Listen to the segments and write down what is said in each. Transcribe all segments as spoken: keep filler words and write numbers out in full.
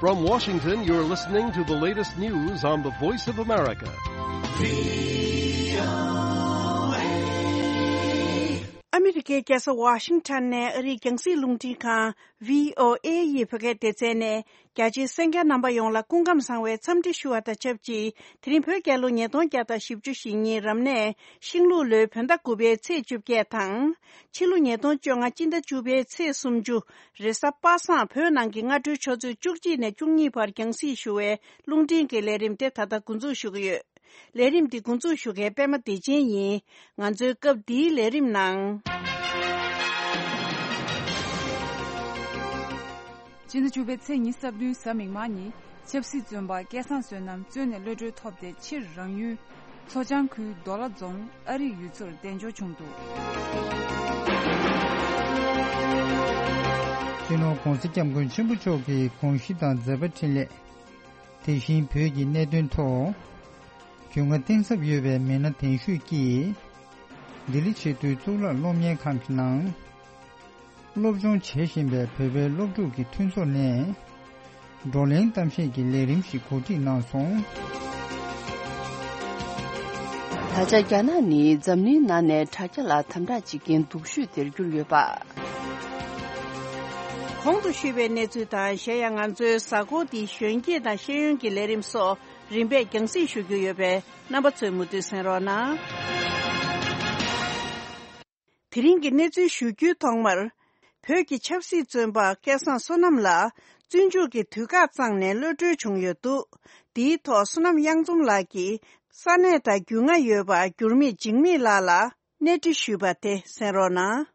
From Washington, you're listening to the latest news on the Voice of America. ཨ་མི་རི་ཀའི་རྒྱལ་ས་ཝ་ཤིང་ཊོན་ནས་ཨ་རིའི་རྒྱང་སྲིང་རླུང་འཕྲིན་ཁང་བྷི་ཨོ་ཨེ་ཡི་བོད་སྐད་སྡེ་ཚན་ནས། རྒྱ་ཆེའི་གསན་མཁན་རྣམ་པ་ཡོངས་ལ་སྐུ་ཁམས་བཟང་བའི་འཚམས་འདྲི་ཞུ་བ་དང་ཆབས་ཅིག་དེ་རིང་བོད་རྒྱལ་ལོ་ཉིས་སྟོང་བརྒྱ་དང་བཞི་བཅུ་ཞེ་གཉིས་རབ་གནས་ཤིང་ལུག་ལོའི་བོད་ཟླ་དགུ་པའི་ཚེས་བཅོ་བརྒྱད་དང་། ཕྱི་ལོ་ཉིས་སྟོང་བཅོ་ལྔ་སྤྱི་ཟླ་བཅུ་པའི་ཚེས་སུམ་ཅུ། རེས་གཟའ་པ་སངས། བོད་ནང་གི་སྔ་དྲོའི་ཆུ་ཚོད་བཅུ་གཅིག་ནས་བཅུ་གཉིས་བར་རྒྱང་སྲིང་ཞུ་བའི་རླུང་འཕྲིན་གྱི་ལས་རིམ་དེ་ད་ལྟ་འགོ་འཛུགས་ཞུ་གི་ཡོད། ལས་རིམ་འདི་འགོ་འཛུགས་ཞུ་མཁན་པད་མ་བདེ་ཆེན་ཡིན། ང་ཚོའི་སྐབས་འདིའི་ལས་རིམ་ནང་། སྤྱི་ཟླ་བཅུ་པའི་ཚེས་ཉི་ཤུ་རྩ་བདུན་གཟའ་མིག་དམར་ཉིན་ཆབ་སྲིད་བཙོན་པ་སྐལ་བཟང་བསོད་ནམས་བཙོན་ནས་གློད་གྲོལ་ཐོབ་སྟེ་ཕྱིར་རང་ཡུལ་མཚོ་བྱང་ཁུལ་མདོ་ལ་རྫོང་ཨ་རིག་ཡུལ་ཚོར་གདན་འཇོག་བྱུང་འདུག་སྤྱི་ནོར་༧གོང་ས་༧སྐྱབས་མགོན་ཆེན་པོ་མཆོག་གི་དགོངས་གཞི་དང་མཛད་པ་འཕྲིན་ལས། དེ་བཞིན་བོད་ཀྱི་གནད་དོན་ཐོག་རྒྱུས་མངའ་གཏིང་ཟབ་ཡོད་པའི་མི་སྣ་གདན་ཞུས་ཀྱིས། ལྡི་ལི་ཆེས་མཐོའི་གཙུག་ལག་སློབ་གཉེར་ཁང་གི་ནང་སློབ་སྦྱོང་བྱེད་བཞིན་པའི་བོད་པའི་སློབ་ཕྲུག་གི་མཐུན་ཚོགས་ནས་བགྲོ་གླེང་གཏམ་བཤད་ཀྱི་ལས་རིམ་ཞིག་གོ་སྒྲིག་གནང་སོང་། ད་ཆ་རྒྱ་ནག་ནི་འཛམ་གླིང་ནང་ནས་དྲ་རྒྱ་ལ་དམ་དྲག་བྱེད་མཁན་སྡུག་ཤོས་དེར་གྱུར་ཡོད་པ། གོང་དུ་ཞུས་པའི་གནས་ཚུལ་དང་། གཞན་ཡང་ང་ཚོའི་གཟའ་འཁོར་འདིའི་གཞོན་སྐྱེས་དང་ཤེས་ཡོན་གྱི་ལས་རིམ་སོགས་རིམ་པས་རྒྱང་སྲིང་ཞུ་རྒྱུ་ཡོད་པས། རྣམ་པ་ཚོས་མུ་མཐུད་གསན་རོགས་གནང་། དེ་རིང་གི་གནས་ཚུལ་ཞུ་རྒྱུའི་ཐོག་མར། བོད་ཀྱི་ཆབ་སྲིད་བཙོན་པ་སྐལ་བཟང་བསོད་ནམས་ལགས་བཙོན་འཇུག་གི་དུས་བཀག་བརྩམས་ནས་གློད་གྲོལ་བྱུང་ཡོད་འདུག་འདིའི་ཐོག་བསོད་ནམས་གཡང་འཛོམས་ལགས་ཀྱིས་ས་གནས་དང་རྒྱུས་མངའ་ཡོད་པ་འགྱུར་མེད་འཇིགས་མེད་ལགས་ལ་གནས་འདྲི་ཞུས་པ་དེ་གསན་རོགས་གནང་།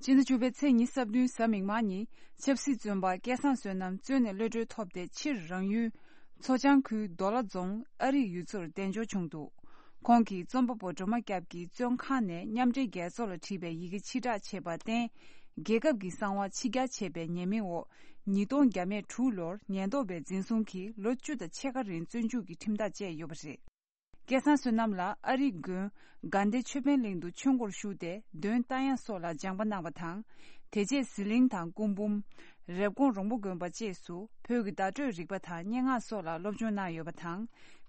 སྤྱི་ཟླ་བཅུ་པའི་ཚེས་ཉི་ཤུ་རྩ་བདུན་གཟའ་མིག་དམར་ཉིན་ཆབ་སྲིད་བཙོན་པ་སྐལ་བཟང་བསོད་ནམས་བཙོན་ནས་གློད་གྲོལ་ཐོབ་སྟེ་ཕྱིར་རང་ཡུལ་མཚོ་བྱང་ཁུལ་མདོ་ལ་རྫོང་ཨ་རིག་ཡུལ་ཚོར་གདན་འཇོག་བྱུང་འདུག་ཁོང་གིས་རྩོམ་པ་པོ་སྒྲོལ་མ་སྐྱབས་ཀྱིས་བཙོན་ཁང་ནས་མཉམ་འབྲེལ་རྒྱལ་ཚོགས་ལ་བྲིས་པའི་ཡི་གེ་ཕྱིར་བསྒྲགས་བྱས་པར་བརྟེན། རྒྱལ་ཁབ་ཀྱི་གསང་བ་ཕྱི་གྱར་བྱས་པའི་ཉེས་མིང་འོག་ཉིས་སྟོང་བརྒྱ་མེད་དྲུག་ལོར་ཉེན་རྟོག་པའི་འཛིན་བཟུང་གིས་ལོ་བཅུ་དང་ཕྱེད་ཀ་རིང་བཙོན་འཇུག་གི་ཁྲིམས་ཐག་བཅད་ཡོད་པ་རེད། སྐལ་བཟང་བསོད་ནམས་ལགས་ཨ་རིའི་དགོན་དགའ་ལྡན་ཆོས་འཕེལ་གླིང་དུ་ཆོས་སྒོར་ཞུགས་ཏེ་འདོན་རྟ་དབྱངས་སོགས་ལ་སྦྱངས་པ་གནང་བ་དང་། དེ་རྗེས་ཟི་ལིང་དང་སྐུ་འབུམ། རེབ་གོང་རོང་པོ་དགོན་པ་བཅས་སུ་བོད་ཀྱི་བརྡ་སྤྲོད་རིག་པ་དང་སྙན་ངག་སོགས་ལ་སློབ་སྦྱོང་གནང་ཡོད་པ་དང་།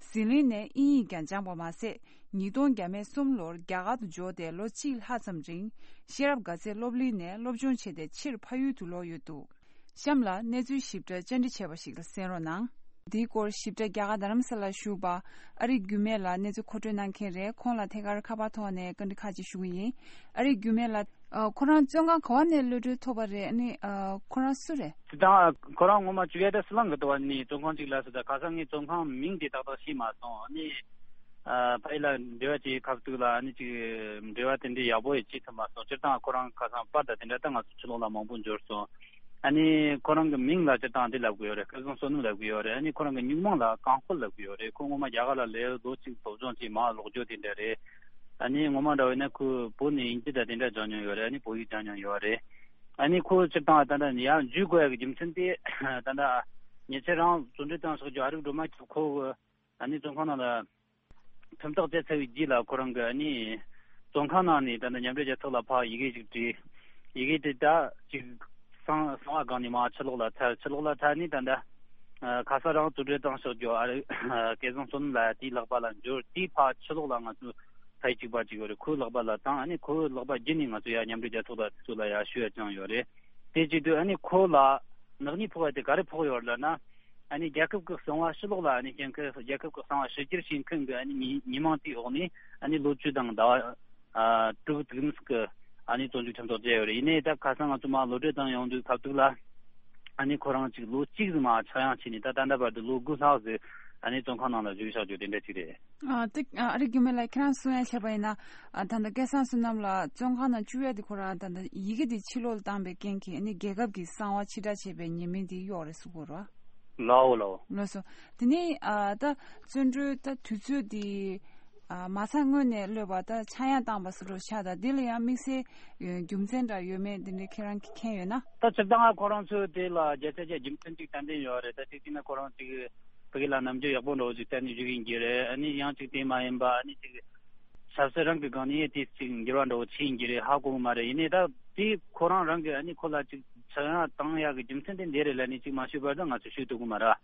ཟི་ལིང་ནས་དབྱིན་ཡིག་ཀྱང་སྦྱངས་པ་མ་ཟད། ཉིས་སྟོང་བརྒྱ་མེད་གསུམ་ལོར་རྒྱ་གར་དུ་འབྱོར་ཏེ་ལོ་གཅིག་ལྷག་ཙམ་རིང་ཤེས་རབ་དགའ་ཚལ་སློབ་གླིང་ནས་སློབ་སྦྱོང་བྱས་ཏེ་ཕྱིར་ཕ་ཡུལ་དུ་ལོག་ཡོད་འདུག་གཤམ་ལ་གནས་ཚུལ་ཞིབ་ཕྲ་བཅར་འདྲི་བྱས་པ་ཞིག་ལ་གསན་རོགས་གནང་། འདིའི་སྐོར་ཞིབ་ཕྲ་རྒྱ་གར་རྡ་རམ་ས་ལར་བཞུགས་པ་ཨ་རིག་འགྱུར་མེད་ལགས་གནས་ཚུལ་མཁོ་སྤྲོད་གནང་མཁན་རེད། ཁོང་ལ་ཐད་ཀར་ཁ་པར་ཐོག་ནས་བཀའ་འདྲི་ཁག་ཅིག་ཞུ་གི་ཡིན། ཨ་རིག་འགྱུར་མེད་ལགས། ཨ། ཁོ་རང་བཙོན་ཁང་ག་བ་ནས་གློད་གྲོལ་ཐོབ་པ་རེད། ཨ་ནི། ཨ། ཁོ་རང་སུ་རེད། དེ་དང་ཁོ་རང་ངོ་མ་བཅོ་ཡ་དེ་སི་ལང་གི་དུ་བ་ནི་བཙོན་ཁང་ཅིག་ལ་སི་ད་ག་ས་ངའི་བཙོན་ཁང་མིང་དེ་ཏག་ཏག་ཤེས་མ་སོང་། ཨ་ནི། ཨ། ཕ་ཡི་ལ་འབྲེལ་བ་བྱེད་ཁ་ཐུག་ལ་ཨ་ནི་ཅིག་འབྲེལ་བ་དེ་འདྲའི་ཡག་པོ་ཡི་བྱེད་ཐུབ་མ་སོང་། སྤྱིར་བཏང་ཁོ་རང་ཁ་སང་པར་དང་དེ་འདྲ་ད་ང་ཚོ་ཕྱི་ལོགས་ལ་མང་པོ་འབྱོར་སོང་། ཨ་ནི་ཁོ་རང་གི་མིང་ལ་སྤྱིར་བཏང་འདི་ལབ་གི་ཡོད་རེད། སྐལ་བཟང་བསོད་ནམས་ལབ་གི་ཡོད་རེད། ཨ་ནི་ཁོ་རང་གི་སྨྱུག་མིང་ལ་རྐང་སྤོལ་ལབ་གི་ཡོད་རེད། ཁོ་ངོ་མ་རྒྱ་གར་ལ་ལས་ལོ་གཅིག་སློབ་སྦྱོང་བྱས་མར་ལོག་རྒྱུ་དེ་འདྲ་རེད། ཨ་ནི་ངོ་མ་འདྲ་བོ་ཡིན་ན་ཁོས་བོད་ནས་དབྱིན་ཇི་དང་དེ་འདྲ་སྦྱངས་མྱོང་ཡོད་རེད། ཨ་ནི་བོད་ཡིག་སྦྱངས་མྱོང་ཡོད་རེད། ཨ་ནི་ཁོ་སྤྱིར་བཏང་ད་ལྟ་ཡར་འཇུས་དགོས་ཡ་གི་རྒྱུ་མཚན་དེ་ད་ལྟ་ཉེ་ཆར་རང་བཙོན་འགྲོལ་བཏང་ཤག་རྒྱུ་ཨ་རིག་སྒྲོལ་མ་ཁྱོད་ཁོ་གི་ཨ་ནི་བཙོན་ཁང་ནང་ལ་ཁྲིམས་ཐག་བཅད་ཚར་བའི་རྗེས་ལ་ཁོ་རང་གི་ཨ་ནི་བཙོན་ཁང་ནང་ནས་ད་ལྟ་མཉམ་འབྲེལ་རྒྱལ་ཚོགས་ལ་ཕར་ཡི་གེ་ཞིག་བྲིས། ཡི་གེ་དེ་ད་ཅིག་གསང་གསང་བ་སྒང་ནས་མར་ཕྱི་ལོགས་ལ་ཐར། ཕྱི་ལོགས་ལ་ཐར་ནས་ད་ལྟ་ཁ་སང་རང་བཙོན་འགྲོལ་བཏང་ཤག་རྒྱུ་ཨ་རིག་སྐལ་བཟང་བསོད་ནམས་ལགས་དེའི་ལག་པ་ལ་འབྱོར། དེའི་ཕར་ཕྱི་ལོགས་ལ་ང་ཚོ་ཕ་ཡུལ་གཅིག་པ་གཅིག་ཡོད་རེད། ཁོའི་ལག་པ་ལ་བཏང་། ཨ་ནི་ཁོའི་ལག་པ་བརྒྱུད་ནས་ང་ཚོ་ཡར་མཉམ་འབྲེལ་རྒྱལ་ཚོགས་ལ་དེ་ཚོ་ལ་ཡར་ཞུ་ཡ་བཅངས་ཡོད་རེད། དེ་བྱེད་དུས་ཨ་ནི་ཁོ་ལ་ནག་ཉེས་ཕོག་པ་དེ་ག་རེ་ཕོག་ཡོད་རེད་ལབ་ན། ཨ་ནི་རྒྱལ་ཁབ་ཀྱི་གསང་བ་ཕྱི་ལོགས་ལ་ཨ་ནི་སྐྱེལ་མཁན། རྒྱལ་ཁབ་ཀྱི་གསང་བ་ཕྱི་འགྱུར་བྱེད་མཁན་གྱི་ཨ་ནི་ཉེས་ཉེས་མིང་དེའི་འོག་ནས་ཨ་ནི་ལོ་བཅུ་དང་ཟླ་བ་ཨ་དྲུག་དུས་ཀྱི་ཨ་ནི་བཙོན་འཇུག་ཁྲིམས་ཐག་བཅད་ཡོད་རེད། ཡིན་ནའི་ད་ཁ་སང་ང་ཚོ་མར་གློད་གྲོལ་བཏང་ཡོང་དུས་ཁ་ཐུག་ལ་ཨ་ནི་ཁོ་རང་ཅིག་ལོ་གཅིག་ཙམ་མར་ཆག་ཡང་བྱས་ནས་ད་ད་ལྟ་བར་དུ་ལོ་དགུ་ལྷག་ཙམ་ཨ་ནི་བཙོན་ཁང་ནང་ལ་བཞུགས་བཞག་རྒྱུ་དེ་འདྲ་ཅིག་རེད། ཨ། དེ་ཨ་རིག་འགྱུར་མེད་ལགས་ཁྱེད་རང་གསུང་ཡ་བྱས་པ་ཡིན་ན། ཨ། ད་ལྟ་སྐལ་བཟང་བསོད་ནམས་ལགས་བཙོན་ཁང་ནང་བཅུག་ཡ་དེ་ཁོ་རང་ད་ལྟ་ཡི་གེ་དེ་ཕྱི་ལོགས་ལ་བཏང་པའི་རྐྱེན་གྱིས་ཨ་ནི་རྒྱལ་ཁབ་ཀྱི་གསང་བ་ཕྱིར་བསྒྲགས་བྱས་པའི་ཉེས་མིང་དེ་གཡོགས་རེད་གསུང་གི་ཡོད་རེད་བ། ལའོ་ལའོ། ལགས་སོ། དེ་ནས་ཨ་ད་བཙོན་གྲོལ་ད་དུས་ཚོད་དེ་ཨ་མ་ཚང་སྔོན་ནས་གློད་པ་ད་ཆག་ཡང་བཏང་པ་སོགས་ཆགས། ད་དེ་ལ་ཡང་དམིགས་བསལ་རྒྱུ་མཚན་འདྲ་ཡོད་མེད་དེ་འདྲ་ཁྱེད་རང་གིས་མཁྱེན་ཡོད་ན། ད་སྤྱིར་བཏང་ང་ཁོ་རང་ཚོས་དེ་ལ་བརྒྱ་ཆ་བརྒྱ་རྒྱུ་མཚན་གཅིག་ཏན་ཏན་ཡོད་རེད། ད་གཅིག་བྱས་ན་ཁོ་རང་གཅིག་ཕ་གི་ལ་ནམ་རྒྱུན་ཡག་པོ་འདྲ་བོ་ཅིག་བསྟན་ནས་བཞུགས་ཡིན་གྱི་རེད། ཨ་ནི་ཡང་ཅིག་དེ་མ་ཡིན་པ་ཨ་ནི་ཅིག་ཆབ་སྲིད་རང་གི་སྒང་ནས་དེ་ཅིག་འགྱུར་བ་འདྲ་བོ་ཕྱིན་ཡིན་གྱི་རེད། ཧ་གོ་གི་མ་རེད། ཡིན་ནའི་ད་དེ་ཁོ་རང་རང་གི་ཨ་ནི་ཁོ་ལ་ཅིག་ ཕྱིར་ཡང་བཏང་ཡག་གི་རྒྱུ་མཚན་དེ་འདི་རེད་ལབ་ནས་ཅིག་མ་ཤོད་པར་ད་ང་ཚོས་ཤོད་ཐུབ་གི་མ་རེད།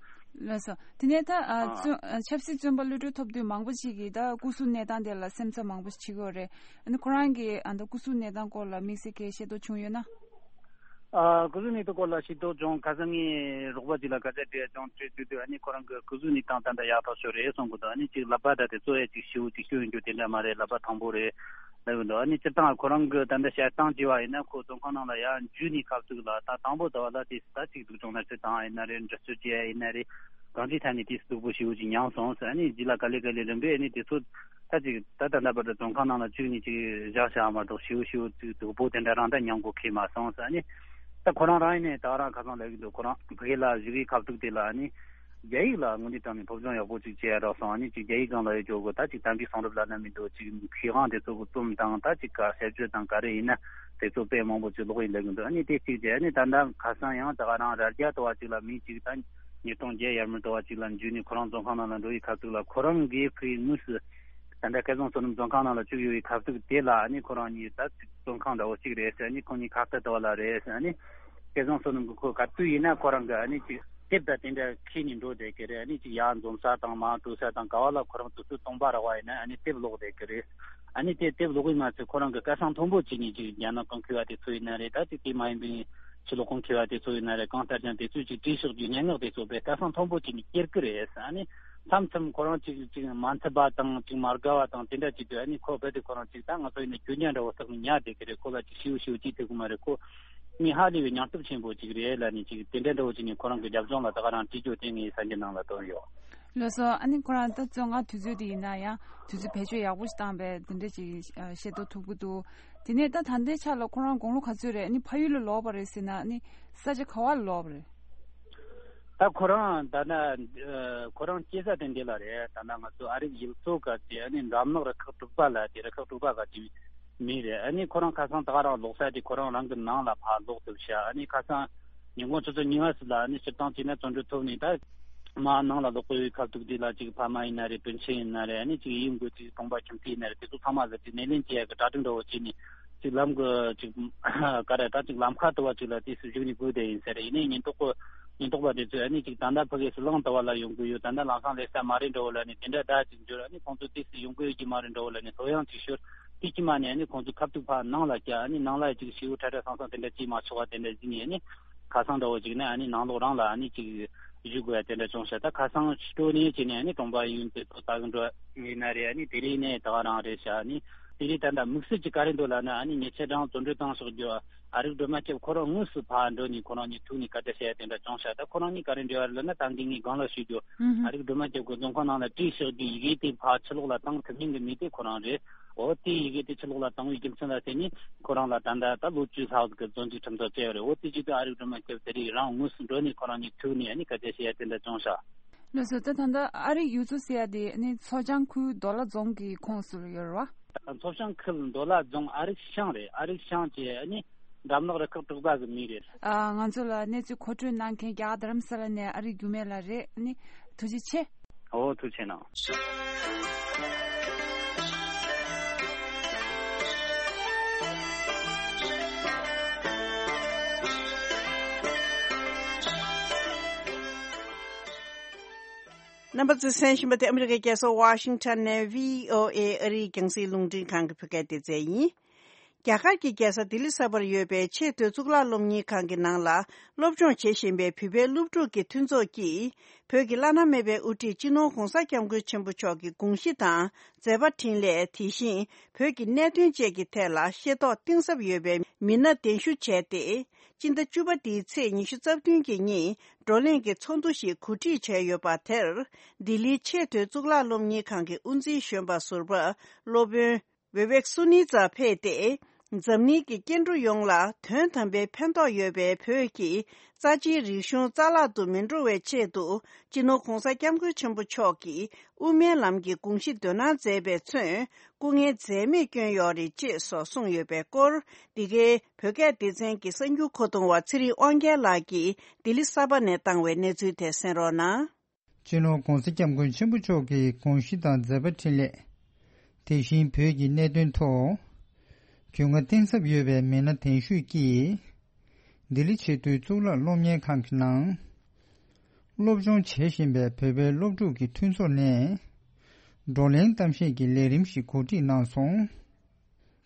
ལགས་སོ། དེ་ནས་ད་ཨ། ཨ། བཙོན་ཨ། ཆབ་སྲིད་བཙོན་པ་གློད་གྲོལ་ཐོབ་དུས་མང་པོ་ཞིག་གིས་ད་སྐུ་གཟུགས་གནས་སྟངས་དེ་ལ་སེམས་འཚབ་མང་པོ་ཞིག་བྱེད་ཀྱི་ཡོད་རེད། ཨ་ནི་ཁོ་རང་གིས་ཨ། ད་སྐུ་གཟུགས་གནས་སྟངས་སྐོར་ལ་དམིགས་བསལ་གྱི་ཤེས་རྟོགས་བྱུང་ཡོད་ན། ཨ། སྐུ་གཟུགས་གནས་སྟངས་སྐོར་ལ་ཤེས་རྟོགས་བྱུང་། ཁ་སང་ངས་རོགས་པ་ཅིག་ལ་སྐད་ཆ་དྲིས་བྱུང་། དྲིས་དུས་དུས་ཨ་ནི་ཁོ་རང་གི་སྐུ་གཟུགས་གནས་སྟངས་ད་ལྟ་ཡག་ཐག་ཆོད་རེད་གསུང་གི་འདུག་ཨ་ནི་ཅིག་ལག་པ་ད་དེ་ཚོ་ཡ་ཅིག་ཤི་བོ་ཅིག་སྐྱོན་ཡོད་རྒྱུ་དེ་འདྲ་མ་རེད། ལག་པ་ཐང་པོ་རེད་ལབ་གི་འདུག་ཨ་ནི་སྤྱིར་བཏང་ཁོ་རང་གི་ད་ལྟ་བཤད་སྟངས་བྱས་པ་ཡིན་ན་ཁོ་བཙོན་ཁང་ནང་ལ་ཡར་འཇུས་ནས་ཁ་ཐུག་ལ་ད་དང་པོ་ད་བ་ལ་དེ་ད་ཅིག་སྡུག་སྦྱོང་ན་ཚོད་བཏང་ཡིན་ན་རེད། འདྲི་གཅོད་བྱས་ཡིན་ན་རེད། གང་ཅིའི་ཐད་ནས་དེ་སྡུག་པོ་ཞེ་པོ་ཅིག་མྱངས་སོང་ཟེར། ཨ་ནི་རྗེས་ལ་ག་ལེ་ག་ལེ་རིམ་པས་ཨ་ནི་དེ་ཚོ་ད་ཅིག་ད་ད་ལྟ་བར་དུ་བཙོན་ཁང་ནང་ལ་བཅུག་ནས་ཅིག་བཞག་བཞག་མ་གཏོགས་ཞེ་པོ་ཞེ་པོ་ཅིག་སྡུག་པོ་དེ་འདྲ་རང་ད་མྱངས་གོ་ཁེལ་མ་སོང་ཟེར། ཨ་ནི་ད་ཁོ་རང་རང་ཡིན་ནའི་ད་རང་ཁ་སང་ལབ་ཀྱི་འདུག་ཁོ་རང་ཕ་གི་ལ་བཞུགས་ཡིག་ཁ་ཐུག་དེ་ལ་ཨ་ནི་རྒྱ་ཡིག་ལ་དངོས་གནས་དྲང་ནས་སློབ་སྦྱོང་ཡག་པོ་ཅིག་བྱས་རོགས་གསུངས། ཨ་ནི་ཅིག་རྒྱ་ཡིག་སྒང་ལ་ཡོད་ཅོག་གི་ད་ཅིག་དམ་པའི་གསུང་རབ་ལབ་ན་མི་འདུག་ཅིག་མཁས་དབང་དེ་ཚོ་གི་རྩོམ་དང་ད་ཅིག་ག་དཔྱད་བརྗོད་དང་ག་རེ་ཡིན་ན་དེ་ཚོ་དཔེ་མང་པོ་ཅིག་ཀློག་ཡིན་ལབ་གི་འདུག་ཨ་ནི་དེ་གཅིག་བྱས། ཨ་ནི་ད་ལྟ་ཁ་སང་ཡང་ད་ག་རང་རྭ་རྒྱ་ལྟ་བ་ཅིག་ལ་མི་ཅིག་ད་ཉིས་སྟོང་བརྒྱད་ཡར་མར་ལྟ་བ་ཅིག་ལ་འཇུས་ནས་ཁོ་རང་བཙོན་ཁང་ནང་ལ་འགྲོ་ཡི་ཁ་ཐུག་ལ་ཁོ་རང་གིས་ཕ་གིའི་དངོས་སུ་ད་ལྟ་སྐལ་བཟང་བསོད་ནམས་བཙོན་ཁང་ནང་ལ་བཅུག་ཡོད་པའི་ཁ་ཐུག་དེ་ལ་ཨ་ནི་ཁོ་རང་གཉིས་ད་བཙོན་ཁང་འདྲ་བོ་གཅིག་རེད་ཟེར། ཨ་ནི་ཁོང་གཉིས་ཁ་བརྡ་ལྟ་བ་ལ་རེད་ཟེར། ཨ་ནི་སྐལ་བཟང་བསོད་ནམས་ཀྱིས་ཁོ་ག་དུས་ཡིན་ན་ཁོ་རང་གི་ཨ་ནི་ཅིག་དེབ་དང་དེ་འདྲ་ཁྱེར་ནས་འགྲོ་བསྡད་ཀྱི་རེད། ཨ་ནི་ཅིག་ཡར་འཛོམས་ས་དང་མར་འགྲོ་ས་དང་ག་བ་ལ་ཁོ་རང་དུས་ཚོད་སྟོང་པ་རག་པ་ཡིན་ན་ཨ་ནི་དེབ་ཀློག་བསྡད་ཀྱི་རེད། ཨ་ནི་དེ་དེབ་ཀློག་གི་མ་ཚད་ཁོ་རང་གི་སྐད་གསང་མཐོན་པོ་བྱས་ནས་ཅིག་རྒྱ་ནག་གཏམ་མཁས་པ་དེ་ཚོ་ཡིན་ན་རེད། ད་ཅིག་དེ་མ་ཡིན་པའི་ཕྱི་ལོགས་གཏམ་མཁས་པ་དེ་ཚོ་ཡིན་ན་རེད། གང་ལྟར་ཀྱང་དེ་ཚོས་ཅིག་བྲིས་ཕྱོགས་ཀྱི་སྙན་ངག་དེ་ཚོ་དཔེ་སྐད་གསང་མཐོན་པོ་བྱས་ནས་སྐྱེལ་གི་རེད། ཨ་ནི་མཚམས་མཚམས་ཁོ་རང་ཅིག་ཅིག་མ་འཚམས་པ་དང་ཅིག་མ་དགའ་བ་དང་དེ་འདྲ་ཅིག་དུས་ཨ་ནི་ཁོ་རྦད་དེ་ཁོ་རང་ཅིག་ད་ང་ཚོ་ཡིན་ན་གྱོད་རྒྱ་འདྲ་བོ་བཏགས་ནས་ཉར་བསྡད་ཀྱི་རེད། ཁོ་ལ་ཅིག་ཞེ་པོ་ཞེ་པོ་ཅིག་ཐེབས་གི་མ་རེད། ཁོ་མི་ཧ་ལས་པའི་སྙིང་སྟོབས་ཆེན་པོ་ཅིག་རེད་ལབ་ནས་ཅིག་དེ་འདྲ་འདྲ་བོ་ཅིག་ནས་ཁོ་རང་གི་རྒྱབ་ལྗོངས་ལ་ད་ག་རང་བྲིས་རྒྱུ་དེ་ངའི་གསར་འགྱུར་ནང་ལ་བཏོན་ཡོད། ལགས་སོ། ཨ་ནི་ཁོ་རང་ད་བཙོན་ཁང་དུས་ཚོད་དེ་ཡིན་ན་ཡང་དུས་ཚོད་བེད་སྤྱོད་ཡག་པོ་ཞིག་བཏང་པས་དེ་འདྲ་ཅིག་ཤེས་རྟོགས་ཐུབ་ཀྱི་འདུག་དེ་ནས་ད་ད་ལྟའི་ཆ་ལ་ཁོ་རང་དགུང་ལོ་ག་ཚོད་རེད། ཨ་ནི་ཕ་ཡུལ་ལ་ལོག་པ་རེད་ཟེར་ན་ཨ་ནི་ས་ཆ་ག་བ་ལ་ལོག་པ་རེད། ད་ཁོ་རང་ད་ན་ཁོ་རང་སྐྱེས་ས་དེ་འདི་ལ་རེད། ད་ན་ང་ཚོ་ཨ་རིག་ཡུལ་ཚོ་ག་ཅེ་ཨ་ནི་འགྲམ་ནག་རུ་ཁག་དྲུག་པ་ལ་དེ་རུ་ཁག་དྲུག་པ་ག་ཅེ་མི་རེད། ཨ་ནི་ཁོ་རང་ཁ་སང་ད་ག་རང་ལོག་ས་དེ་ཁོ་རང་རང་གི་ནང་ལ་ཕར་ལོག་ཐུབ་ཤག་ཨ་ནི་ཁ་སང་ཉིན་གུང་ཆུ་ཚོད་ཉི་ཤུ་ལ་ཨ་ནི་སྤྱིར་བཏང་བྱས་ན་བཙོན་གྲོལ་ཐོབ་ནས་ད་མར་ནང་ལ་ལོག་གི་ཡོད། ཁ་ཐུག་དེ་ལ་ཅིག་ཕ་མ་ཡིན་ན་རེད། སྤུན་མཆེད་ཡིན་ན་རེད། ཨ་ནི་ཅིག་ཡུལ་འགོ་ཅིག་གྲོང་པ་ཁྱིམ་མཚེས་ཡིན་ན་རེད། དེ་ཚོ་ཚང་མ་ལ་ཅིག་སྣེ་ལེན་བྱེད་ཡ་གི་གྲ་སྒྲིག་འདྲ་བོ་བྱས་ནས་ཅིག་ལམ་གི་ཅིག་ག་རེ་ད་ཅིག་ལམ་ཁ་དུ་བ་ཅིག་ལ་དུས་སུ་བཞུགས་ནས་སྒུག་བསྡད་ཡིན་ཟེར། ཡིན་ནའི་ཉེན་རྟོག་པ་ཉེན་རྟོག་པ་དེ་ཚོས་ཨ་ནི་ཅིག་ད་ལྟ་ཕ་གི་སུ་ལང་དུ་བ་ལ་ཡོང་གི་ཡོད། ད་ལྟ་ལམ་སང་སླེབས་ས་མ་རེད་འདྲ་བོ་ལ་ནི་དེ་འདྲ་ད་ཅིག་འབྱོར། ཨ་ནི་ཁོང་ཚོ་དུས་སུ་ཡོང་གི་ཡོད་ཀྱི་མ་རེད་འདྲ་བོ་ལ་ནི་ལྷོད་ཡངས་ཅིག་ཤོར། དེ་ཀྱི་མ་ནས་ཨ་ནི་ཁོང་ཚོ་ཁ་ཐུག་ཕར་ནང་ལ་བསྐྱལ། ཨ་ནི་ནང་ལ་ཅིག་ཞེ་པོ་ཁྲ་ཁྲ་སང་སང་དེ་འདྲ་ཅིག་མ་ཆོག་པ་དེ་འདྲ་ཟིན་ནས་ཨ་ནི་ཁ་སང་འདྲ་བོ་ཅིག་ནས་ཨ་ནི་ནང་ལོགས་རང་ལ་ཨ་ནི་ཅིག་བཞུགས་དགོས་ཡ་དེ་འདྲ་བྱུང་ཤག་ད་ཁ་སང་སྤྲོ་ནས་བྱས་ནས་ཨ་ནི་གྲོང་པ་ཡུན་དེ་ཚོ་ལྟ་གི་འགྲོ་ཡིན་ན་རེད། ཨ་ནི་དེ་རིང་ནས་ད་ག་རང་རེད་ཤག་ཨ་ནི་དེ་རིང་ད་ལྟ་དམིགས་བསལ་གྱི་ག་རེ་འདུག་ལབ་ན་ཨ་ནི་ཉེ་ཆར་རང་བཙོན་གྲོལ་བཏང་ཕྱོགས་རྒྱུ་ཨ་རིག་སྒྲོལ་མ་སྐྱབས་ཁོ་རང་དངོས་སུ་ཕར་འགྲོ་ནས་ཁོ་རང་གཉིས་ཐུག་ནས་སྐད་ཆ་བཤད་ཡ་དེ་འདྲ་བྱུང་ཤག་ད་ཁོ་རང་གཉིས་ག་རེ་འབྲེལ་བ་རེད་ལབ་ན་ད་གིན་ངས་སྒང་ལ་ཞུས་རྒྱུ་ཨ་རིག་སྒྲོལ་མ་སྐྱབས་ཁོ་བཙོན་ཁང་ནང་ལ་བྲིས་ཕྱོགས་རྒྱུ་ཡི་གེ་དེ་ཕར་ཕྱི་ལོགས་ལ་བཏང་ཐུབ་མིན་གྱི་མི་དེ་ཁོ་རང་རེད། འོ་དེ་ཡི་གེ་དེ་ཕྱི་ལོགས་ལ་བཏང་བའི་རྒྱུ་མཚན་ལ་བརྟེན་ནས་ཁོ་རང་ལ་ད་ལྟ་ད་ལོ་བཅུ་ལྷག་གི་བཙོན་འཇུག་ཁྲིམས་ཐག་བཅད་ཡོད་རེད། འོ་དེ་བྱེད་དུས་ཨ་རིག་སྒྲོལ་མ་སྐྱབས་དེ་རིང་རང་དངོས་སུ་འགྲོ་ནས་ཁོ་རང་གཉིས་ཐུག་ནས་ཨ་ནི་སྐད་ཆ་བཤད་ཡ་དེ་འདྲ་བྱུང་ཤག་ལགས་སོ། ད་ད་ལྟ་ཨ་རིག་ཡུལ་ཚོ་ཟེར་ཡ་དེ་ཨ་ནི་མཚོ་བྱང་ཁུལ་མདོ་ལ་རྫོང་གི་ཁོངས་སུ་ཡོད་རེད་བ། མཚོ་བྱང་ཁུལ་མདོ་ལ་རྫོང་ཨ་རིག་ཤང་རེད། ཨ་རིག་ཤང་གི་ཨ་ནི་འགྲམ་ནག་རུ་ཁག་དྲུག་པ་གི་མི་རེད། ཨ། ང་ཚོ་ལ་གནས་ཚུལ་མཁོ་སྤྲོད་གནང་མཁན་རྒྱ་གར་རྡ་རམ་ས་ལ་ནས་ཨ་རིག་རྒྱུད་སྨད་ལགས་རེད། ཨ་ནི་ཐུགས་རྗེ་ཆེ། ཨོ་ཐུགས་རྗེ་གནང་། རྣམ་པ་ཚོས་གསན་བཞིན་པ་དེ་ཨ་མི་རི་ཀའི་རྒྱལ་ས་ཝ་ཤིང་ཊོན་ནས་བྷི་ཨོ་ཨེ་ཨ་རིའི་རྒྱང་སྲིང་རླུང་འཕྲིན་ཁང་གི་བོད་སྐད་སྡེ་ཚན་ཡིན། རྒྱ་གར་གྱི་རྒྱལ་ས་ལྡི་ལི་གསར་པར་ཡོད་པའི་ཆེས་མཐོའི་གཙུག་ལག་སློབ་གཉེར་ཁང་གི་ནང་ལ་སློབ་སྦྱོང་བྱེད་བཞིན་པའི་བོད་པའི་སློབ་ཕྲུག་གི་མཐུན་ཚོགས་ཀྱིས་བོད་ཀྱི་བླ་ན་མེད་པའི་དབུ་ཁྲིད་སྤྱི་ནོར་༧གོང་ས་༧སྐྱབས་མགོན་ཆེན་པོ་མཆོག་གི་དགོངས་གཞི་དང་མཛད་པ་འཕྲིན་ལས། དེ་བཞིན་བོད་ཀྱི་གནད་དོན་བཅས་ཀྱི་ཐད་ལ་ཤེས་རྟོགས་གཏིང་ཟབ་ཡོད་པའི་མི་སྣ་གདན་ཞུ་བྱས་ཏེ། སྤྱི་ཟླ་བཅུ་པ་འདིའི་ཚེས་ཉི་ཤུ་རྩ་བདུན་གྱི་ཉིན་བགྲོ་གླེང་གི་ཚོགས་འདུ་ཞིག་གོ་སྒྲིག་བྱས་ཡོད་པ་དེར་ལྡི་ལིའི་ཆེས་མཐོའི་གཙུག་ལག་སློབ་གཉེར་ཁང་གི་དབུ་འཛིན་གཞོན་པ་ཟུར་པ་སློབ་དཔོན་བེ་བེག་སུ་ནི་ཙཱ་ཕེབས་ཏེ། འཛམ་གླིང་གི་སྐྱེ་འགྲོ་ཡོངས་ལ་དོན་དམ་པའི་ཕན་ཐོགས་ཡོད་པའི་བོད་ཀྱི་རྩ་ཆེའི་རིག་གཞུང་རྩ་བརླག་ཏུ་མི་འགྲོ་བའི་ཆེད་དུ་སྤྱི་ནོར་༧གོང་ས་༧སྐྱབས་མགོན་ཆེན་པོ་མཆོག་གིས་དབུ་མའི་ལམ་གྱི་དགོངས་གཞི་འདོན་གནང་མཛད་པས་མཚོན། སྐུ་ངལ་འཛེམས་མེད་བསྐྱོན་ཡོད་རེད་ཅེས་སོགས་གསུངས་ཡོད་པའི་སྐོར། འདི་གའི་བོད་སྐད་སྡེ་ཚན་གྱི་གསར་འགྱུར་མཁོ་གཏོང་བ་ཚེ་རིང་དབང་རྒྱལ་ལགས་ཀྱིས་ལྡི་ལི་གསར་པ་ནས་བཏང་བའི་གནས་ཚུལ་དེ་གསན་རོགས་གནང་། སྤྱི་ནོར་༧གོང་ས་༧སྐྱབས་མགོན་ཆེན་པོ་མཆོག་གི་དགོངས་གཞི་དང་མཛད་པ་འཕྲིན་ལས། དེ་བཞིན་བོད་ཀྱི་གནད་དོན་ཐོག་རྒྱུས་མངའ་གཏིང་ཟབ་ཡོད་པའི་མི་སྣ་གདན་ཞུས་ཀྱིས། ལྡི་ལི་ཆེས་མཐོའི་གཙུག་ལག་སློབ་གཉེར་ཁང་གི་ནང་སློབ་སྦྱོང་བྱེད་བཞིན་པའི་བོད་པའི་སློབ་ཕྲུག་གི་མཐུན་ཚོགས་ནས་བགྲོ་གླེང་གཏམ་བཤད་ཀྱི་ལས་རིམ་ཞིག་གོ་སྒྲིག་གནང་སོང་།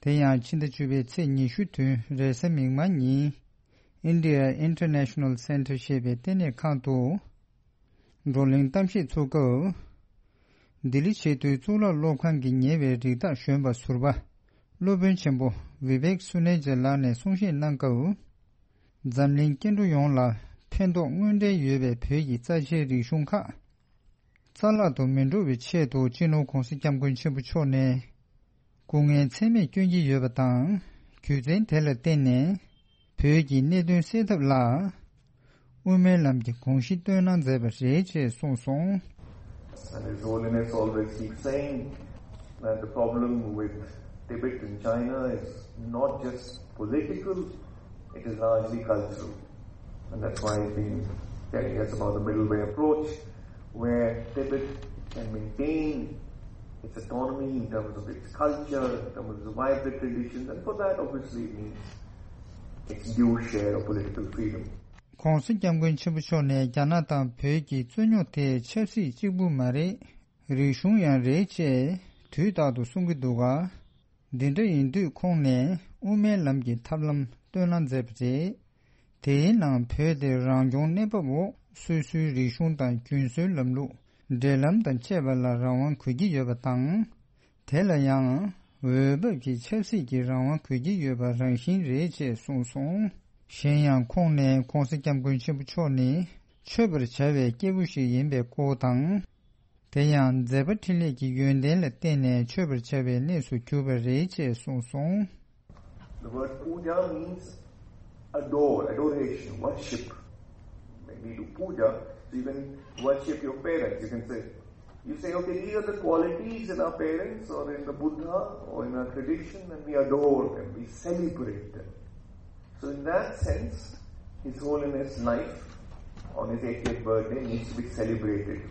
དེ་ཡང་ཕྱི་ཟླ་བཅུ་པའི་ཚེས་ཉི་ཤུ་བདུན་རེས་གཟའ་མིག་དམར་ཉིན་India International Center ཞེས་པའི་ལྟེ་གནས་ཁང་དུ་བགྲོ་གླེང་གཏམ་བཤད་ཚུགས་སྐབས། ལྡི་ལི་ཆེས་མཐོའི་གཙུག་ལག་སློབ་ཁང་གི་ཉེ་བའི་རིགས་བདག་གཞོན་པ་ཟུར་པ་སློབ་དཔོན་ཆེན་པོ་Vivek Suneja ལགས་ནས་གསུང་བཤད་གནང་སྐབས། འཛམ་གླིང་སྐྱེ་འགྲོ་ཡོངས་ལ་ཕན་ཐོགས་དངོས་འབྲེལ་ཡོད་པའི་བོད་ཀྱི་རྩ་ཆེའི་རིག་གཞུང་ཁག་རྩ་བརླག་ཏུ་མི་འགྲོ་བའི་ཆེད་དུ་སྤྱི་ནོར་༧གོང་ས་༧སྐྱབས་མགོན་ཆེན་པོ་མཆོག་ནས་སྐུ་ངལ་ཚད་མེད་བསྐྱོན་གྱི་ཡོད་པ་དང་། རྒྱུ་མཚན་དེ་ལ་བརྟེན་ནས་བོད་ཀྱི་གནད་དོན་སེལ་ཐབས་ལ་དབུ་མའི་ལམ་གྱི་དགོངས་གཞི་བཏོན་གནང་མཛད་པ་རེད་ཅེས་གསུངས་སོང་། And His Holiness always keeps saying that the problem with Tibet in China is not just political, it is largely cultural. And that's why he's been telling us about the middle way approach, where Tibet can maintain its autonomy in terms of its culture, in terms of its vibrant traditions, and for that, obviously, it needs its due share of political freedom. ༧གོང་ས་༧སྐྱབས་མགོན་ཆེན་པོ་མཆོག་ནས་རྒྱ་ནག་དང་བོད་ཀྱི་རྩོད་རྙོག་དེ་ཆབ་སྲིད་གཅིག་པུ་མ་རེད། རིག་གཞུང་ཡང་རེད་ཅེས་དུས་རྟག་ཏུ་གསུང་གི་འདུག་ག་འདི་འདྲ་ཡིན་དུས་ཁོང་ནས་དབུ་མའི་ལམ་གྱི་ཐབས་ལམ་བཏོན་གནང་མཛད་པ་རེད། དེའི་ནང་བོད་དེ་རང་སྐྱོང་གནས་བབ་འོག་སོ་སོའི་རིག་གཞུང་དང་རྒྱུན་སྲོལ་ལམ་ལུགས་འབྲེལ་ལམ་དང་བཅས་པ་ལ་རང་དབང་དགོས་ཀྱི་ཡོད་པ་དང་། དེ་ལ་ཡང་འོས་བབ་ཀྱི་ཆབ་སྲིད་ཀྱི་རང་དབང་དགོས་ཀྱི་ཡོད་པ་རང་བཞིན་རེད་ཅེས་གསུངས་སོང་། གཞན་ཡང་ཁོང་ནས་༧གོང་ས་༧སྐྱབས་མགོན་ཆེན་པོ་མཆོག་ནི་མཆོད་པར་བྱ་བའི་སྐྱེས་བུ་ཞིག་ཡིན་པའི་སྐོར་དང་། དེ་ཡང་མཛད་པ་འཕྲིན་ལས་ཀྱི་ཡོན་ཏན་ལ་བརྟེན་ནས་མཆོད་པར་བྱ་བའི་གནས་སུ་གྱུར་པ་རེད་ཅེས་གསུངས་སོང་། The word puja means adore, adoration, worship. When we do puja, so you can worship your parents, you can say, you say, okay, these are the qualities in our parents or in the Buddha or in our tradition, and we adore them, we celebrate them. So in that sense, His Holiness' life on his eightieth birthday needs to be celebrated.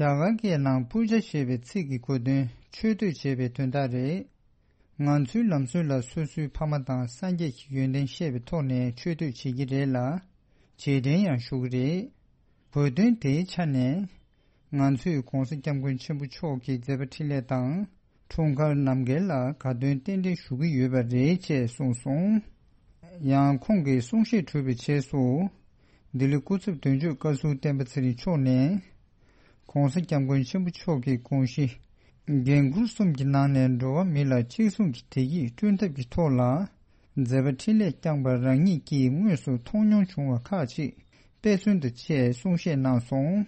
རྒྱ་གར་སྐད་ནང་པུ་ཇ་ཞེས་པའི་ཚིག་གི་གོ་དོན་མཆོད་བསྟོད་ཅེས་པའི་དོན་དག་རེད། ང་ཚོའི་ལམ་སྲོལ་ལ་སོ་སོའི་ཕ་མ་དང་སངས་རྒྱས་ཀྱི་ཡོན་ཏན་བཤད་པའི་ཐོག་ནས་མཆོད་བསྟོད་བྱེད་ཀྱི་རེད་ལ། རྗེས་དྲན་ཡང་ཞུ་གི་རེད། གོ་དོན་དེའི་ཆ་ནས། ང་ཚོས་༧གོང་ས་༧སྐྱབས་མགོན་ཆེན་པོ་མཆོག་གི་མཛད་པ་འཕྲིན་ལས་དང་། འཁྲུངས་སྐར་ནམ་མཁའ་ལ་དགའ་སྟོན་རྟེན་འབྲེལ་ཞུ་གི་ཡོད་པ་རེད་ཅེས་གསུངས་སོང་། ཡང་ཁོང་གིས་གསུང་བཤད་གྲུབ་པའི་རྗེས་སུ། ལྡི་ལི་སྐུ་ཚབ་དོན་གཅོད་བཀའ་ཟུར་བསྟན་པ་ཚེ་རིང་མཆོག་ནས། ༧གོང་ས་༧སྐྱབས་མགོན་ཆེན་པོ་མཆོག་གི་དགོངས་གཞི། འགན་ཁུར་གསུམ་གྱི་ནང་ནས་འགྲོ་བ་མི་ལ་གཅིག་མཚུངས་ཀྱི་བདེ་སྐྱིད་བསྐྲུན་ཐབས་ཀྱི་ཐོག་ལ། མཛད་པ་འཕྲིན་ལས་བསྐྱངས་པ་རང་ཉིད་ཀྱིས་དངོས་སུ་མཐོང་མྱོང་བྱུང་བ་ཁག་ཅིག་དཔེ་མཚོན་དུ་བཅས་གསུང་བཤད་གནང་སོང་།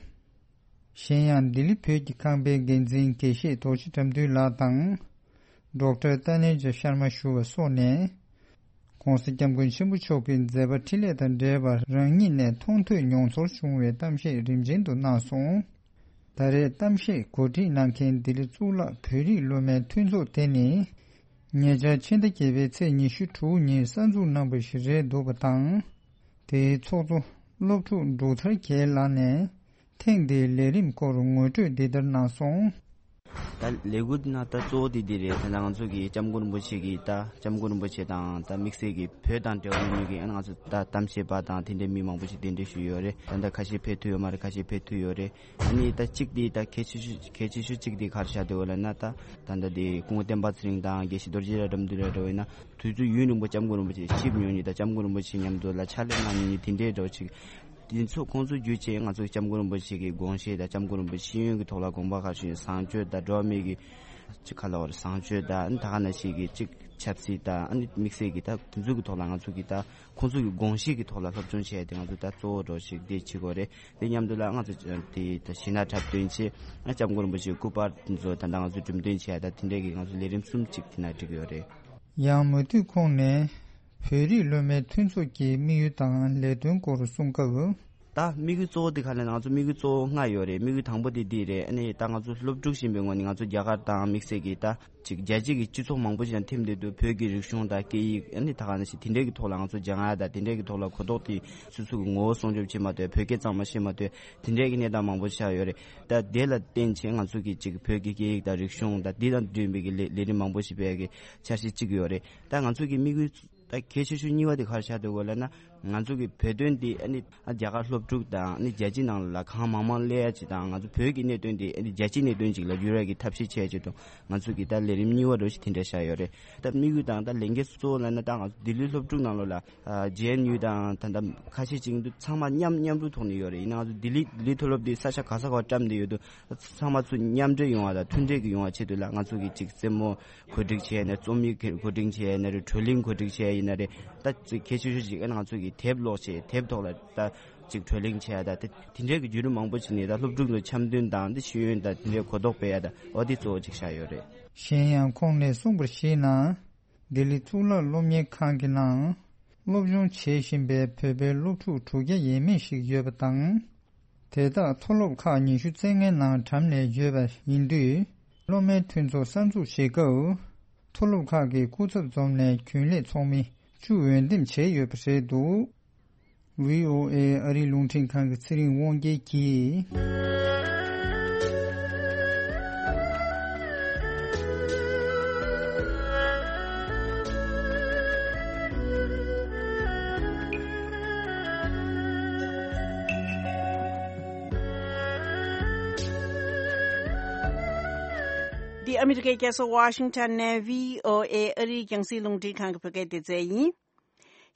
གཞན་ཡང་ལྡི་ལི་བོད་ཀྱི་ཁང་པའི་འགན་འཛིན་དགེ་བཤེས་རྡོ་རྗེ་དགྲ་འདུལ་ལགས་དང་། ཌོག་ཊར་ཏཱ་ནེ་ཇ་ཤར་མ་ཞུ་བ་སོགས་ནས། ༧གོང་ས་༧སྐྱབས་མགོན་ཆེན་པོ་མཆོག་གི་མཛད་པ་འཕྲིན་ལས་དང་འབྲེལ་བར་རང་ཉིད་ནས་མཐོང་ཐོས་མྱོང་ཚོར་བྱུང་བའི་གཏམ་བཤད་རིམ་ཆེན་དུ་གནང་སོང་། ད་རེས་གཏམ་བཤད་གོ་སྒྲིག་གནང་མཁན་ལྡི་ལི་གཙུག་ལག་བོད་རིགས་སློབ་མའི་མཐུན་ཚོགས་དེ་ནི། ཉེ་ཆར་ཕྱི་ཟླ་བརྒྱད་པའི་ཚེས་ཉི་ཤུ་དྲུག་ཉིན་གསར་འཛུགས་གནང་པ་ཞིག་རེད་འདུག་པ་དང་། དེའི་ཚོགས་གཙོ་སློབ་ཕྲུག་འབྲུག་ཐར་རྒྱལ་ལགས་ནས་ཐེངས་འདིའི་ལས་རིམ་སྐོར་ངོ་སྤྲོད་འདི་ལྟར་གནང་སོང་། ད་ལས་འགུལ་འདི་ན་ད་གཙོ་བོ་དེ་འདི་རེད། ད་ང་ཚོ་གི་སྐྱབས་མགོན་རིན་པོ་ཆེ་གི་ད་སྐྱབས་མགོན་རིན་པོ་ཆེ་དང་ད་དམིགས་བསལ་གྱི་བོད་དང་འབྲེལ་བ་ཡོད་མཁན་གྱི་ཨ་ང་ཚོ་ད་གཏམ་བཤད་པ་དང་དེ་འདྲའི་མི་མང་པོ་ཞིག་གདན་འདྲེན་ཞུས་ཡོད་རེད། ད་ད་ཁ་ཤས་ཕེབས་ཐུབ་ཡོད་མ་རེད། ཁ་ཤས་ཕེབས་ཐུབ་ཡོད་རེད། ཨ་ནི་ད་གཅིག་དེ་ད་གལ་ཆེ་ཤོས་གལ་ཆེ་ཤོས་གཅིག་དེ་ག་རེ་ཆགས་བསྡད་ཡོད་ལབ་ན། ད་ད་ད་དེ་སྐུ་ངོ་བསྟན་པ་ཚེ་རིང་དང་དགེ་བཤེས་རྡོ་རྗེ་དགྲ་འདུལ་ལགས་འདྲ་བོ་ཡིན་ན་དུས་ཚོད་ཡུན་རིང་པོ་སྐྱབས་མགོན་རིན་པོ་ཆེ་གཤིབ་མྱོང་མཁན་དང་སྐྱབས་མགོན་རིན་པོ་ཆེ་མཉམ་དུ་ལ་ཕྱག་ལས་གནང་མྱོང་མཁན་དེ་འདྲའི་འདྲ་བོ་ཅིག་དེ་ཚོ་ཁོང་ཚོ་བརྒྱུད་བྱས་ང་ཚོ་སྐྱབས་མགོན་རིན་པོ་ཆེ་གི་དགོངས་བཞེད་དང་སྐྱབས་མགོན་རིན་པོ་ཆེ་ཤེས་ཡོན་གྱི་ཐོག་ལ་དགོངས་པ་ག་རེ་ཞུ་ཡིན། བཟང་སྤྱོད་དང་འགྲོ་བ་མི་གི་ཅིག་ག་ལབ་དགོས་རེད། བཟང་སྤྱོད་དང་ཨ་ནི་ད་ག་ནང་བཞིན་གྱི་ཅིག་ཆབ་སྲིད་དང་ཨ་ནི་དམིགས་བསལ་གྱི་ད་དེ་ཚོ་གི་ཐོག་ལ་ང་ཚོ་གི་ད་ཁོང་ཚོ་གི་དགོངས་གཞི་གི་ཐོག་ལ་སློབ་སྦྱོང་བྱས་ཏེ་ང་ཚོ་ད་གཙོ་བོ་འདྲ་བོ་ཞིག་འདི་བྱེད་དགོས་རེད། དེ་མཉམ་དུ་ལ་ང་ཚོ་དེ་ད་གཞས་སྣ་འཁྲབ་སྟོན་བྱས། ཨ་སྐྱབས་མགོན་རིན་པོ་ཆེའི་སྐུ་པར་དེ་ཚོ་ད་ལྟ་ང་ཚོ་འགྲེམས་སྟོན་བྱས། ད་དེ་འདྲའི་གི་ང་ཚོ་ལས་རིམ་གསུམ་ཅིག་དེ་ན་བསྒྲིགས་ཡོད་རེད། ཡང་མུ་མཐུད་ཁོང་ནས་བོད་རིགས་སློབ་མའི་མཐུན་ཚོགས་ཀྱི་དམིགས་ཡུལ་དང་ལས་དོན་སྐོར་གསུང་སྐབས། ད་དམིགས་ཡུལ་གཙོ་བོ་དེ་ག་ལབ་ན་ང་ཚོ་དམིགས་ཡུལ་གཙོ་བོ་ལྔ་ཡོད་རེད། དམིགས་ཡུལ་དང་པོ་དེ་འདི་རེད། ཨ་ནི་ད་ང་ཚོ་སློབ་ཕྲུག་ཡིན་པའི་ངོས་ནས་ང་ཚོ་རྒྱ་གར་དང་དམིགས་བསལ་གྱི་ད་ཅིག་རྒྱལ་སྤྱི་གི་སྤྱི་ཚོགས་མང་པོ་ཞིག་དང་ཐིམ་བསྡད་དུས་བོད་ཀྱི་རིག་གཞུང་དང་སྐད་ཡིག་ཨ་ནི་ད་ག་ནང་བཞིན་དེ་འདྲའི་གི་ཐོག་ལ་ང་ཚོ་སྦྱང་ཡ་དང་དེ་འདྲའི་གི་ཐོག་ལ་གོ་རྟོགས་དེ་སོ་སོ་གི་ངོ་བོ་སྲུང་སྐྱོབ་བྱེད་མ་ཐུབ། བོད་སྐད་གཙང་མ་ཤེས་མ་ཐུབ། དེ་འདྲའི་གི་གནས་སྟངས་མང་པོ་ཆགས་ཡོད་རེད། ད་དེ་ལ་བརྟེན་བྱས་ང་ཚོ་གི་ཅིག་བོད་ཀྱི་སྐད་ཡིག་དང་རིག་གཞུང་དང་དེ་དང་འབྲེལ་བའི་གི་ལས་ལས་རིམ་མང་པོ་ཞིག་སྤེལ་ཡ་གི་འཆར་གཞི་གཅིག་ཡོད་རེད། ད་ང་ཚོ་གི་དམིགས་ཡུལ་ ད་གལ་ཆེ་ཤོས་གཉིས་པ་དེ་ག་རེ་ཆགས་འདུག་གོ་ལབ་ན། ང་ཚོ་གི་བོད་དོན་འདི་ཨ་ནི་རྒྱ་གར་སློབ་ཕྲུག་དང་ཨ་ནི་རྒྱལ་སྤྱི་ནང་ལ་གང་མང་མང་སླེབས་ཡ་ཅིག་དང་། ང་ཚོ་བོད་ཀྱི་གནད་དོན་འདི་ཨ་ནི་རྒྱལ་སྤྱིའི་གནད་དོན་ཅིག་ལ་འགྱུར་ཡ་གི་ཐབས་ཤེས་བྱས་ཅིག་དང་། ང་ཚོ་གི་ད་ལས་རིམ་གཉིས་པ་འདྲ་ཞིག་དེ་འདྲ་བཞག་ཡོད་རེད། ད་དམིགས་ཡུལ་དང་ད་ལས་འགན་གཙོ་བོ་ལབ་ན། ད་ང་ཚོ་ལྡི་ལི་སློབ་ཕྲུག་ནང་ལོགས་ལ་ཨ་ཇེ་ཨེན་ཡུ་དང་ད་ད་ཁ་ཤས་ཅིག་འདུག་ཚང་མ་མཉམ་མཉམ་རུབ་ཐོག་ནས་ཡོད་རེད། ཡིན་ནའང་ང་ཚོ་ལྡི་ལི་ལྡི་ལི་མཐོ་སློབ་འདི་ས་ཆ་ག་ས་ག་བཀྲམ་བསྡད་ཡོད་དུས། ཚང་མ་ཚུར་མཉམ་འབྲེལ་ཡོང་བ་དང་མཐུན་འབྲེལ་གྱི་ཡོང་བ་ཆེད་དུ་ལ། ང་ཚོ་གི་ཅིག་རྩེད་མོ་གོ་སྒྲིག་བྱས་ཡིན་ན། རྩོམ་ཡིག་གོ་སྒྲིག་བྱས་ཡིན་ན་རེད། བགྲོ་གླེང་གོ་སྒྲིག་བྱས་ཡིན་ན་རེད། ད་ཅིག་གལ་ཆེ་ཤོས་ཅིག་ང་ཚོ་གི་དེབ་ཀློག་བྱས། དེབ་ཐོག་ལ་ད་ཅིག་བགྲོ་གླེང་བྱས་ཡ། ད་དེ་དེ་འདྲའི་གི་བརྒྱུད་རིམ་མང་པོ་ཅིག་ནས་ད་སློབ་ཕྲུག་ཚོ་འཆམ་མཐུན་དང་དེ་ཤེས་ཡོན་དང་དེ་འདྲའི་གོ་རྟོགས་སྤེལ་ཡ། ད་འོ་དེ་གཙོ་བོ་ཅིག་བཞག་ཡོད་རེད། གཞན་ཡང་ཁོང་ནས་གསུངས་པར་གཞིགས་ན། ལྡི་ལི་གཙུག་ལག་སློབ་གཉེར་ཁང་གི་ནང་སློབ་སྦྱོང་བྱེད་བཞིན་པའི་བོད་པའི་སློབ་ཕྲུག་དྲུག་བརྒྱ་ཡས་མས་ཤིག་ཡོད་པ་དང་། དེ་དག་མཐོ་སློབ་ཁག་ཉི་ཤུ་རྩ་ལྔའི་ནང་གྲམ་ལས་ཡོད་པ་ཡིན་དུས། སློབ་མའི་མཐུན་ཚོགས་གསར་འཛུགས་བྱེད་སྐབས། མཐོ་སློབ་ཁག་གི་སྐུ་ཚབ་འཛོམས་ནས་རྒྱུན་ལས་ཚོགས་མི་བཅུ་འོས་འདེམས་བྱས་ཡོད་པ་རེད་འདུག། ཝི་ཨོ་ཨེ་ཨ་རིའི་རླུང་འཕྲིན་ཁང་གི་ཚེ་རིང་དབང་རྒྱལ་གྱིས། འདི་ཨ་མི་རི་ཀའི་རྒྱལ་ས་ཝ་ཤིང་ཊོན་ནས་ཝི་ཨོ་ཨེ་ཨ་རིའི་རྒྱང་སྲིང་རླུང་འཕྲིན་ཁང་གི་བོད་སྐད་སྡེ་ཚན་ཡིན།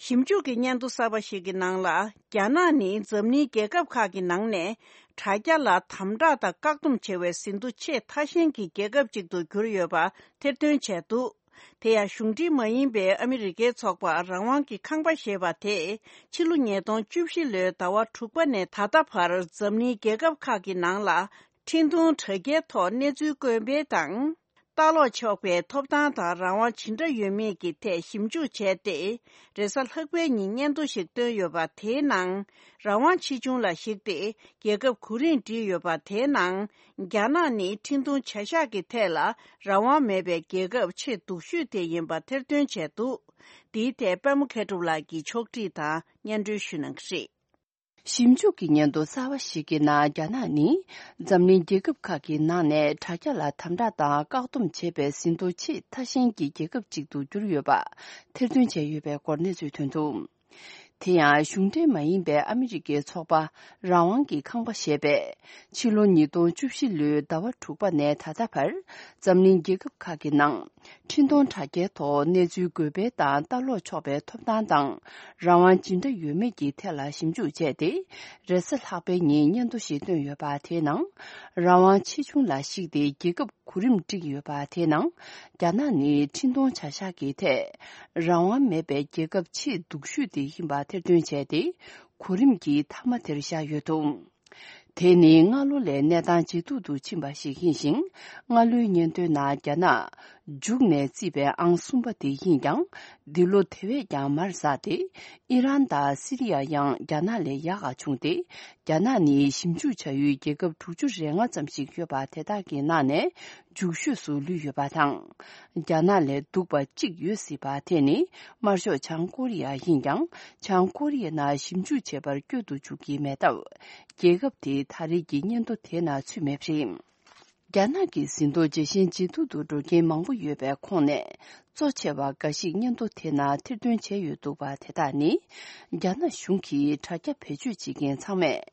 ཞིབ་འཇུག་གི་སྙན་ཐོ་གསར་པ་ཞིག་གི་ནང་ལ། རྒྱ་ནག་ནི་འཛམ་གླིང་རྒྱལ་ཁབ་ཁག་གི་ནང་ནས་དྲ་རྒྱ་ལ་དམ་དྲག་དང་བཀག་སྡོམ་བྱེད་པའི་ཟིན་ཐོ་ཆེས་ཐ་ཤལ་གྱི་རྒྱལ་ཁབ་ཅིག་ཏུ་གྱུར་ཡོད་པ་ཐེར་འདོན་བྱས་འདུག། དེ་ཡང་གཞུང་འབྲེལ་མ་ཡིན་པའི་ཨ་མི་རི་ཀའི་ཚོགས་པ་རང་དབང་གི་ཁང་པ་ཞེས་པ་དེས་ཕྱི་ལོ་ཉིས་སྟོང་བཅུ་བཞི་ལོའི་ཟླ་བ་དྲུག་པ་ནས་ད་ལྟ་བར་འཛམ་གླིང་རྒྱལ་ཁབ་ཁག་གི་ནང་ལ་འཕྲིན་གཏོང་དྲ་རྒྱའི་ཐོག་གནས་ཚུལ་བཀོད་སྤེལ་དང་། ལྟ་ཀློག་ཆོག་པའི་ཐོབ་ཐང་དང་རང་དབང་ཇི་འདྲ་ཡོད་མེད་ཀྱི་ཐད་ཞིབ་འཇུག་བྱས་ཏེ། རེས་གཟའ་ལྷག་པའི་ཉིན་སྙན་ཐོ་ཞིག་བཏོན་ཡོད་པ། དེའི་ནང་རང་དབང་ཆེ་ཆུང་ལ་གཞིགས་ཏེ་རྒྱལ་ཁབ་གོ་རིམ་བསྒྲིགས་ཡོད་པ། དེའི་ནང་རྒྱ་ནག་ནི་འཕྲིན་གཏོང་བྱ་གཞག་གི་ཐད་ལ་རང་དབང་མེད་པའི་རྒྱལ་ཁབ་ཆེས་སྡུག་ཤོས་དེ་ཡིན་པ་ཐེར་འདོན་བྱས་འདུག། འདིའི་ཐད་པད་མ་མཁས་གྲུབ་ལགས་ཀྱིས་ཕྱོགས་སྒྲིག་དང་སྙན་སྒྲོན་ཞུ་གནང་གི་རེད། ཞིབ་འཇུག་གི་སྙན་ཐོ་གསར་བ་ཞིག་གི་ནང་། རྒྱ་ནག་ནི་འཛམ་གླིང་རྒྱལ་ཁབ་ཁག་གི་ནང་ནས་དྲ་རྒྱ་ལ་དམ་དྲག་དང་བཀག་སྡོམ་བྱེད་པའི་ཟིན་ཐོ་ཆེས་ཐ་ཤལ་གྱི་རྒྱལ་ཁབ་ཅིག་ཏུ་གྱུར་ཡོད་པ་ཐེར་འདོན་བྱས་ཡོད་པའི་སྐོར་གནས་ཚུལ་ཐོན་འདུག། དེ་ཡང་གཞུང་འབྲེལ་མ་ཡིན་པའི་ཨ་མི་རི་ཀའི་ཚོགས་པ་རང་དབང་གི་ཁང་པ་ཞེས་པས། ཕྱི་ལོ་ཉིས་སྟོང་བཅུ་བཞི་ལོའི་ཟླ་བ་དྲུག་པ་ནས་ད་ལྟ་བར་འཛམ་གླིང་རྒྱལ་ཁབ་ཁག་གི་ནང་། འཕྲིན་གཏོང་དྲ་རྒྱའི་ཐོག་གནས་ཚུལ་འགོད་སྤེལ་དང་ལྟ་ཀློག་ཆོག་པའི་ཐོབ་ཐང་དང་རང་དབང་ཇི་འདྲ་ཡོད་མེད་ཀྱི་ཐད་ལ་ཞིབ་འཇུག་བྱས་ཏེ། རེས་གཟའ་ལྷག་པའི་ཉིན་སྙན་ཐོ་ཞིག་བཏོན་ཡོད་པ། དེའི་ནང་རང་དབང་ཆེ་ཆུང་ལ་གཞིགས་ཏེ་རྒྱལ་ཁབ་གོ་རིམ་བསྒྲིགས་ཡོད་པ། དེའི་ནང་རྒྱ་ནག་ནི་འཕྲིན་གཏོང་བྱ་གཞག་གི་ཐད་རང་དབང་མེད་པའི་རྒྱལ་ཁབ་ཆེས་སྡུག་ཤོས་དེ་ཡིན་པ་ཐེར་འདོན་བྱས་ཏེ། གོ་རིམ་གྱི་མཐའ་མ་དེར་བཞག་ཡོད་འདུག། དེ་ནི་སྔ་ལོ་ལས་གནས་སྟངས་ཇེ་སྡུག་ཏུ་ཕྱིན་པ་ཞིག་ཡིན་ཞིང་། སྔ་ལོའི་སྙན་ཐོའི་ནང་རྒྱ་ནག་མཇུག་ནས་བརྩིས་པའི་ཨང་གསུམ་པ་དེ་ཡིན་ཀྱང་། འདི་ལོ་དེ་བས་ཀྱང་མར་ཟགས་ཏེ། ཨི་རན་དང་སི་རི་ཡ་ཡང་རྒྱ་ནག་ལས་ཡག་ག་བྱུང་སྟེ། རྒྱ་ནག་ནི་ཞིབ་འཇུག་བྱ་ཡུལ་རྒྱལ་ཁབ་དྲུག་ཅུ་རེ་ལྔ་ཙམ་ཞིག་ཡོད་པ་དེ་དག་གི་ནང་ནས་མཇུག་ཤོས་སུ་ལུས་ཡོད་པ་དང་། རྒྱ་ནག་ལས་སྡུག་པ་གཅིག་ཡོད་སྲིད་པ་དེ་ནི་དམར་ཤོག་བྱང་ཀོ་རི་ཡ་ཡིན་ཀྱང་། བྱང་ཀོ་རི་ཡའི་ནང་ཞིབ་འཇུག་བྱེད་པར་བསྐྱོད་དུ་འཇུག་གི་མེད་སྟབས། རྒྱལ་ཁབ་དེ་ད་རེས་ཀྱི་སྙན་ཐོ་དེའི་ནང་ཚུད་མེད་པ་རེད། རྒྱ་ནག་གི་ཟིན་ཐོ་ཇེ་ཞན་ཇེ་སྡུག་ཏུ་འགྲོ་རྐྱེན་མང་པོ་ཡོད་པའི་ཁོངས་ནས། གཙོ་ཆེ་བ་འགའ་ཞིག་སྙན་ཐོ་དེ་ནང་ཐེར་འདོན་བྱས་ཡོད་འདུག་པ། དེ་དག་ནི། རྒྱ་ནག་གཞུང་གིས་དྲ་རྒྱ་བེད་སྤྱོད་བྱེད་མཁན་ཚང་མས།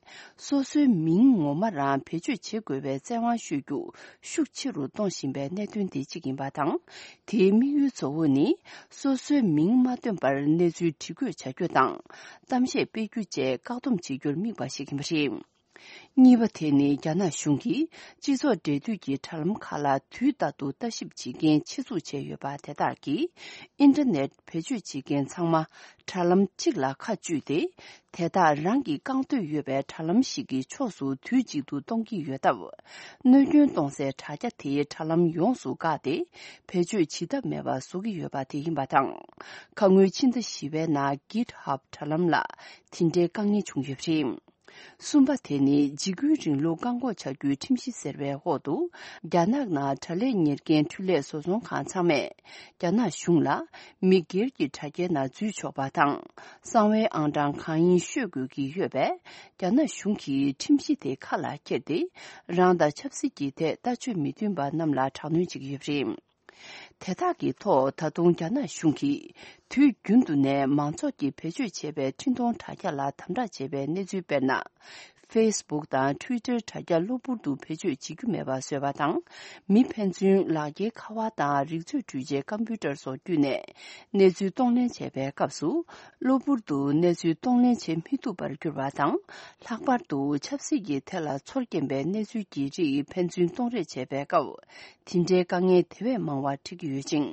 སོ་སོའི་མིང་ངོ་མ་རང་བེད་སྤྱོད་བྱེད་དགོས་པའི་བཙན་དབང་གཞོལ་རྒྱུ་ཤུགས་ཆེ་རུ་གཏོང་བཞིན་པའི་གནད་དོན་དེ་གཅིག་ཡིན་པ་དང་། དེའི་དམིགས་ཡུལ་གཙོ་བོ་ནི། སོ་སོའི་མིང་མ་བཏོན་པར་གནས་ཚུལ་བྲིས་འགོད་བྱ་རྒྱུ་དང་། གཏམ་བཤད་སྤེལ་རྒྱུ་བཅས་བཀག་སྡོམ་བྱེད་རྒྱུར་དམིགས་པ་ཞིག་ཡིན་པ་རེད། གཉིས་པ་དེ་ནི་རྒྱ་ནག་གཞུང་གིས་སྤྱི་ཚོགས་འབྲེལ་མཐུད་ཀྱི་དྲ་ལམ་ཁག་ལ་དུས་རྟག་ཏུ་ལྟ་ཞིབ་བྱེད་མཁན་ཆེད་འཛུགས་བྱས་ཡོད་པ། དེ་དག་གིས་ཨིན་ཊར་ནེཊ་བེད་སྤྱོད་བྱེད་མཁན་ཚང་མ་དྲ་ལམ་གཅིག་ལ་ཁ་གཅུས་ཏེ། དེ་དག་རང་གིས་བཀང་འདོད་ཡོད་པའི་དྲ་ལམ་ཞིག་གི་ཕྱོགས་སུ་དུས་གཅིག་ཏུ་གཏོང་གི་ཡོད་སྟབས། གནོད་སྐྱོན་གཏོང་སའི་དྲ་རྒྱ་དེའི་དྲ་ལམ་ཡོངས་སུ་བཀག་སྟེ། བེད་སྤྱོད་བྱེད་ཐབས་མེད་པ་བཟོ་གི་ཡོད་པ་དེ་ཡིན་པ་དང་། ཁ་སྔོན་ཕྱི་ཟླ་བཞི་པའི་ནང་GitHub་དྲ་ལམ་ལ་དེ་འདྲའི་དཀའ་ངལ་བྱུང་ཡོད་པ་རེད། གསུམ་པ་དེ་ནི་འཇིགས་སྐུལ་རིང་ལུགས་བཀག་འགོག་བྱ་རྒྱུའི་ཁྲིམས་གཞི་ཟེར་བའི་འོག་ཏུ། རྒྱ་ནག་ནང་དྲ་ལས་གཉེར་མཁན་འཕྲུལ་ལས་བཟོ་ཚོང་ཁང་ཚང་མས། རྒྱ་ནག་གཞུང་ལ་མི་སྒེར་གྱི་དྲ་རྒྱའི་ནང་འཛུལ་ཆོག་པ་དང་། གསང་བའི་ཨང་གྲངས་གང་ཡིན་ཤོད་དགོས་ཀྱི་ཡོད་པས། རྒྱ་ནག་གཞུང་གིས་ཁྲིམས་གཞི་དེ་ཁ་ལ་འཁྱེར་ཏེ། རང་དང་ཆབ་སྲིད་ཀྱི་ཐད་ལྟ་སྤྱོད་མི་མཐུན་པ་རྣམས་ལ་དྲག་གནོན་བྱེད་ཀྱི་ཡོད་པ་རེད། དེ་དག་གི་ཐོག་ད་དུང་རྒྱ་ནག་གཞུང་གིས་དུས་རྒྱུན་དུ་ནས་མང་ཚོགས་ཀྱིས་བེད་སྤྱོད་བྱེད་པའི་འཕྲིན་གཏོང་དྲ་རྒྱ་ལ་དམ་དྲག་བྱེད་པའི་གནས་ཚུལ། དཔེར་ན། Facebook་དང་Twitter་དྲ་རྒྱ་གློ་བུར་དུ་བེད་སྤྱོད་བྱེད་རྒྱུ་མེད་པ་བཟོས་པ་དང་། མི་ཕན་ཚུན་ལག་འཁྱེར་ཁ་པར་དང་རིག་མཛོད་འཕྲུལ་ཆས་ཀམ་པུ་ཊར་སོགས་བརྒྱུད་ནས་གནས་ཚུལ་གཏོང་ལེན་བྱེད་པའི་སྐབས་སུ། གློ་བུར་དུ་གནས་ཚུལ་གཏོང་ལེན་བྱེད་མི་ཐུབ་པར་གྱུར་པ་དང་། ལྷག་པར་དུ་ཆབ་སྲིད་ཀྱི་ཐད་ལ་ཚོར་སྐྱེན་པའི་གནས་ཚུལ་གྱི་རིགས་ཕན་ཚུན་གཏོང་རེས་བྱེད་པའི་སྐབས། དེ་འདྲའི་དཀའ་ངལ་དེ་བས་མང་བ་འཕྲད་ཀྱི་ཡོད་ཅིང་།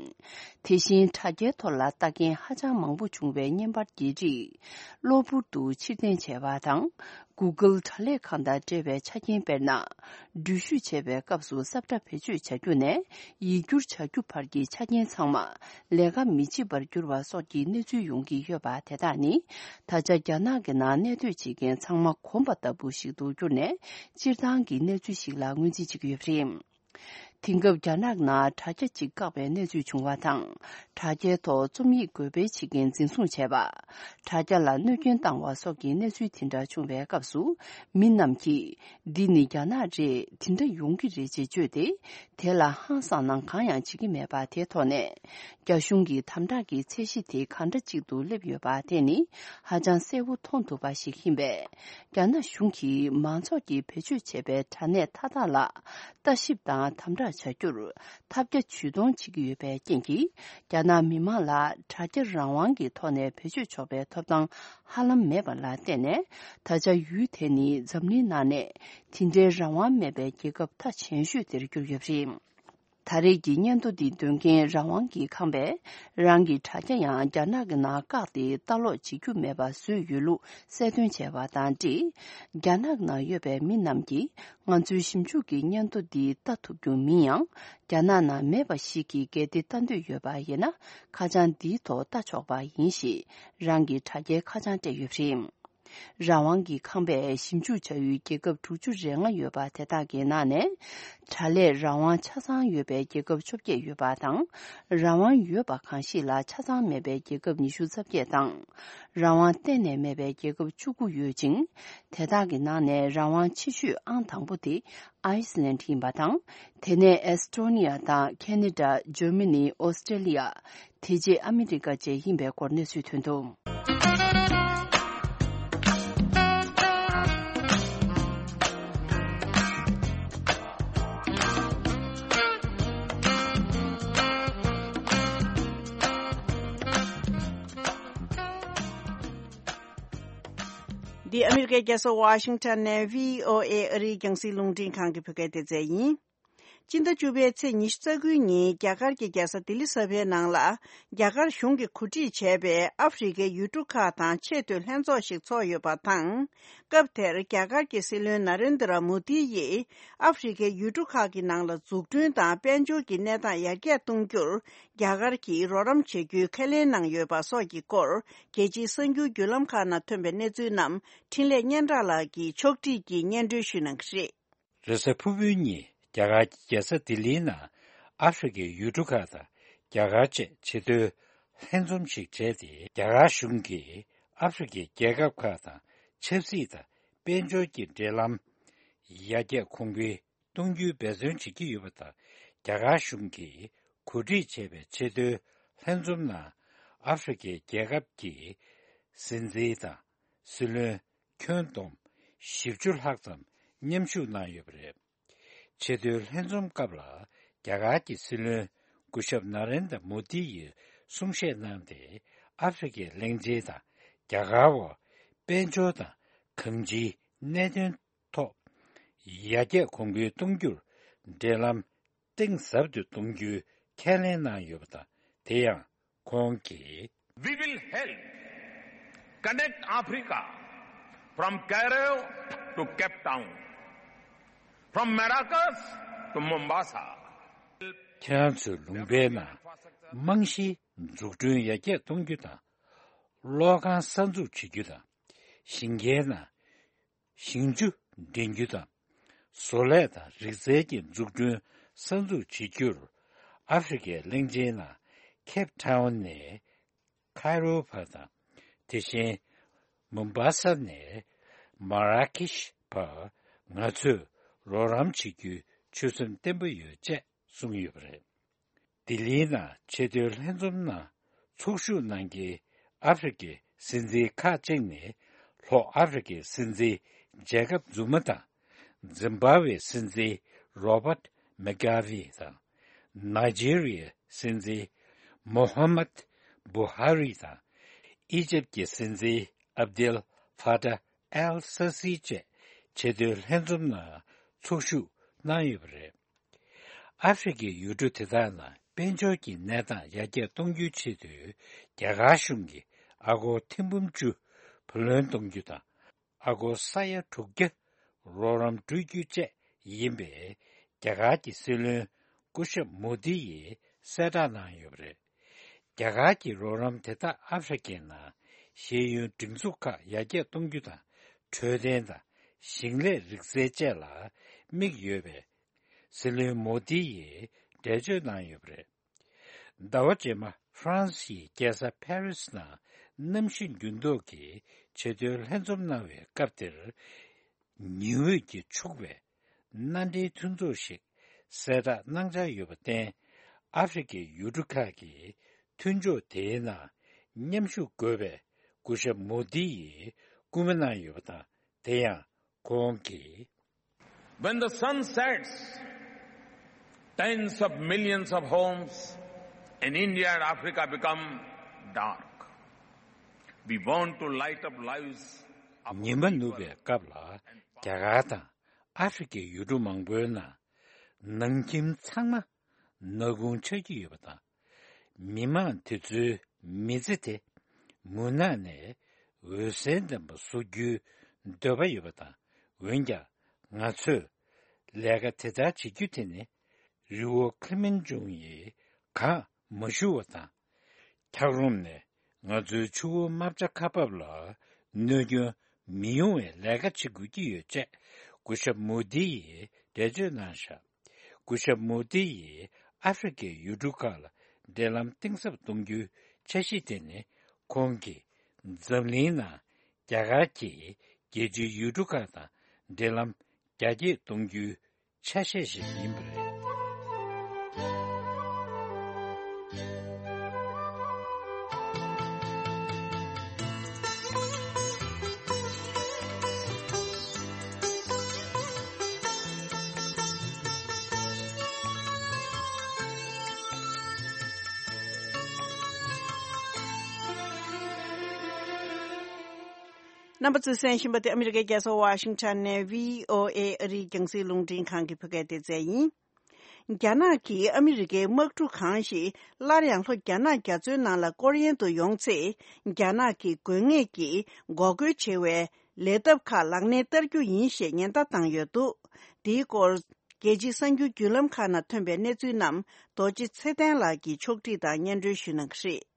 དེ་བཞིན་དྲ་རྒྱའི་ཐོག་ལ་ལྟ་མཁན་ཧ་ཅང་མང་པོ་བྱུང་བའི་བརྙན་པར་གྱི་རིགས་གློ་བུར་དུ་ཕྱིར་འཐེན་བྱས་པ་དང་། Google་དྲ་ལས་ཁང་དང་འབྲེལ་བའི་ཆ་རྐྱེན། དཔེར་ན། འགྲུལ་བཞུད་བྱེད་པའི་སྐབས་སུ་ས་བཀྲ་བེད་སྤྱོད་བྱ་རྒྱུ་ནས་ཡིག་སྒྱུར་བྱ་རྒྱུ་བར་གྱི་ཆ་རྐྱེན་ཚང་མ་ལས་ཀ་མི་བྱེད་པར་གྱུར་བ་སོགས་ཀྱི་གནས་ཚུལ་ཡོང་གི་ཡོད་པ། དེ་དག་ནི་ད་ཆ་རྒྱ་ནག་གི་ནང་གནས་སྡོད་བྱེད་མཁན་ཚང་མ་གོམས་པ་ལྟ་བུ་ཞིག་ཏུ་གྱུར་ནས། སྤྱིར་བཏང་གི་གནས་ཚུལ་ཞིག་ལ་ངོས་འཛིན་བྱེད་ཀྱི་ཡོད་པ་རེད། དེང་སྐབས་རྒྱ་ནག་ནང་དྲ་རྒྱ་གཅིག་བཀག་པའི་གནས་ཚུལ་བྱུང་བ་དང་། དྲ་རྒྱའི་ཐོག་རྩོམ་ཡིག་འགོད་སྤེལ་བྱེད་མཁན་འཛིན་བཟུང་བྱས་པ། དྲ་རྒྱ་ལ་གནོད་སྐྱོན་བཏང་བ་སོགས་ཀྱི་གནས་ཚུལ་དེ་འདྲ་བྱུང་བའི་སྐབས་སུ། མི་རྣམས་ཀྱིས་འདི་ནི་རྒྱ་ནག་རེད། དེ་འདྲ་ཡོང་གི་རེད་ཅེས་བརྗོད་དེ། དེ་ལ་ཧང་སངས་གནང་གང་ཡང་བྱེད་ཀྱི་མེད་པ་དེའི་ཐོག་ནས། རྒྱ་གཞུང་གི་དམ་དྲག་གི་ཚད་གཞི་དེ་ག་འདྲ་ཅིག་ཏུ་སླེབས་ཡོད་པ་དེ་ནི་ཧ་ཅང་གསལ་པོ་མཐོང་ཐུབ་པ་ཞིག་ཡིན་པས། རྒྱ་ནག་གཞུང་གིས་མང་ཚོགས་ཀྱིས་བེད་སྤྱོད་བྱེད་པའི་དྲ་གནས་མཐའ་དག་ལ་ལྟ་ཞིབ་དང་དམ་དྲག་བྱ་རྒྱུར་ཐབས་བརྒྱ་ཇུས་སྟོང་བྱེད་ཀྱི་ཡོད་པའི་རྐྱེན་གྱིས། རྒྱ་ནག་མི་མང་ལ་དྲ་རྒྱ་རང་དབང་གི་ཐོག་ནས་བེད་སྤྱོད་ཆོག་པའི་ཐོབ་ཐང་ཧ་ལམ་མེད་པ་ལ་བརྟེན་ནས། ད་ཆ་ཡུལ་དེ་ནི་འཛམ་གླིང་ནང་ནས་དེ་འདྲའི་རང་དབང་མེད་པའི་རྒྱལ་ཁབ་མཐའ་ཆེན་ཤོས་དེར་གྱུར་ཡོད་པ་རེད། ད་རེས་ཀྱི་སྙན་ཐོ་འདི་འདོན་མཁན་རང་དབང་གི་ཁང་པས། རང་གི་དྲ་རྒྱ་ཡང་རྒྱ་ནག་གི་ནང་བཀག་སྟེ་ལྟ་ཀློག་བྱེད་རྒྱུ་མེད་པ་བཟོས་ཡོད་ལུགས་གསལ་སྟོན་བྱས་པ་དང་འབྲེལ། རྒྱ་ནག་ནང་ཡོད་པའི་མི་རྣམས་ཀྱིས། ང་ཚོའི་ཞིབ་འཇུག་གི་སྙན་ཐོ་འདི་ལྟ་ཐུབ་རྒྱུ་མིན་ཡང་། རྒྱ་ནག་ནང་མེད་པ་ཞིག་གིས་གལ་ཏེ་ལྟ་འདོད་ཡོད་པ་ཡིན་ན། ཁ་བྱང་འདིའི་ཐོག་ལྟ་ཆོག་པ་ཡིན་ཞེས། རང་གི་དྲ་རྒྱའི་ཁ་བྱང་སྤྲད་ཡོད་པ་རེད། རང་དབང་གི་ཁང་པས་ཞིབ་འཇུག་བྱ་ཡུལ་རྒྱལ་ཁབ་དྲུག་ཅུ་རེ་ལྔ་ཡོད་པ་དེ་དག་གི་ནང་ནས། དྲ་ལས་རང་དབང་ཆ་ཚང་ཡོད་པའི་རྒྱལ་ཁབ་བཅོ་བརྒྱད་ཡོད་པ་དང་། རང་དབང་ཡོད་པ་གང་ཞིག་ལ་ཆ་ཚང་མེད་པའི་རྒྱལ་ཁབ་ཉི་ཤུ་རྩ་བརྒྱད་དང་། རང་དབང་གཏན་ནས་མེད་པའི་རྒྱལ་ཁབ་བཅུ་དགུ་ཡོད་ཅིང་། དེ་དག་གི་ནང་ནས་རང་དབང་ཆེ་ཤོས་ཨང་དང་པོ་དེ་ཨའི་སི་ལན་ཡིན་པ་དང་། དེ་ནས་ཨེ་སི་ཊོ་ནི་ཡ་དང་ཁེ་ན་ཌ། འཇར་མ་ནི། ཨོ་སི་ཀྲེ་ལི་ཡ། དེ་རྗེས་ཨ་མི་རི་ཀ་བཅས་ཡིན་པའི་སྐོར་གནས་ཚུལ་ཐོན་འདུག། འདི་ཨ་མི་རི་ཀའི་རྒྱལ་ས་ཝ་ཤིང་ཊོན་ནས་བྷི་ཨོ་ཨེ་ཨ་རིའི་རྒྱང་སྲིང་རླུང་འཕྲིན་ཁང་གི་བོད་སྐད་སྡེ་ཚན་ཡིན། སྤྱི་ཟླ་བཅུ་པའི་ཚེས་ཉི་ཤུ་རྩ་དགུའི་ཉིན་རྒྱ་གར་གྱི་རྒྱལ་ས་ལྡི་ལི་གསར་པའི་ནང་ལ། རྒྱ་གར་གཞུང་གིས་གོ་སྒྲིག་བྱས་པའི་ཨ་ཧྥེ་རི་ཁའི་ཡུལ་གྲུ་ཁག་དང་ཆེས་མཐོའི་ལྷན་ཚོགས་ཤིག་ཚོགས་ཡོད་པ་དང་། སྐབས་དེར་རྒྱ་གར་གྱི་སྲིད་བློན་ན་རེན་དྲ་མོ་དི་ཡིས། ཨ་ཧྥེ་རི་ཁའི་ཡུལ་གྲུ་ཁག་གི་ནང་ལ་འཛུགས་སྐྲུན་དང་དཔལ་འབྱོར་གྱི་གནས་སྟངས་ཡར་རྒྱས་གཏོང་རྒྱུར། རྒྱ་གར་གྱིས་རོགས་རམ་བྱེད་རྒྱུའི་ཁས་ལེན་གནང་ཡོད་པ་སོགས་ཀྱི་སྐོར། རྒྱལ་སྤྱིའི་གསར་འགྱུར་བརྒྱུད་ལམ་ཁག་ནང་ཐོན་པའི་གནས་ཚུལ་རྣམས། འཕྲིན་ལས་སྙན་གྲགས་ལགས་ཀྱིས་ཕྱོགས་བསྒྲིགས་ཀྱིས་སྙན་སྒྲོན་ཞུ་གནང་གི་རེད། རེས་གཟའ་ཕུར་བུའི་ཉིན་རྒྱ་གར་གྱི་རྒྱལ་ས་ལྡི་ལིའི་ནང་ཨ་ཧྥེ་རི་ཁའི་ཡུལ་གྲུ་ཁག་དང་རྒྱ་གར་བཅས་ཆེས་མཐོའི་ལྷན་འཛོམས་ཤིག་བྱས་ཏེ། རྒྱ་གར་གཞུང་གིས་ཨ་ཧྥེ་རི་ཁའི་རྒྱལ་ཁབ་ཁག་དང་ཆབ་སྲིད་དང་དཔལ་འབྱོར་གྱི་འབྲེལ་ལམ་ཡར་རྒྱས་གོང་འཕེལ་གཏོང་རྒྱུའི་འབད་བརྩོན་བྱེད་ཀྱི་ཡོད་པ་དང་། རྒྱ་གར་གཞུང་གིས་གོ་སྒྲིག་བྱས་པའི་ཆེས་མཐོའི་ལྷན་འཛོམས་ནང་ཨ་ཧྥེ་རི་ཁའི་རྒྱལ་ཁབ་ཀྱི་སྲིད་འཛིན་དང་། སྲིད་བློན་ཁྱོན་བསྡོམས་བཞི་བཅུ་ལྷག་ཙམ་མཉམ་ཞུགས་གནང་ཡོད་པ་རེད། ཆེས་མཐོའི་ལྷན་འཛོམས་སྐབས་ལ་རྒྱ་གར་གྱི་སྲིད་བློན་སྐུ་ཞབས་ན་རེན་དྲ་མོ་དི་ཡིས་གསུང་བཤད་གནང་སྟེ། ཨ་ཧྥེ་རི་ཁའི་གླིང་ཆེན་དང་རྒྱ་གར་བར་དཔལ་འབྱོར་དང་གང་ཅིའི་གནད་དོན་ཐོག་ཡར་རྒྱས་གོང་འཕེལ་གཏོང་རྒྱུར་འབྲེལ་ལམ་གཏིང་ཟབ་ཏུ་གཏོང་རྒྱུའི་ཁས་ལེན་གནང་ཡོད་པ་དང་། དེ་ཡང་ཁོང་གིས། We will help connect Africa from Cairo to Cape Town, from Maracas to Mombasa. ཁྱེད་རང་ཚོའི་ལུང་པའི་ནང་རྨང་གཞིའི་འཛུགས་སྐྲུན་ཡར་རྒྱས་གཏོང་རྒྱུ་དང་། གློག་ཁང་གསར་འཛུགས་བྱེད་རྒྱུ་དང་། ཞིང་ཁའི་ནང་ཞིང་ཆུ་འདྲེན་རྒྱུ་དང་། བཟོ་ལས་དང་རིག་རྩལ་གྱི་འཛུགས་སྐྲུན་གསར་འཛུགས་བྱེད་རྒྱུར། ཨ་ཧྥེ་རི་ཁའི་གླིང་ཆེན་ནང་ཁེབ་ཐའོན་ནས་ཁའི་རོ་བར་དང་། དེ་བཞིན་མུམ་བྷ་ས་ནས་མ་ར་ཀེཤ་བར་ང་ཚོས་རོགས་རམ་བྱེད་རྒྱུའི་ཆོད་སེམས་བརྟན་པོ་ཡོད་ཅེས་གསུངས་ཡོད་པ་རེད། ལྡི་ལིའི་ནང་ཆེས་མཐོའི་ལྷན་འཛོམས་ནང་ཚོགས་ཞུགས་གནང་མཁན་ཨ་ཧྥེ་རི་ཁའི་སྲིད་འཛིན་ཁག་ཅིག་ནས་ལྷོ་ཨ་ཧྥེ་རི་ཁའི་སྲིད་འཛིན་ཇེ་ཀབ་ཛུ་མ་དང་། ཛིམ་བྷ་ཝེའི་སྲིད་འཛིན་རོ་བྷར་མེ་གྷ་ཝེ་དང་། ནཱི་ཇི་རི་ཡའི་སྲིད་འཛིན་མོ་ཧམ་མད་བུ་ཧ་རི་དང་། ཨི་ཇེབ་ཀྱི་སྲིད་འཛིན་ཨབ་དེལ་ཧྥ་ཏཱ་ཨེལ་སི་སི་བཅས་ཆེས་མཐོའི་ལྷན་འཛོམས་ནང་ཚོགས་ཞུགས་གནང་ཡོད་པ་རེད། ཨ་ཧྥེ་རི་ཁའི་ཡུལ་གྲུ་དེ་དག་ནང་དཔལ་འབྱོར་གྱི་གནས་སྟངས་ཡར་རྒྱས་གཏོང་རྒྱུའི་ཆེད་དུ་རྒྱ་གར་གཞུང་གིས་ཨ་སྒོར་ཐེར་འབུམ་བཅུ་བུ་ལོན་གཏོང་རྒྱུ་དང་། ཨ་སྒོར་ས་ཡ་དྲུག་བརྒྱ་རོགས་རམ་སྤྲོད་རྒྱུ་བཅས་ཡིན་པའི་རྒྱ་གར་གྱི་སྲིད་བློན་སྐུ་ཞབས་མོ་དི་ཡིས་གསལ་བསྒྲགས་གནང་ཡོད་པ་རེད། རྒྱ་གར་གྱི་རོགས་རམ་དེ་དག་ཨ་ཧྥེ་རི་ཁའི་ནང་ཤེས་ཡོན་སྒྲིག་འཛུགས་ཁག་ཡར་རྒྱས་གཏོང་རྒྱུ་དང་། འཕྲོད་བསྟེན་དང་ཞིང་ལས་རིག་རྩལ་བཅས་ལ་དམིགས་ཡོད་པའི་སྲིད་བློན་མོ་དི་ཡིས་འགྲེལ་བརྗོད་གནང་ཡོད་པ་རེད། ཟླ་བ་རྗེས་མ་ཧྥ་རན་སིའི་རྒྱལ་ས་ཕ་རི་སི་ནང་གནམ་གཤིས་འགྱུར་ལྡོག་གི་ཆེས་མཐོའི་ལྷན་འཛོམས་གནང་བའི་སྐབས་དེར། ཉི་འོད་ཀྱིས་ཕྱུག་པའི་མནའ་འབྲེལ་མཐུན་ཚོགས་ཤིག་གསལ་བསྒྲགས་གནང་འཆར་ཡོད་པར་བརྟེན། ཨ་ཧྥེ་རི་ཁའི་ཡུལ་གྲུ་ཁག་གིས་མཐུན་ཕྱོགས་དེའི་ནང་མཉམ་ཞུགས་དགོས་པའི་སྐུ་ཞབས་མོ་དི་ཡིས་སྐུལ་མ་གནང་ཡོད་པ་དང་། དེ་ཡང་ཁོང་གིས། When the sun sets, tens of millions of homes in India and Africa become dark. We want to light up lives of our people. ཉི་མ་ནུབ་པའི་སྐབས་ལ་རྒྱ་གར་དང་ཨ་ཧྥེ་རི་ཁའི་ཡུལ་གྲུ་མང་པོའི་ནང་ནང་ཁྱིམ་ཚང་མ་ནག་ཁུང་ཆགས་ཀྱི་ཡོད་པ་དང་། མི་མང་དེ་ཚོའི་མི་ཚེ་དེ་མུན་ནག་ནས་འོད་ཟེར་ལྡན་པ་བཟོ་རྒྱུའི་འདོད་པ་ཡོད་པ་དང་། འོན་ཀྱང་ང་ཚོས་ལས་ཀ་དེ་ལྟར་བྱེད་རྒྱུ་དེ་ནི་རི་བོ་ཁི་ལི་མན་ཇུང་ཡིས་གངས་མ་ཞུ་བ་དང་། འཁྱགས་རོམ་ནས་ང་ཚོའི་ཆུ་བོ་རྨ་བྱ་ཁ་འབབ་ལ་གནོད་སྐྱོན་མི་ཡོང་བའི་ལས་ཀ་བྱེད་དགོས་ཀྱི་ཡོད་ཅེས་སྐུ་ཞབས་མོ་དི་ཡིས་འགྲེལ་བརྗོད་གནང་བཞག་སྐུ་ཞབས་མོ་དི་ཡིས་ཨ་ཧྥེ་རི་ཁའི་ཡུལ་གྲུ་ཁག་ལ་འབྲེལ་ལམ་གཏིང་ཟབ་གཏོང་རྒྱུའི་འཆར་གཞི་དེ་ནི། ཁོང་གིས་འཛམ་གླིང་ནང་རྒྱ་གར་གྱིས་རྒྱལ་སྤྱིའི་ཡུལ་གྲུ་ཁག་དང་འབྲེལ་ལམ་རྒྱ་སྐྱེད་གཏོང་རྒྱུའི་ཆ་ཤས་ཤིག་ཡིན་པ་རེད། རྣམ་པ་ཚོས་གསན་བཞིན་པ་དེ་ཨ་མི་རི་ཀའི་རྒྱལ་ས་ཝ་ཤིང་ཊོན་ནས་བྷི་ཨོ་ཨེ་ཨ་རིའི་རྒྱང་སྲིང་རླུང་འཕྲིན་ཁང་གི་བོད་སྐད་སྡེ་ཚན་ཡིན། རྒྱ་ནག་གིས་ཨ་མི་རི་ཀའི་དམག་གྲུ་གང་ཞིག་སླར་ཡང་ལྷོ་རྒྱ་ནག་རྒྱ་མཚོའི་ནང་ལ་སྐོར་གཡེང་དུ་ཡོང་ཚེ། རྒྱ་ནག་གི་དགོས་ངེས་ཀྱི་འགོག་རྒོལ་བྱེད་པའི་ལས་ཐབས་ཁག་ལག་ལེན་བསྟར་རྒྱུ་ཡིན་ཞེས་ཉེན་བརྡ་བཏང་ཡོད་འདུག་འདིའི་སྐོར། རྒྱལ་སྤྱིའི་གསར་འགྱུར་བརྒྱུད་ལམ་ཁག་ནང་ཐོན་པའི་གནས་ཚུལ་རྣམས་རྡོ་རྗེ་ཚེ་བརྟན་ལགས་ཀྱིས་ཕྱོགས་སྒྲིག་དང་སྙན་སྒྲོན་ཞུ་གནང་གི་རེད།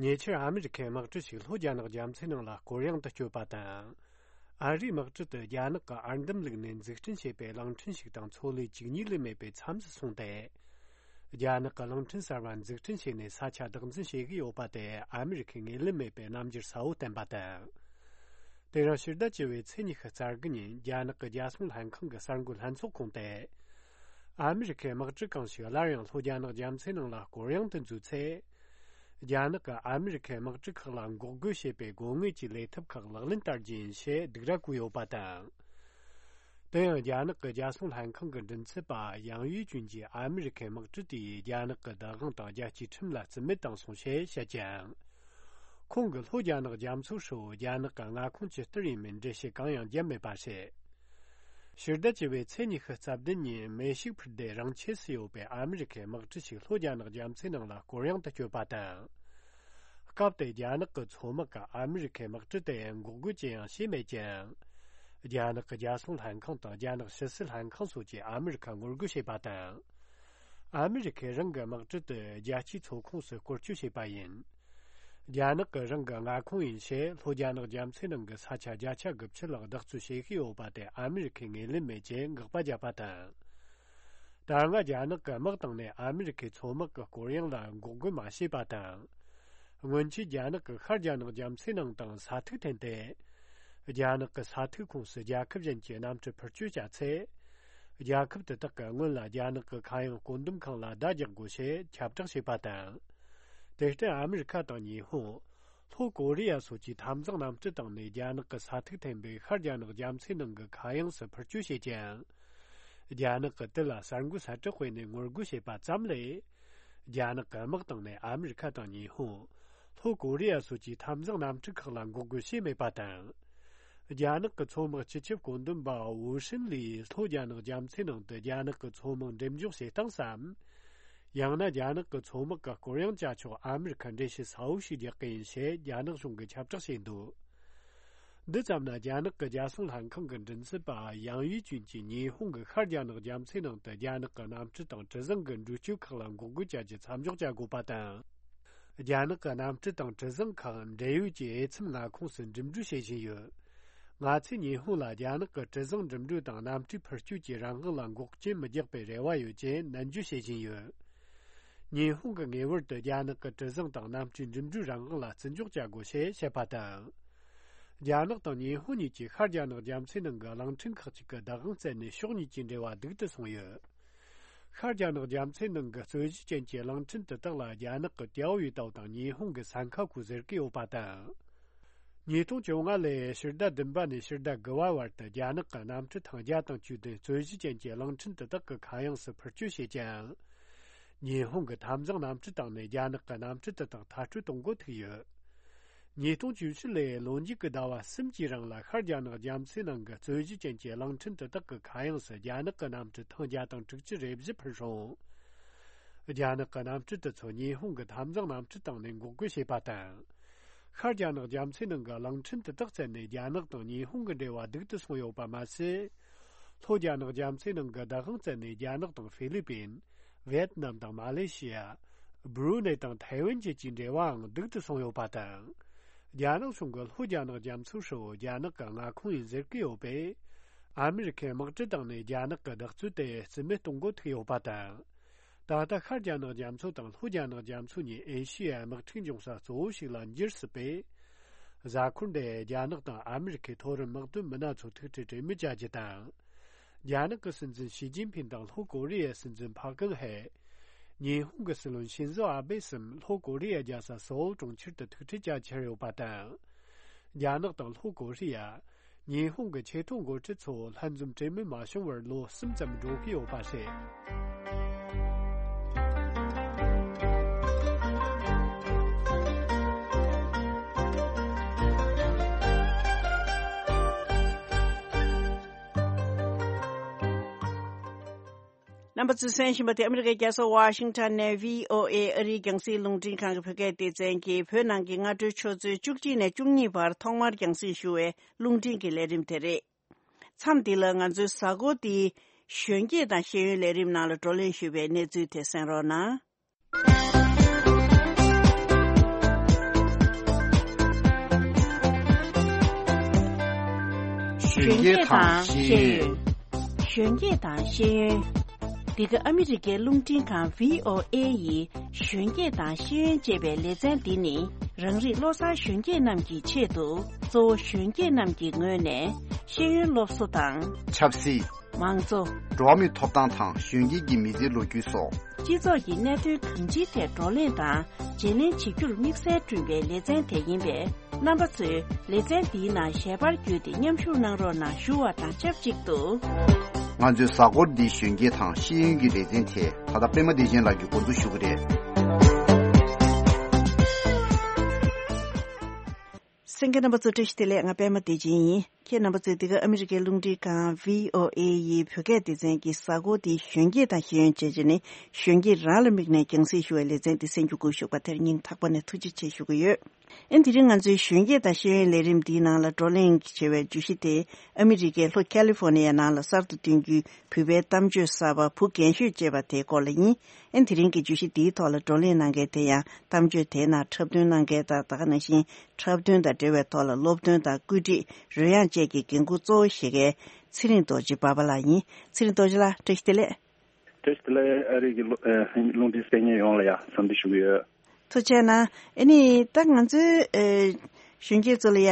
ཉེ་ཆར་ཨ་མི་རི་ཁའི་དམག་གྲུ་ཞིག་ལྷོ་རྒྱ་ནག་རྒྱ་མཚོའི་ནང་ལ་སྐོར་གཡེང་དུ་བསྐྱོད་པ་དང་། ཨ་རིའི་དམག་གྲུ་དེ་རྒྱ་ནག་གི་ཨར་འདམ་ལུག་ནས་འཛུགས་སྐྲུན་བྱས་པའི་གླིང་ཕྲན་ཞིག་དང་མཚོ་ལས་བཅུ་གཉིས་ལས་མེད་པའི་མཚམས་སུ་སོང་སྟེ། རྒྱ་ནག་གི་གླིང་ཕྲན་གསར་བ་འཛུགས་སྐྲུན་བྱས་ནས་ས་ཆ་བདག་འཛིན་བྱེད་ཀྱི་ཡོད་པ་དེ་ཨ་མི་རི་ཁས་ངོས་ལེན་མེད་པའི་རྣམ་འགྱུར་གསལ་བོ་བསྟན་པ་དང་། དེ་རིང་ཕྱི་ཟླ་བཅུ་བའི་ཚེས་ཉི་ཤུ་རྩ་དགུ་ཉིན་རྒྱ་ནག་གི་རྒྱལ་སྲུང་ལྷན་ཁང་གི་གསར་འགོད་ལྷན་ཚོགས་ཁོངས་ཏེ། ཨ་མི་རི་ཁའི་དམག་གྲུ་གང་ཞིག་སླར་ཡང་ལྷོ་རྒྱ་ནག་རྒྱ་མཚོའི་ནང་ལ་སྐོར་གཡེང་དུ་འཛུལ་ཚེ། རྒྱ་ནག་གིས་ཨ་མི་རི་ཁའི་དམག་གྲུ་ཁག་ལ་འགོག་རྒོལ་བྱེད་པའི་དགོས་ངེས་ཀྱི་ལས་ཐབས་ཁག་ལག་ལེན་བསྟར་རྒྱུ་ཡིན་ཞེས་སྡིགས་ར་བསྐུལ་ཡོད་པ་དང་། དེ་ཡང་རྒྱ་ནག་གི་རྒྱལ་སྲུང་ལྷན་ཁང་གི་མགྲིན་ཚབ་པ་ཡང་ཡུས་ཅུན་གྱིས་ཨ་མི་རི་ཁའི་དམག་གྲུ་དེ་ཡིས་རྒྱ་ནག་གི་བདག་དབང་དང་རྒྱལ་སྤྱིའི་ཁྲིམས་ལ་བརྩི་མེད་བཏང་སོང་ཞེས་བཤད་ཅིང་། ཁོང་གིས་ལྷོ་རྒྱ་ནག་རྒྱ་མཚོ་ཧྲིལ་བོ་རྒྱ་ནག་གི་མངའ་ཁོངས་ཇི་ལྟར་ཡིན་མིན་འགྲེལ་བཤད་གང་ཡང་བརྒྱབ་མེད་པ་རེད། ཕྱི་ཟླ་བཅུ་བའི་ཚེས་ཉི་ཤུ་རྩ་བདུན་ཉིན་མེ་ཤུགས་འཕུར་མདེལ་རང་ཆས་སུ་ཡོད་པའི་ཨ་མི་རི་ཁའི་དམག་གྲུ་ཞིག་ལྷོ་རྒྱ་ནག་རྒྱ་མཚོའི་ནང་ལ་སྐོར་གཡེང་དུ་བསྐྱོད་པ་དང་། སྐབས་དེར་རྒྱ་ནག་གི་མཚོ་དམག་གིས་ཨ་མི་རི་ཁའི་དམག་གྲུ་དེ་འགོག་རྒོལ་ཅི་ཡང་བྱས་མེད་ཅིང་། རྒྱ་ནག་གི་རྒྱལ་སྲུང་ལྷན་ཁང་དང་རྒྱ་ནག་ཕྱི་སྲིད་ལྷན་ཁང་སོགས་ཀྱིས་ཨ་མི་རི་ཁར་ངོ་རྒོལ་བྱས་པ་དང་། ཨ་མི་རི་ཁས་རང་གི་དམག་གྲུ་དེ་རྒྱལ་སྤྱིའི་མཚོ་ཁོངས་སུ་སྐོར་སྐྱོད་བྱས་པ་ཡིན། རྒྱ་ནག་གིས་རང་གི་མངའ་ཁོངས་ཡིན་ཞེས་ལྷོ་རྒྱ་ནག་རྒྱ་མཚོའི་ནང་གི་ས་ཆ་བརྒྱ་ཆ་དགུ་བཅུ་ལ་བདག་སྤྱོད་བྱེད་ཀྱི་ཡོད་པ་དེ་ཨ་མི་རི་ཁས་ངོས་ལེན་མེད་ཅེས་དགག་པ་བརྒྱབ་པ་དང་། ད་སྔ་རྒྱ་ནག་གི་དམག་བཏང་ནས་ཨ་མི་རི་ཁའི་མཚོ་དམག་གི་སྐོར་གཡེང་ལ་འགོག་རྒོལ་མ་བྱས་པ་དང་། སྔོན་ཆད་རྒྱ་ནག་གིས་ཤར་རྒྱ་ནག་རྒྱ་མཚོའི་ནང་དང་ས་ཐིག་འཐེན་ཏེ། རྒྱ་ནག་གི་ས་ཐིག་ཁོངས་སུ་རྒྱལ་ཁབ་གཞན་གྱི་གནམ་གྲུ་འཕུར་སྐྱོད་བྱ་ཚེ། རྒྱལ་ཁབ་དེ་དག་གིས་སྔོན་ལ་རྒྱ་ནག་གི་ཁ་གཡང་བཀོད་འདོམས་ཁང་ལ་བརྡ་རྒྱག་དགོས་ཞེས་ཁྱབ་བསྒྲགས་བྱས་པ་དང་། དེར་བརྟེན་ཨ་མི་རི་ཁ་དང་ཉི་ཧོང་། ལྷོ་ཀོ་རི་ཡ་སོགས་ཀྱིས་འཐབ་འཛིང་གནམ་གྲུ་བཏང་ནས་རྒྱ་ནག་གི་ས་ཐིག་འཐེན་པའི་ཤར་རྒྱ་ནག་རྒྱ་མཚོའི་ནང་གི་ཁ་གཡང་སུ་འཕུར་སྐྱོད་བྱེད་ཀྱང་། རྒྱ་ནག་གིས་དེ་ལ་གསར་འགོད་གསལ་བསྒྲགས་སྤེལ་ནས་ངོ་རྒོལ་བྱས་པ་ཙམ་ལས། རྒྱ་ནག་གི་དམག་བཏང་ནས་ཨ་མི་རི་ཁ་དང་ཉི་ཧོང་། ལྷོ་ཀོ་རི་ཡ་སོགས་ཀྱི་འཐབ་འཛིང་གནམ་གྲུ་ཁག་ལ་འགོག་རྒོལ་བྱས་མེད་པ་དང་། རྒྱ་ནག་གི་མཚོ་དམག་སྤྱི་ཁྱབ་བཀོད་འདོམས་པ་ཝུ་ཧྲིན་ལིས་ལྷོ་རྒྱ་ནག་རྒྱ་མཚོའི་ནང་དུ་རྒྱ་ནག་གི་མཚོ་དམག་འགྲེམས་འཇོག་བྱེད་སྟངས་སམ། ཡང་ན་རྒྱ་ནག་གི་མཚོ་དམག་གི་སྐོར་གཡེང་བྱ་ཆོག་ཨ་མི་རི་ཁ་འགྲེལ་བཤད་གསལ་བོ་ཞིག་རྒྱག་གི་ཡིན་ཞེས་རྒྱ་ནག་གཞུང་གིས་ཁྱབ་བསྒྲགས་བྱས་འདུག་འདི་ཙམ་ན་རྒྱ་ནག་གི་རྒྱལ་སྲུང་ལྷན་ཁང་གི་མགྲིན་ཚབ་པ་ཡང་ཡུས་ཅུན་གྱིས་ཉི་ཧོང་གིས་ཤར་རྒྱ་ནག་རྒྱ་མཚོའི་ནང་དུ་རྒྱ་ནག་གི་གནམ་གྲུ་དང་གྲུ་གཟིངས་ཀྱི་འགྲུལ་སྐྱོད་ཁག་ལ་འགོག་རྒོལ་བྱ་རྒྱུ་མཚམས་འཇོག་བྱ་དགོས་པ་དང་། རྒྱ་ནག་གི་གནམ་གྲུ་དང་གྲུ་གཟིངས་ཁག་འབྲེལ་ཡོད་ཀྱི་འོས་འཚམ་མངའ་ཁོངས་སུ་འགྲིམ་འགྲུལ་བྱེད་བཞིན་ཡོད། ང་ཚོས་ཉི་ཧོང་ལ་རྒྱ་ནག་གི་གྲུ་གཟིངས་འགྲིམ་འགྲུལ་དང་གནམ་གྲུའི་འཕུར་སྐྱོད་ཀྱི་རང་དབང་ལ་འགོག་རྐྱེན་མི་རྒྱག་པའི་རེ་བ་ཡོད་ཅེས་ནན་བརྗོད་བྱེད་བཞིན་ཡོད། ཉི་ཧོང་གིས་ངེས་པར་དུ་རྒྱ་ནག་གི་གྲུ་གཟིངས་དང་གནམ་གྲུའི་འགྲིམ་འགྲུལ་རང་དབང་ལ་བརྩི་འཇོག་བྱ་དགོས་ཞེས་བཤད་པ་དང་། རྒྱ་ནག་དང་ཉི་ཧོང་གཉིས་ཀྱིས་ཤར་རྒྱ་ནག་རྒྱ་མཚོའི་ནང་གི་གླིང་ཕྲན་ཁག་ཅིག་གི་བདག་དབང་བཙན་ནས་ཕྱོགས་གཉིས་ཀྱི་འབྲེལ་བ་སྡུག་ཏུ་སོང་ཡོད། ཤར་རྒྱ་ནག་རྒྱ་མཚོའི་ནང་གི་རྩོད་གཞི་ཅན་གྱི་གླིང་ཕྲན་དེ་དག་ལ་རྒྱ་ནག་གི་ཏེའོ་ཡུས་ཏའོ་དང་ཉི་ཧོང་གི་སན་ཁ་ཁུ་ཟེར་གྱི་ཡོད་པ་དང་། ཉིས་སྟོང་བཅོ་ལྔ་ལོའི་ཕྱི་ཟླ་བདུན་པ་ནས་ཕྱི་ཟླ་དགུ་པ་བར་དུ་རྒྱ་ནག་གི་གནམ་གྲུ་ཐེངས་བརྒྱ་དང་བཅུ་བདུན་རྩོད་གཞི་ཅན་གྱི་གླིང་ཕྲན་དེ་དག་གི་ཁ་གཡང་སུ་འཕུར་སྐྱོད་བྱེད་ཀྱང་། ཉི་ཧོང་གི་འཐབ་འཛིང་གནམ་གྲུ་བཏང་ནས་རྒྱ་ནག་གི་གནམ་གྲུ་དེ་དག་མཐར་སྐྲོད་གཏོང་འགོ་ཐུག་ཡོད། ཉིས་སྟོང་བཅུ་བཞི་ལོའི་ལོ་མཇུག་གི་ཟླ་བ་གསུམ་གྱི་རིང་ལ་ཤར་རྒྱ་ནག་རྒྱ་མཚོའི་ནང་གི་རྩོད་གཞི་ཅན་གྱི་གླིང་ཕྲན་དེ་དག་གི་ཁ་གཡང་སུ་རྒྱ་ནག་གི་གནམ་གྲུ་ཐེངས་བརྒྱ་དང་དྲུག་ཅུ་རེ་བཞི་འཕུར་རུང་། རྒྱ་ནག་གི་གནམ་གྲུ་དེ་ཚོ་ཉི་ཧོང་གི་འཐབ་འཛིང་གནམ་གྲུ་བཏང་ནས་འགོག་རྒོལ་བྱས་པ་དང་། ཤར་རྒྱ་ནག་རྒྱ་མཚོའི་ནང་གི་གླིང་ཕྲན་དེ་དག་བཙལ་ནས་རྒྱ་ནག་དང་ཉི་ཧོང་གི་འབྲེལ་བ་སྡུག་ཏུ་སོང་ཡོད་པ་མ་ཟད། ལྷོ་རྒྱ་ནག་རྒྱ་མཚོའི་ནང་གི་བདག་དབང་བཙན་ནས་རྒྱ་ནག་དང་ཧྥི་ལི་པིན། ཝེད་ནམ་དང་མ་ལེ་ཤི་ཡ། སྦྲུ་ནེ་དང་ཐའེ་ཝན་བཅས་ཀྱི་འབྲེལ་བའང་སྡུག་ཏུ་སོང་ཡོད་པ་དང་། རྒྱ་ནག་གཞུང་གིས་ལྷོ་རྒྱ་ནག་རྒྱ་མཚོ་ཧྲིལ་བོ་རྒྱ་ནག་གི་མངའ་ཁོངས་ཡིན་ཟེར་གྱི་ཡོད་པས། ཨ་མི་རི་ཁའི་དམག་གྲུ་བཏང་ནས་རྒྱ་ནག་གི་བདག་རྩོད་དེ་རྩིས་མེད་གཏོང་འགོ་ཐུག་ཡོད་པ་དང་། ད་ལྟ་ཤར་རྒྱ་ནག་རྒྱ་མཚོ་དང་ལྷོ་རྒྱ་ནག་རྒྱ་མཚོ་གཉིས་ཨེ་ཤི་ཡའི་དམག་འཁྲུག་འབྱུང་ས་གཙོ་བོ་ཞིག་ལ་འགྱུར་སྲིད་པས། གཟའ་འཁོར་འདིར་རྒྱ་ནག་དང་ཨ་མི་རི་ཁའི་མཐོ་རིམ་དམག་དོན་མི་སྣ་ཚོ་ཐུག་འཕྲད་གྲོས་མོལ་བྱ་རྒྱུ་དང་། རྒྱ་ནག་གི་སྲིད་འཛིན་ཞི་ཅིན་ཕིན་དང་ལྷོ་ཀོ་རི་ཡའི་སྲིད་འཛིན་ཕག་ཀང་ཧེ། ཉི་ཧོང་གི་སྲིད་བློན་ཤིན་ཛོ་ཨ་བྷེ་གསུམ་ལྷོ་ཀོ་རི་ཡའི་རྒྱལ་ས་སོའོལ་གྲོང་ཁྱེར་དུ་ཐུག་འཕྲད་བྱ་འཆར་ཡོད་པ་དང་། རྒྱ་ནག་དང་ལྷོ་ཀོ་རི་ཡ། ཉི་ཧོང་གི་ཆེས་མཐོའི་འགོ་ཁྲིད་ཚོ་ལྷན་འཛོམས་གྲོས་མོལ་མ་བྱུང་བར་ལོ་གསུམ་ཙམ་འགྲོ་གི་ཡོད་པ་རེད། རྣམ་པ་ཚོས་གསན་བཞིན་པ་དེ་ཨ་མི་རི་ཀའི་རྒྱལ་ས་ཝ་ཤིང་ཊོན་ནས་བྷི་ཨོ་ཨེ་ཨ་རིའི་རྒྱང་སྲིང་རླུང་འཕྲིན་ཁང་གི་བོད་སྐད་སྡེ་ཚན་གྱིས་བོད་ནང་གི་སྔ་དྲོའི་ཆུ་ཚོད་བཅུ་གཅིག་ནས་བཅུ་གཉིས་བར་ཐོག་མར་རྒྱང་སྲིང་ཞུ་བའི་རླུང་འཕྲིན་གྱི་ལས་རིམ་དེ་རེད། མཚམས་འདི་ལ་ང་ཚོའི་གཟའ་འཁོར་འདིའི་གཞོན་སྐྱེས་དང་ཤེས་ཡོན་ལས་རིམ་ནང་ལ་བགྲོ་གླེང་ཞུས་པའི་གནས་ཚུལ་དེ་གསན་རོགས་གནང་། གཞོན་སྐྱེས་དང་ཤེས་ཡོན། གཞོན་སྐྱེས་དང་ཤེས་ཡོན། འདི་ག་ཨ་མི་རི་ཀའི་རླུང་འཕྲིན་ཁང་བྷི་ཨོ་ཨེ་ཡི་གཞོན་སྐྱེས་དང་ཤེས་ཡོན་ཅེས་པའི་ལེ་ཚན་འདི་ནི། རང་རིགས་བློ་བཟང་གཞོན་སྐྱེས་རྣམས་ཀྱི་ཆེད་དུ་གཙོ་བོ་གཞོན་སྐྱེས་རྣམས་ཀྱི་ངོས་ནས་ཤེས་ཡོན་སློབ་གསོ་དང་། ཆབ་སྲིད། མང་གཙོ། འགྲོ་བ་མིའི་ཐོབ་ཐང་དང་གཞོན་སྐྱེས་ཀྱི་མི་ཚེའི་ལོ་རྒྱུས་སོགས། སྤྱི་ཚོགས་ཀྱི་གནད་དོན་གང་ཅིའི་ཐད་བགྲོ་གླེང་དང་བརྗེ་ལེན་བྱེད་རྒྱུར་དམིགས་བསལ་བསྐྲུན་པའི་ལེ་ཚན་དེ་ཡིན་པས། རྣམ་པ་ཚོས་ལེ་ཚན་འདིའི་ནང་ཞལ་པར་བརྒྱུད་དེ་མཉམ་ཞུགས་གནང་རོགས་གནང་ཞུ་བ་དང་ཆབས་ཅིག་ཏུ། ང་ཚོའི་གཟའ་འཁོར་འདིའི་གཞོན་སྐྱེས་དང་ཤེས་ཡོན་གྱི་ལེ་ཚན་དེ་ད་ལྟ་པད་མ་བདེ་ཆེན་ལགས་ཀྱིས་འགོ་འཛུགས་ཞུ་གི་རེད། གསན་མཁན་རྣམ་པ་ཚོ་བཀྲ་ཤིས་བདེ་ལེགས། ང་པད་མ་བདེ་ཆེན་ཡིན། ཁྱེད་རྣམ་པ་ཚོས་འདི་ག་ཨ་མི་རི་ཀའི་རླུང་འཕྲིན་ཁང་བྷི་ཨོ་ཨེ་ཡི་བོད་སྐད་སྡེ་ཚན་གྱི་གཟའ་འཁོར་འདིའི་གཞོན་སྐྱེས་དང་ཤེས་ཡོན་ཅེས་བྱས་ནས་གཞོན་སྐྱེས་རང་ལ་དམིགས་ནས་རྒྱང་སྲིང་ཞུ་བའི་ལེ་ཚན་འདི་གསན་རྒྱུ་སྒུག་བཞུགས་པ་དེར་སྙིང་ཐག་པ་ནས་ཐུགས་རྗེ་ཆེ་ཞུ་གི་ཡོད། ཨེ་དེ་རིང་ང་ཚོའི་གཞོན་སྐྱེས་དང་ཤེས་ཡོན་ལས་རིམ་འདིའི་ནང་ལ་བགྲོ་གླེང་བྱེད་པའི་བརྗོད་གཞི་དེ་ཨ་མི་རི་ཀའི་ལྷོ་ཁ་ལི་ཧྥོ་ནི་ཡའི་ནང་ལ་གསར་དུ་བཏོན་རྒྱུའི་བོད་པའི་གཏམ་བརྗོད་གསར་པ་བུ་རྒན་ཤོས་ཅེས་པ་དེའི་སྐོར་ལ་ཡིན། ཨེ་དེ་རིང་གི་བརྗོད་གཞི་འདིའི་ཐོག་ལ་བགྲོ་གླེང་གནང་མཁན་དེ་ཡང་གཏམ་བརྗོད་དེའི་ནང་འཁྲབ་སྟོན་གནང་མཁན་དང་ད་ག་ནང་བཞིན་འཁྲབ་སྟོན་དང་འབྲེལ་བའི་ཐོག་ལ་སློབ་སྟོན་དང་བཀོད་སྒྲིག་རོལ་དབྱངས་བཅས་ཀྱི་འགན་འཁུར་གཙོ་བོ་བཞེས་མཁན་ཚེ་རིང་རྡོ་རྗེ་པ་པ་ལགས་ཡིན། ཚེ་རིང་རྡོ་རྗེ་ལགས་བཀྲ་ཤིས་བདེ་ལེགས། བཀྲ་ཤིས་བདེ་ལེགས། ཨ་རི་གི་རླུང་འཕྲིན་གསན་མཁན་ཡོངས་ལ་ཡང་འཚམས་འདྲི་ཞུ་གི་ཡོད། ཐུགས་རྗེ་གནང་། ཨེ་ནི་ད་ང་ཚོའི་ཨེ་ གཞོན་སྐྱེས་ཚོ་ལ་ཡ་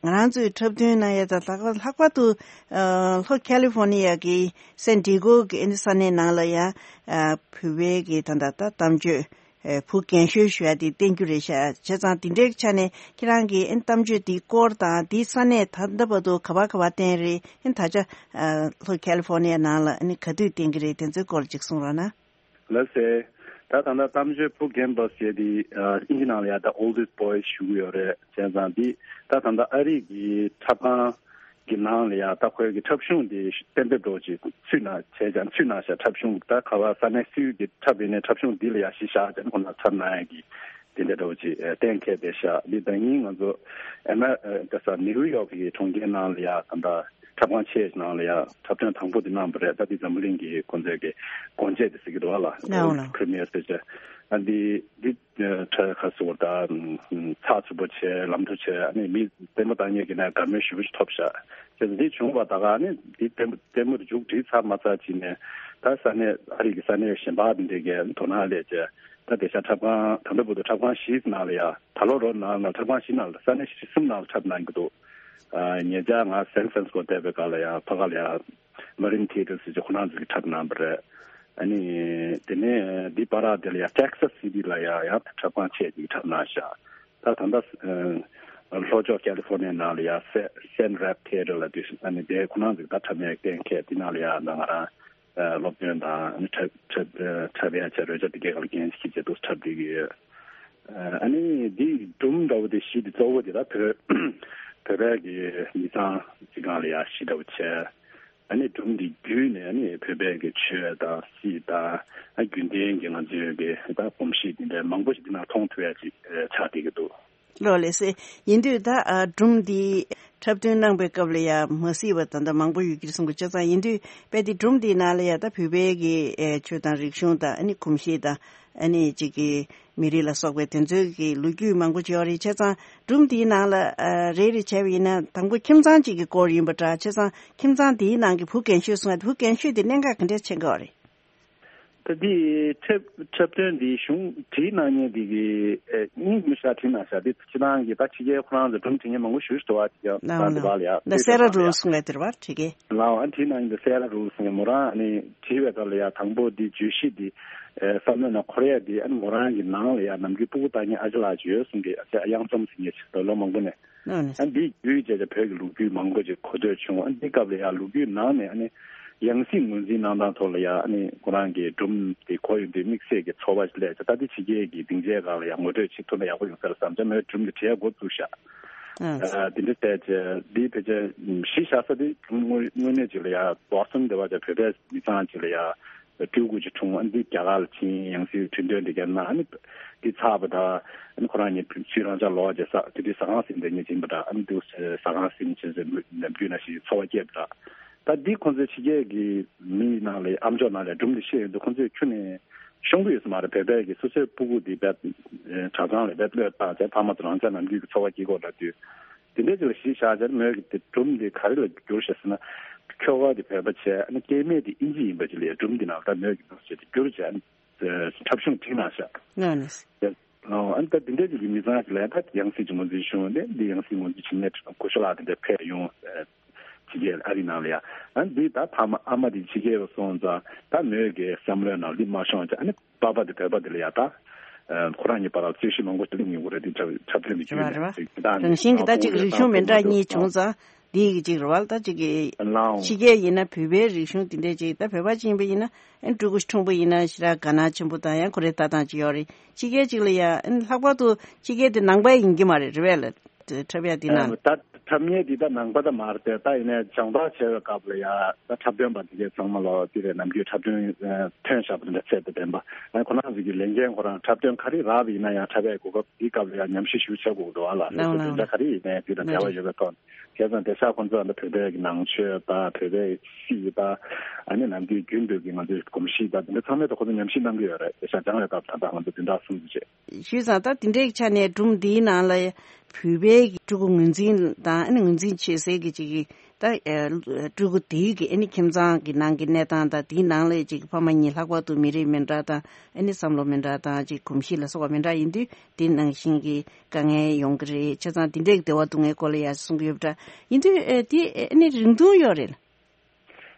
ང་རང་ཚོའི་འཁྲབ་སྟོན་གནང་ཡ་དང་ལྷག་པར་ལྷག་པར་དུ་ལྷོ་ཁ་ལི་ཧྥོ་ནི་ཡ་གི་སན་ཌི་ཡེ་གོ་གི་ཨ་ནི་ས་གནས་ནང་ལ་ཡ་བོད་པའི་གི་ད་ད་ད་གཏམ་བརྗོད་བུ་རྒན་ཤོས་ཞུ་ཡ་དེ་བསྟན་རྒྱུ་རེད་ཤག་བྱས་ཙང་དེ་འདྲའི་ཆ་ནས་ཁྱེད་རང་གི་ཨ་ནི་གཏམ་བརྗོད་དེའི་སྐོར་དང་དེའི་ས་གནས་ད་ལྟ་བར་དུ་ག་པར་ག་པར་བསྟན་རེད། ཨ་ནི་ད་ཆ་ལྷོ་ཁ་ལི་ཧྥོ་ནི་ཡ་ནང་ལ་ཨ་ནི་ག་དུས་བསྟན་གི་རེད། དེ་ཚོའི་སྐོར་ཅིག་གསུང་རོགས་གནང་། ལགས་སེ། ད་ད་ལྟ་གཏམ་བརྗོད་བུ་རྒན་བོས་ཟེར་དེ་ཨིན་ཇི་ནང་ལ་ཡ་ད་oldest boys ཞུ་གི་ཡོད་རེད། བྱས་ཙང་འདི་ད་ད་ལྟ་ཨ་རི་གི་འཁྲབ་ཁང་གི་ནང་ལ་ཡ་ད་ཁོའི་གི་འཁྲབ་གཞུང་དེ་གཏན་འབེབས་འགྲོ་ཅིག་ཚུད་ན་བྱས་ཀྱང་ཚུད་ན་ཤ་འཁྲབ་གཞུང་ད་ག་བ་ས་གནས་སུའི་གི་འཁྲབ་ཡིན་ནའི་འཁྲབ་གཞུང་འདི་ལ་ཡ་གཞི་བཞག་ཀྱང་ཁོ་ན་འཁྲབ་གནང་ཡ་གི་དེ་འདྲ་འགྲོ་ཅིག་གཏན་འཁེལ་བསྡད་ཤག་འདི་ད་ཡིན་ང་ཚོ་ཨ་མ་ད་ས་ནིའུ་ཡོག་གི་གྲོང་ཁྱེར་ནང་ལ་ཡ་ད་ད། འཁྲབ་ཁང་ཆེ་ནང་ལ་ཡང་འཁྲབ་སྟོན་དང་པོ་དེ་གནང་བ་རེད། ད་འདི་འཛམ་བུ་གླིང་གི་ཁོང་ཚོའི་གི་སྒོ་འབྱེད་དེ་ཟེར་གི་འདུག་ཨ་ལ། ཨོ་ལ། World Premiere ཟེར་བྱས། ཨ་འདི་འདི་ཁྲ་ཁ་སོ་ད་ཚགས་ཚུད་པོ་བྱས་ལམ་འགྲོ་བྱས་ཨ་ནི་མི་ལྟད་མོ་ལྟ་མཁན་གྱི་ནས་དགའ་མོས་ཞེ་པོ་ཞིག་ཐོབ་ཤག་བྱས་ཙང་འདི་བྱུང་བ་ད་ག་ཨ་ནི་འདི་ལྟད་མོ་ལྟད་མོ་དེ་མཇུག་སྒྲིལ་ཚར་མ་ཚར་ཅིག་ནས་ད་ས་གནས་ཨ་རི་གི་ས་གནས་གཞན་པ་འདི་འདྲས་ཀྱི་དོ་སྣང་སླེབས་བྱས་ད་དེ་ཤ་འཁྲབ་ཁང་ད་ལྟ་བར་དུ་འཁྲབ་ཁང་བཞི་ནང་ལ་ཡ་ད་ལོ་རོ་ནང་ལ་འཁྲབ་ཁང་བཞི་ནང་ལ་ས་གནས་བཞི་གསུམ་ནང་ལ་འཁྲབ་གནང་གི་འདུག་ཉེ་ཆར་ང་སན་ཧྥ་རན་སི་སྐོ་བསྡད་པའི་སྐབས་ལ་ཡང་ཕ་ག་ལ་ཡང་མ་རིན་ཐི་ཡེ་ཊར་ཟེར་གྱི་ཁོ་རང་ཚོ་གི་འཁྲབ་གནང་བ་རེད། ཨ་ནི་དེ་ནས་འདི་པ་ར་དེ་ལ་ཡང་ཊེག་སཱ་སི་ཊི་ལ་ཡང་ཡང་འཁྲབ་ཁང་ཆེ་ཅིག་འཁྲབ་གནང་ཤག་ད་ད་ལྟ་ལྷོ་ཕྱོགས་ཀ་ལི་ཧྥོར་ནི་ཡ་ནང་ལ་ཡང་སེ་སན་རེབ་ཐི་ཡེ་ཊར་ལ་དུས་ཨ་ནི་དེ་ཁོ་རང་ཚོ་གི་ད་འཁྲབ་མཁན་གཏན་འཁེལ་དེ་ནང་ལ་ཡང་ད་ང་རང་སློབ་སྟོན་དང་ཨ་ནི་འཁྲབ་འཁྲབ་འཁྲབ་ཡ་བྱ་རོལ་ཆ་དེ་གའི་སྐོར་ལ་འགན་ཞིག་བྱེད་འདུག་འཁྲབ་བསྡད་ཀྱི་ཡོད། ཨ་ནི་འདི་སྒྲུང་འདྲ་བོ་དེ་གཞི་དེ་གཙོ་བོ་དེ་ད་བོད་བོད་པའི་གི་མི་ཚང་གཅིག་སྒང་ལ་ཡ་གཞི་འདྲ་བོ་བྱས། ཨ་ནི་སྒྲུང་འདི་བརྒྱུད་ནས་ཨ་ནི་བོད་པའི་གི་ཆོས་དང་སྲིད་དང་ཨ་རྒྱུན་ལྡན་གྱི་ང་ཚོའི་གི་ད་གོམས་གཤིས་འདི་འདྲ་མང་པོ་ཞིག་འདི་ནང་མཐོང་ཐུབ་ཡ་ཅིག་ཆགས་བསྡད་ཀྱི་འདུག་ལོ་ལེགས་སེ། ཡིན་དུས་ད་ཨ་སྒྲུང་འདི་འཁྲབ་སྟོན་གནང་པའི་སྐབས་ལ་ཡ་མ་གཟིགས་པ་ད་ལྟ་མང་པོ་ཡོད་ཀྱི་རེད་གསུང་གི་བྱས་ཙང་ཡིན་དུས་དཔེ་དེ་སྒྲུང་འདིའི་ནང་ལ་ཡ་ད་བོད་པའི་གི་ཨེ་ཆོས་དང་རིག་གཞུང་དང་ཨ་ནི་གོམས་གཤིས་དང་ཨ་ནི་གཅིག་གི་མི་རིགས་ལ་སོགས་པའི་དེ་ཚོའི་གི་ལོ་རྒྱུས་མང་པོ་ཅིག་ཡོད་རེད། བྱས་ཙང་སྒྲུང་འདིའི་ནང་ལ་ཨ་རེ་རེ་བྱས་པ་ཡིན་ན་དང་པོ་ཁྱིམ་ཚང་གཅིག་གི་སྐོར་ཡིན་པ་འདྲ། བྱས་ཙང་ཁྱིམ་ཚང་འདིའི་ནང་གི་བུ་རྒན་ཤོས་གསུང་ཡ་དེ་བུ་རྒན་ཤོས་དེ་གནད་འགག་ག་འདྲས་ཆེ་གི་ཡོད་རེད། ད་འདི་འཁྲབ་འཁྲབ་སྟོན་འདི་གཞུང་བྲིས་གནང་མཁན་འདི་གི་ཨེ་སྙིང་མི་ཤ་བྲིས་གནང་ཤག་འདི་སྤྱི་བཏང་གི་ད་ཕྱི་རྒྱལ་ཁོ་རང་ཚོ་སྒྲུང་བྲིས་མཁན་མང་པོ་ཞེ་པོ་ཅིག་འདུག་བ། དེ་ཀྱང་ད་འདི་བ་ལ་ཡ་ད་སེ་ར་རུལ་གསུང་ཡ་དེ་རེད་བ་བྲིས་མཁན། ལའོ་ཨ་བྲིས་གནང་མཁན་འདི་སེ་ར་རུལ་གསུང་མཁན་མོ་རང་ཨ་ནི་བྲིས་པའི་སྐབས་ལ་ཡ་དང་པོ་འདི་བརྗོད་གཞི་འདི་ཨེ་བསམ་བློ་ནང་འཁོར་ཡ་འདི་ཨ་ནི་མོ་རང་གི་ནང་ལ་ཡ་ནམ་རྒྱུན་སྤུ་གུ་ལྟ་མཁན་ཨ་ཅག་ལགས་ཅིག་ཡོད་གསུང་གི། ཨ་ཅག་གཡང་འཛོམས་ཟེར་མཁན་ཅིག་འདུག་ལོ་མང་པོ་ནས། ཨ་འདི་བརྒྱུད་བྱས་བྱས་བོད་ཀྱི་ལོ་རྒྱུས་མང་པོ་ཅིག་གོ་ཐོས་བྱུང་། ཨ་འདི་སྐབས་ལ་ཡང་ལོ་རྒྱུས་ནང་ནས་ཨ་ནི་ཡང་སྲིད་ངོས་འཛིན་གནང་སྟངས་ཐོག་ལ་ཡང་ཨ་ནི་ཁོ་རང་གི་སྒྲུང་དེ་གོ་ཡོང་དུས་དམིགས་བསལ་གྱི་ཚོར་བ་ཞིག་སླེབས་བྱས། ད་འདི་ཕྱི་རྒྱལ་གྱི་སྡིངས་ཆའི་སྒང་ལ་ཡང་ངོ་སྤྲོད་བྱེད་ཐུབ་ན་ཡག་པོ་ཡོང་ས་རེད་བསམ་བྱས་མོས་སྒྲུང་དེ་བྲིས་འགོ་བཙུགས་ཤག་ཨ་དེ་འདྲ་བལྟས་བྱས་འདི་ཕལ་ཆེར་གཞི་བཞག་ས་དེ་སྒྲུང་དངོས་དངོས་གནས་ཅིག་ལ་ཡང་རྡོག་རྩ་དེ་བ་བྱས་བོད་པའི་མི་ཚང་ཅིག་ལ་ཡང་སྤྲུལ་སྐུ་ཅིག་འཁྲུངས། ཨ་འདི་རྒྱ་གར་ལ་ཕྱིན། ཡང་སྲིད་ཁྲི་འདོན་འདི་ག་ན་ཨ་ནི་འདི་ཚར་བ་དང་ཨ་ནི་ཁོ་རང་ཉིད་ཕྱིར་རང་ཅག་ལོག་རྗེས་ས་དེ་དུས་ཟ་ཁང་ཟིན་དེ་ཉིད་ཡིན་པ་འདྲ། ཨ་ནི་དུ་ཟ་ཁང་ཟིན་བྱས་ཟེར་ནམ་རྒྱུན་ན་ཞིག་འཚོ་བ་སྐྱེལ་བ་འདྲ། ད་འདི་ཁོང་ཚོའི་ཕྱི་རྒྱལ་གྱི་མི་ནང་ལ་ཨ་མཆོག་ནང་ལ་སྒྲུང་འདི་བཤད་ཡོང་དུས་ཁོང་ཚོས་ཁྱོན་ནས་ཤོང་གི་ཡོད་ས་མ་རེད། བོད་པའི་གི་སོ་སོའི་སྤུ་གུ་འདི་བས་གྲྭ་ཚང་ལ་བས་བློས་བཏང་བྱས་ཕ་མ་ཚོ་རང་ཅག་ནམ་རྒྱུན་གྱི་འཚོ་བ་སྐྱེལ་གོ་འདྲ་དུས། དེ་འདྲའི་ཅིག་ལ་གཞི་བཞག་བྱས་མོས་ཀྱི་དེ་སྒྲུང་འདི་ག་རེ་ལ་བསྒྱུར་ཤག་ཟེར་ན། ཁྱོ་ག་དེ་བོད་པ་བྱས་ཨ་ནི་སྐྱེ་དམན་དེ་ཨིན་ཇི་ཡིན་པ་ཅིག་ལ་ཡ་སྒྲུང་འདི་ནང་ད་མོས་ཀྱི་འདུག་ཟེར་ཏེ་བསྒྱུར་བྱས་ཨ་ནི་འཁྲབ་གཞུང་བྲིས་གནང་ཤག་ཨ་ནི་ད་དེ་འདྲའི་ཅིག་གི་མི་ཚང་ཞིག་ལ་ཡ་ད་ཡང་སྲིད་ཀྱི་ངོས་འཛིན་ཞུ་འདི་འདི་ཡང་སྲིད་ངོས་འཛིན་བྱེད་མཁན་གོ་ཤོ་ལགས་དེ་འདྲ་ཕེབས་ཡོང་། ཕྱི་རྒྱལ་ཨ་རི་ནང་ལ་ཡ། ཨ་ནི་འདི་ད་ཕ་མ་ཨ་མ་དེ་ཕྱི་རྒྱལ་ལ་སོང་ཙང་ད་མོས་ཀྱི་བསམ་བློའི་ནང་འདི་མ་ཤོང་ཙང་ཨ་ནི་པ་ཕ་དེ་བོད་པ་དེ་ལ་ཡ་ད། ཁོ་རང་གཉིས་བར་ལ་རྩོད་གཞི་མང་པོ་ཞིག་སླེབས་ཡོང་གི་རེད། འདི་འཁྲབ་འཁྲབ་སྟོན་གྱི་བརྒྱུད་ནས་རེད་བ་རེད་བ། ད་རང་བཞིན་གྱི་ད་ཅིག་རིག་གཞུང་མི་འདྲ་གཉིས་བྱུང་ཙང་འདི་ཡི་ཅིག་རེད་བ། ད་ཅིག་གི་ལའོ་ཕྱི་རྒྱལ་ཡིན་ན་བོད་པའི་རིག་གཞུང་འདི་འདྲས་ཅིག་ད་བོད་པ་ཅིག་ཡིན་པ་ཡིན་ན་ཨེ་ཕྲུ་གུ་ཕྲུག་པོ་ཡིན་ན་ཞེ་དྲག་དགའ་སྣང་ཆེན་པོ་དང་ཡང་ཁོ་རའི་ལྟ་སྟངས་ཅིག་ཡོད་རེད། ཕྱི་རྒྱལ་ཅིག་ལ་ཡ་ཨེ་ལྷག་པར་དུ་ཕྱི་རྒྱལ་དེ་ནང་པ་ཡིན་གྱི་མ་རེད་རེད་བས་ལ། འཁྲབ་ཡ་འདི་ན། ད་འཁྲབ་མཁན་འདི་ད་ནང་པ་ད་མ་རེད་དེ། ད་ཡིན་ནའི་སྦྱོང་བརྡར་བྱས་པའི་སྐབས་ལ་ཡ་ད་འཁྲབ་སྟོན་པ་འདི་གས་ཚང་མ་ལོ་འདི་རེད། ནམ་རྒྱུན་འཁྲབ་སྟོན་ཐོན་བཞག་པ་འདི་འདྲ་ཚད་དུ་ལྡན་པ། ཨ་ཁོ་རང་ཚོ་གི་ལས་འགན་ཁོ་རང་འཁྲབ་སྟོན་ག་རེ་རག་པ་ཡིན་ན་ཡང་འཁྲབ་ཡའི་གོ་སྐབས་འདི་སྐབས་ལ་ཡ་ཉམས་ཞིབ་ཞུ་བྱེད་དགོས་འདུག་ཨ་ལ། ལགས་སོ་ལགས་འདི་འདྲ་ག་རེ་ཡིན་ནའི་འདི་དང་འབྲེལ་བ་ཡོད་པའི་ཐོག་བྱས་ཙང་དེ་ཤག་ཁོ་ཚོ་ཨ་ནི་བོད་པའི་གི་ནང་ཆོས་ད་བོད་པའི་སྲིད་ད་ཨ་ནི་ནམ་རྒྱུན་རྒྱུན་དུ་གི་ང་ཚོའི་གོམས་གཤིས་ད་འདི་འདྲ་ཚང་མའི་ཐོག་ཁོ་ཚོ་ཉམས་ཞིབ་གནང་གི་ཡོད་རེད། དེ་ཤག་སྦྱང་བའི་སྐབས་ད་ད་ང་ཚོ་འདི་འདྲ་གསུང་རྒྱུ་བྱས། ཞུས་ཙང་ད་དེ་འདྲའི་ཆ་ནས་སྒྲུང་འདིའི་ནང་ལ་བོད་པའི་ཕྲུ་གུ་ངོས་འཛིན་དང་ཨ་ནི་ངོས་འཛིན་བྱེད་སའི་གི་ཅིག་གི་ ད་ཨ་སྤྲུལ་སྐུ་དེའི་གི་ཨ་ནི་ཁྱིམ་ཚང་གི་ནང་གི་གནས་སྟངས་དང་དེའི་ནང་ལ་ཅིག་ཕ་མ་གཉིས་ལྷག་པར་དུ་མི་རིགས་མི་འདྲ་དང་ཨ་ནི་བསམ་བློ་མི་འདྲ་དང་ཅིག་གོམས་གཤིས་ལ་སོགས་པ་མི་འདྲ་ཡིན་དུས་དེ་ནང་བཞིན་གྱི་དཀའ་ངལ་ཡོང་གི་རེད། བྱས་ཙང་དེ་འདྲའི་བདེ་བ་སྡུག་བསྔལ་སྐོར་ལ་ཡང་གསུང་གི་ཡོད་པ་འདྲ་ཡིན་དུས་ཨ་དེ་ཨ་ནི་རིང་ཐུང་ཡོད་རེད།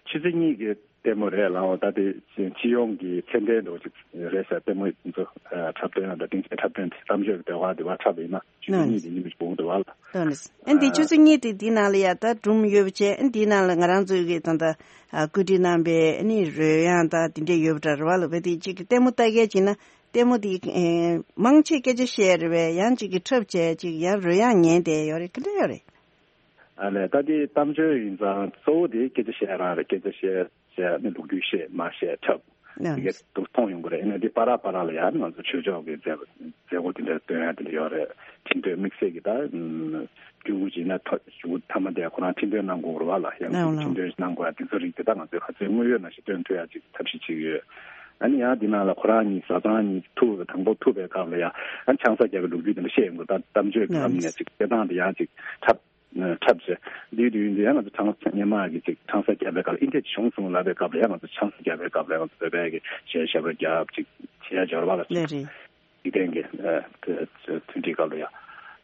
ཆུ་ཚོད་གཉིས་ཀྱི་ལྟད་མོ་རེད་ལགས། འོ་ད་དེ་སྤྱི་ཡོངས་ཀྱི་ཚད་ལྡན་འདྲ་བོ་ཅིག་རེད་ཟེར། ལྟད་མོ་འདི་ཚོ་འཁྲབ་སྟོན་དང་སྡིངས་ཆའི་འཁྲབ་སྟོན་དེ་གཏམ་བརྗོད་ཀྱི་ཟློས་གར་དེ་བ་འཁྲབ་ཡིན་ན་ཆུ་ཚོད་གཉིས་དེ་ཉིན་མི་སྤུངས་འདུག་བ་ལ། ལགས་ནས། ཨ་འདི་ཆུ་ཚོད་གཉིས་དེ་འདི་ནང་ལ་ཡ་ད་སྒྲུང་ཡོད་པ་བྱས། ཨ་འདི་ནང་ལ་ང་རང་ཚོའི་གི་ད་ལྟ་ཨ་བཀོད་སྒྲིག་གནང་པའི་ཨ་ནི་རོལ་དབྱངས་དང་དེ་འདྲས་ཡོད་པ་འདྲ་རེད་བ་ལ། བས་དེ་གཅིག་གི་ལྟད་མོ་ལྟ་མཁན་ཅིག་ན་ལྟད་མོ་དེ་ཨེ་མང་ཆེ་སྐད་ཆ་བཤད་རེད་བས། ཡང་གཅིག་གི་འཁྲབ་བྱས་ཅིག་ཡང་རོལ་དབྱངས་ཉན་བསྡད་ཡོད་རེད། ག་འདྲ་ཡོད་རེད། ཨ་ལས་ད་དེ་གཏམ་བརྗོད་ཡིན་ཙང་གཙོ་བོ་དེ་སྐད་ཆ་བཤད་རང་རེད། སྐད་ཆ་བཤད་བཤད་ནི་ལོ་རྒྱུས་བཤད་མ་བཤད་འཁྲབ། ནམ། དེ་གས་འདུག་མཐོང་ཡོང་གི་རེད། ཨ་ནི་དེ་བར་བར་ལ་ཡང་ང་ཚོ་ཆོས་ཕྱོགས་ཀྱི་མཛད་མཛད་སྒོ་དེ་འདྲ་སྟོན་ཡ་དེ་འདྲ་ཡོད་རེད། ཁྲིམས་དོན་དམིགས་བསལ་གྱི་ད་སྤྲུལ་སྐུ་ཅིག་ན་ཐོ་ཞུ་མཐའ་མ་དེ་ཁོ་རང་ཁྲིམས་དོན་གནང་དགོས་རེད་བ་ལ། ཡང་ཁྲིམས་དོན་གནང་དགོས་ཡ་དེ་ཚོ་རིགས་དེ་ད་ང་ཚོས་ག་ཚོད་དངོས་ཡོད་ནང་བཞིན་སྟོན་ཐུབ་ཡ་ཅིག་ཐབས་ཤེས་བྱེད་ཀྱི་ཡོད། ཨ་ནི་ཡང་དེ་ནང་ལ་ཁོ་རང་གཉིས་བཟའ་ཚང་གཉིས་ཐུག་དང་པོ་ཐུག་པའི་སྐབས་ལ་ཡ་ཨ་ནི་ཆང་ས་བརྒྱབ་པའི་ལོ་རྒྱུས་དེ་འདྲ་བཤད་ཡོང་གི། ད་གཏམ་བརྗོད་ཀྱི་ལམ་ནས་ཅིག་སྐད་གདངས་དེ་ཡང་ཅིག་འཁྲབ། འཁྲབ་བྱས། དུས་དུས་ཡིན་དུས་ཡང་ང་ཚོ་ཆང་ས་སྔོན་མ་གི་ཅིག་ཆང་ས་བརྒྱབ་པའི་སྐབས་ལ་ཨིན་དེ་བྱུང་སོང་ལབ་པའི་སྐབས་ལ་ཡང་ང་ཚོ་ཆང་ས་བརྒྱབ་པའི་སྐབས་ལ་ང་ཚོ་བོད་པའི་གི་གཞས་ཞབས་བྲོ་རྒྱབ་ཅིག་བྱེད་ཡ་འབྱོར་བ་ལ་ཅིག་ལས་རེད། འཇིག་རྟེན་གྱི་ཨ་དེ་མཐུན་སྒྲིལ་སྐབས་ལ་ཡ་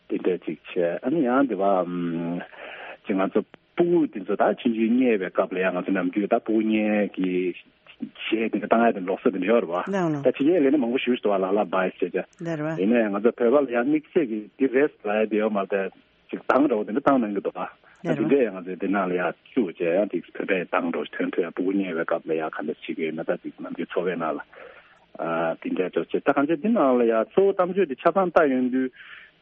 དེ་འདྲས་ཅིག་བྱས། ཨ་ནི་ཡང་དེ་བ་ཨམ་ཅིག་ང་ཚོ་སྤུ་གུ་དེ་ཚོ་ད་ཆུང་ཆུང་བརྙས་པའི་སྐབས་ལ་ཡང་ང་ཚོ་ནམ་རྒྱུན་ད་སྤུ་གུ་བརྙས་ཀྱི་གཞས་དེ་འདྲ་བཏང་ཡ་དེ་ལོགས་སུ་དེ་འདྲ་ཡོད་རེད་བ། ལགས་ལགས། ད་ཕྱི་རྒྱལ་ལ་ནི་མང་པོ་ཞིག་འདུག་བ། ལ་ལ་བྷའི་ཟེར་བྱས། ལགས་རེད་བ། ཡིན་ནའི་ང་ཚོ་བོད་པ་ལ་ཡང་དམིགས་བསལ་གྱི་དེ་རེད་ལབ་ཡ་དེ་ཡོད་མ་རེད། ཅིག་གདངས་འདྲ་བོ་དེ་འདྲ་བཏང་གནང་གི་འདུག་ག་ད་དེ་འདྲས་ཡང་ང་ཚོས་དེ་ནང་ལ་ཡ་བཅུག་བྱས་ཡང་ཅིག་བོད་པའི་གདངས་འདྲ་བོ་ཞིག་ཐོན་ཐུབ་ཡ། སྤུ་གུ་བརྙས་པའི་སྐབས་ལ་ཡ་ག་འདྲ་བྱེད་ཀྱི་ཡོད་ན། ད་ཅིག་ནམ་རྒྱུན་འཚོ་བའི་ནང་ལ་ཨ་དེ་འདྲས་འདྲ་བོ་བྱས། ད་གང་ཅི་དེ་ནང་ལ་ཡ་གཙོ་བོ་གཏམ་བརྗོད་དེ་ཆ་ཚང་ལྟ་ཡོང་དུས་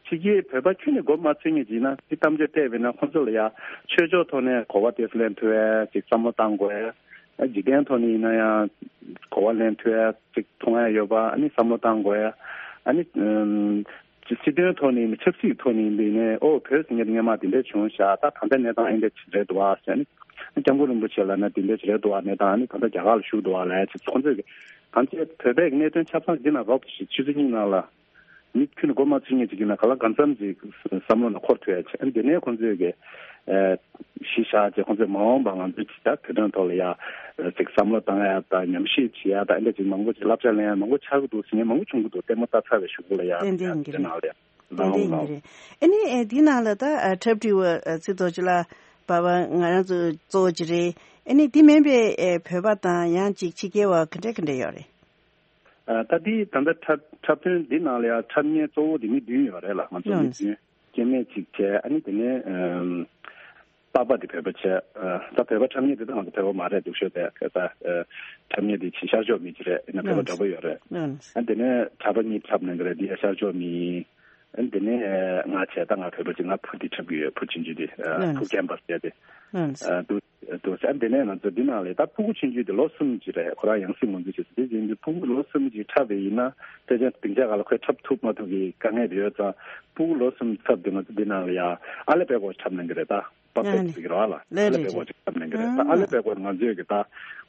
ཕྱི་རྒྱལ་བོད་པ་ཁྱོན་ནས་མགོ་མ་ཚོས་མཁན་ཅིག་ཡིན་ན་དེ་གཏམ་བརྗོད་བལྟས་པས་ན་ཁོང་ཚོ་ལ་ཡ་ཆོས་ཕྱོགས་ཐོག་ནས་གོ་བ་དེ་ཚོ་ལེན་ཐུབ་ཡ་ཅིག་བསམ་བློ་བཏང་དགོས་ཡ། འཇིག་རྟེན་ཐོག་ནས་ཡིན་ན་ཡང་གོ་བ་ལེན་ཐུབ་ཡ་ཅིག་མཐོང་ཡ་ཡོད་པ། ཨ་ནི་བསམ་བློ་བཏང་དགོས་ཡ། ཨ་ནི་ཨམ་སྤྱི་སྲིད་དོན་ཐོག་ནས་ཡིན་ན་ཆབ་སྲིད་ཐོག་ནས་ཡིན་པ་ཡིན་ནའི་ཨོ་བོད་ཟེར་མཁན་དེ་སྔོན་མ་དེ་འདྲ་བྱུང་ཤག་ད་ད་ལྟ་གནས་སྟངས་ཨེ་འདྲ་རེད་འདུག་བ་ཟེར། ཨ་ནི་སྐྱབས་མགོན་རིན་པོ་ཆེ་ལབ་ན་དེ་འདྲ་རེད་འདུག་བ། གནས་སྟངས་ཨ་ནི་ད་ལྟ་རྒྱ་གར་ལ་བཞུགས་འདུག་བ་ལབ་ཡ་ཅིག་ཁོང་ཚོས་གང་ཅི་བོད་པའི་གནད་དོན་ཆ་ཚང་འདི་ན་རོབ་ཅིག་ཆུ་ཚོད་གཉིས་ནང་ལ། མི་ཁྱོན་མགོ་མ་ཚོས་མཁན་ཅིག་ཡིན་ན་ག་ལ་གང་འཚམ་ཅིག་བསམ་བློ་ནང་འཁོར་ཐུབ་ཡ་བྱས། དེ་ནས་ཁོང་ཚོས་ཀྱི་ཨ་གཞི་བཞག་བྱས་ཁོང་ཚོས་མ་འོངས་པ་ང་ཚོའི་ཅིག་ད་བོད་དོན་ཐོག་ལ་ཡ་ཅིག་བསམ་བློ་བཏང་ཡ་དང་ཉམས་ཞིབ་བྱེད་ཡ་དང་ཨ་འདྲ་ཅིག་མང་པོ་ཅིག་བསླབ་བྱ་ལེན་ཡ་མང་པོ་ཆགས་ཀྱི་འདུག་ཟེར་མཁན་མང་པོ་བྱུང་གི་འདུག་ལྟད་མོ་ལྟ་ཚར་བའི་གཞུག་གུ་ལ་ཡ་ཏན་ཏན་ཡིན་གྱི་དེ་རེད། ནང་ལ་ཡ་ཏན་ཏན་ཡིན་གྱི་རེད། ཨ་ནི་ཨེ་འདི་ནང་ལ་ད་ཨ་འཁྲབ་ཁྲིད་པ་ཨ་ཚེ་རྡོ་རྗེ་ལགས་བ་བ་ང་རང་ཚོ་གཙོ་བོ་ཅིག་རེད། ཨ་ནི་འདི་མིན་པའི་ཨེ་བོད་པ་དང་ཡང་ཅིག་ཕྱི་རྒྱལ་བ་ག་འདྲ་ག་འདྲ་ཡོད་རེད། ཨ་ད་འདི་ད་ལྟ་འཁྲབ་འཁྲབ་སྟོན་འདི་ནང་ལ་ཡང་འཁྲབ་མཁན་གཙོ་བོ་དེ་མི་བདུན་ཡོད་རེད་ལ། ང་ཚོ་ཡོད་མི་བདུན་སྐྱེ་དམན་གཅིག་བྱས། ཨ་ནི་དེ་ནས་ཨམ་པ་པ་དེ་བོད་པ་བྱས། ཨ་ད་བོད་པ་འཁྲབ་མཁན་དེ་ད་ང་ཚོ་བོད་པ་མ་རེད་འདུག་ཤོད་དེ་ད་ཨ་འཁྲབ་མཁན་དེ་ཕྱི་ཤར་ཕྱོགས་མི་གཅིག་རེད། ཡིན་ན་བོད་པ་འདྲ་པོ་ཡོད་རེད། ཨ་དེ་ནས་གྲྭ་པ་གཉིས་འཁྲབ་གནང་གི་རེད། འདི་ཡ་ཤར་ཕྱོགས་མི་ཡིན། ཨ་དེ་ནས་ང་བྱས། ད་ང་བོད་པ་གཅིག་ང་བུ་དེ་འཁྲབ་ཀྱི་ཡོད། བུ་ཆུང་ཆུང་དེ་ཨ་བུ་རྒན་པ་ཟེར་དེ་ཨ་འདུག་འདུག་ཟེར། དེ་ནས་ང་ཚོ་འདི་ནང་ལ་ད་ཕྲུ་གུ་ཆུང་ཆུང་དེ་ལོ་གསུམ་ཅིག་རེད། ཁོ་རང་ཡང་སྲིད་ངོས་འཛིན་བྱེད་ས་དེ་ཡིན་དུས་ཕྲུ་གུ་ལོ་གསུམ་ཅིག་འཁྲབ་པ་ཡིན་ན་དཔེ་ཆ་སྡིངས་ཆ་སྒང་ལ་ཁོས་འཁྲབ་ཐུབ་མ་ཐུབ་ཀྱི་དཀའ་ངལ་དེ་ཡོད་ཙང་ཕྲུ་གུ་ལོ་གསུམ་འཁྲབ་དེ་ང་ཚོ་འདི་ནང་ལ་ཡ་ཨ་ལེ་པད་གོ་འཁྲབ་གནང་གི་རེད། ད་པ་པེ་ཟེར་གི་རེད་བ་ལ། ཨ་ལེ་པད་གོ་ཅིག་འཁྲབ་གནང་གི་རེད། ད་ཨ་ལེ་པད་གོ་ང་ཚོས་གི་ད་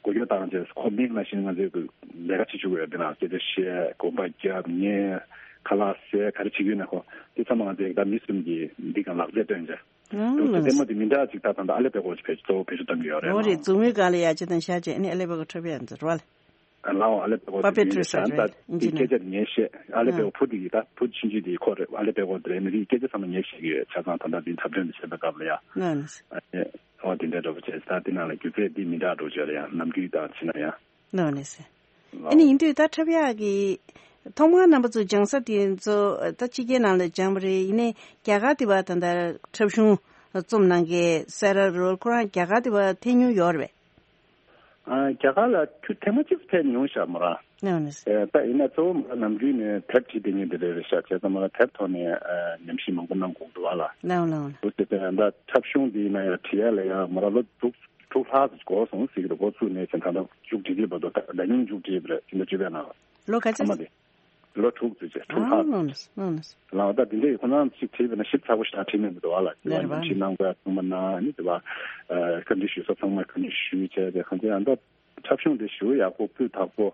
གོ་རྒྱུ་དང་བཅས་ཁོ་མིང་ནང་བཞིན་ང་ཚོས་གི་ལས་ཀ་བྱེད་བཅུག་གི་ཡོད། འདི་ནང་སྐད་ཆ་བཤད། གོམ་པ་རྒྱབ། ཉན། ཁ་ལག་ཟས། ག་རེ་བྱེད་ཀྱི་ཡོད་ན་ཁོ་དེ་ཚང་མ་ང་ཚོས་གི་ད་མི་གསུམ་གྱིས་འདི་གང་ལག་རྩལ་སྟོན་བྱས། ཨང་འདུག་ཟེར། ལགས་ལྟད་མོ་དེ་མི་འདྲ་ཅིག་ད་ད་ལྟ་ཨ་ལེ་པད་གོ་ཅིག་བེད་གཙོ་བོ་བེད་སྤྱོད་གཏོང་གི་ཡོད་རེད། འོ་རེད། མཛུབ་མོའི་སྒང་ལ་ཡ་ཅི་དང་ཤ་བྱས་ནས་ཨ་ལེ་པད་གོ་འཁྲབ་ཡ་འདི་རེད་བ་ལ། ཨ་ལའོ་ཨ་ལེ་པད་གོ་པ་པེ་ཊི་རི་ཤ་རེད། ད་ཨིན་ཇི་ནི་ཡར། སྐད་ཆ་ངས་བཤད། ཨ་ལེ་པད་གོ་ཨ་བུ་དེ་གིས་ད་བུ་ཆུང་ཆུང་དེ་ཁོ་རེད། ཨ་ལེ་པད་གོ་དེ་རེད། མི་རིགས་སྐད་ཆ་ཚང་མ་ངས་བཤད་ཀྱི་ཡོད། ཆ་ཚང་ད་ལྟ་འདི་འཁྲབ་སྟོན་འདི་བྱེད་པའི་སྐབས་ལ་ཡ། ལགས་ལགས། ཨ་ནི་འོ་དེ་འདྲ་འདྲ་པོ་བྱས། ད་དེ་ནང་ལ་སྒྱུ་རྩལ་འདི་མི་འདྲ་འགྲོ་བྱས་རེད་ཡ། ནམ་རྒྱུན་དང་ཕྱི་ན་ཡ། ལགས་ལགས་སེ། ཨ་ནི་ཡིན་དུས་ད་འཁྲབ་ཡག་གི་ཐོག་མར་རྣམ་པ་ཚོ་སྦྱང་ས་དེ་ཚོ་ད་ཕྱི་རྒྱལ་ནང་ལ་སྦྱངས་པ་རེད། ཡིན་ནའི་རྒྱ་གར་དེ་བ་ད་ལྟ་འཁྲབ་གཞུང་རྩོམ་གནང་མཁན་སེ་ར་རོལ་ཁོ་རང་རྒྱ་གར་དེ་བ་ཐེངས་ཉུང་ཡོད་རེད་པས། ཨ་རྒྱ་གར་ལ་ཁྱོད་ཐེངས་མ་གཅིག་ཕེབས་མྱོང་ཤག་མོ་རང་། ལགས་ནས། ཨེ་ད་ཡིན་ན་གཙོ་བོ་མོ་རང་ནམ་རྒྱུན་ནས་དེབ་བྲིས་བསྡད་མཁན་དེ་རེད་རེད་ཤག་བྱས་ཙང་མོ་རང་དེབ་ཐོག་ནས་ཨ་ཉམས་ཞིབ་མང་པོ་གནང་དགོས་འདུག་བ་ལ། ལགས་ལགས། འོ་དེ་ད་འཁྲབ་གཞུང་འདི་ཡིན་ན་ཡང་བྲིས་ཡ་ལ་ཡང་མོ་རང་ལོ་དྲུག་དྲུག་ལྷག་ཙམ་འགོར་སོང་ཟེར་གི་འདུག་འགོ་བཙུགས་ནས་བྱས་ཙང་ད་མཇུག་བསྒྲིལ་གྱི་བར་དུ་ད་ཟླ་ཉིན་མཇུག་བསྒྲིལ་བ་རེད། ཕྱི་ཟླ་བཅུ་པའི་ནང་ལ། ལོ་ག་ཚོད། ཨ་མ་དེ། ལོ་དྲུག་ཙམ་བྱས། དྲུག་ལྷག་ཙམ། ལགས་ནས། ལགས་ནས། ལགས་ད་དེ་འདྲའི་ཁོ་རང་ཅིག་བྲིས་པ་ན་ཞིབ་ཚགས་པོ་ཞེ་དྲག་བྲིས་མེད་འདུག་བ་ལ། ལགས་རེད་བ། ཉམས་ཞིབ་གནང་དགོས་ཡ་ཚང་མ་གནང་། ཨ་ནི་དེ་བ་བཀའ་འདྲི་ཞུ་ས་ཚང་མ་བཀའ་འདྲི་ཞུས་བྱས་ཏེ་གང་ཅི་ཡང་ད་འཁྲབ་གཞུང་དེ་ཞེ་པོ་ཡག་པོ་སྤུས་དག་པོ།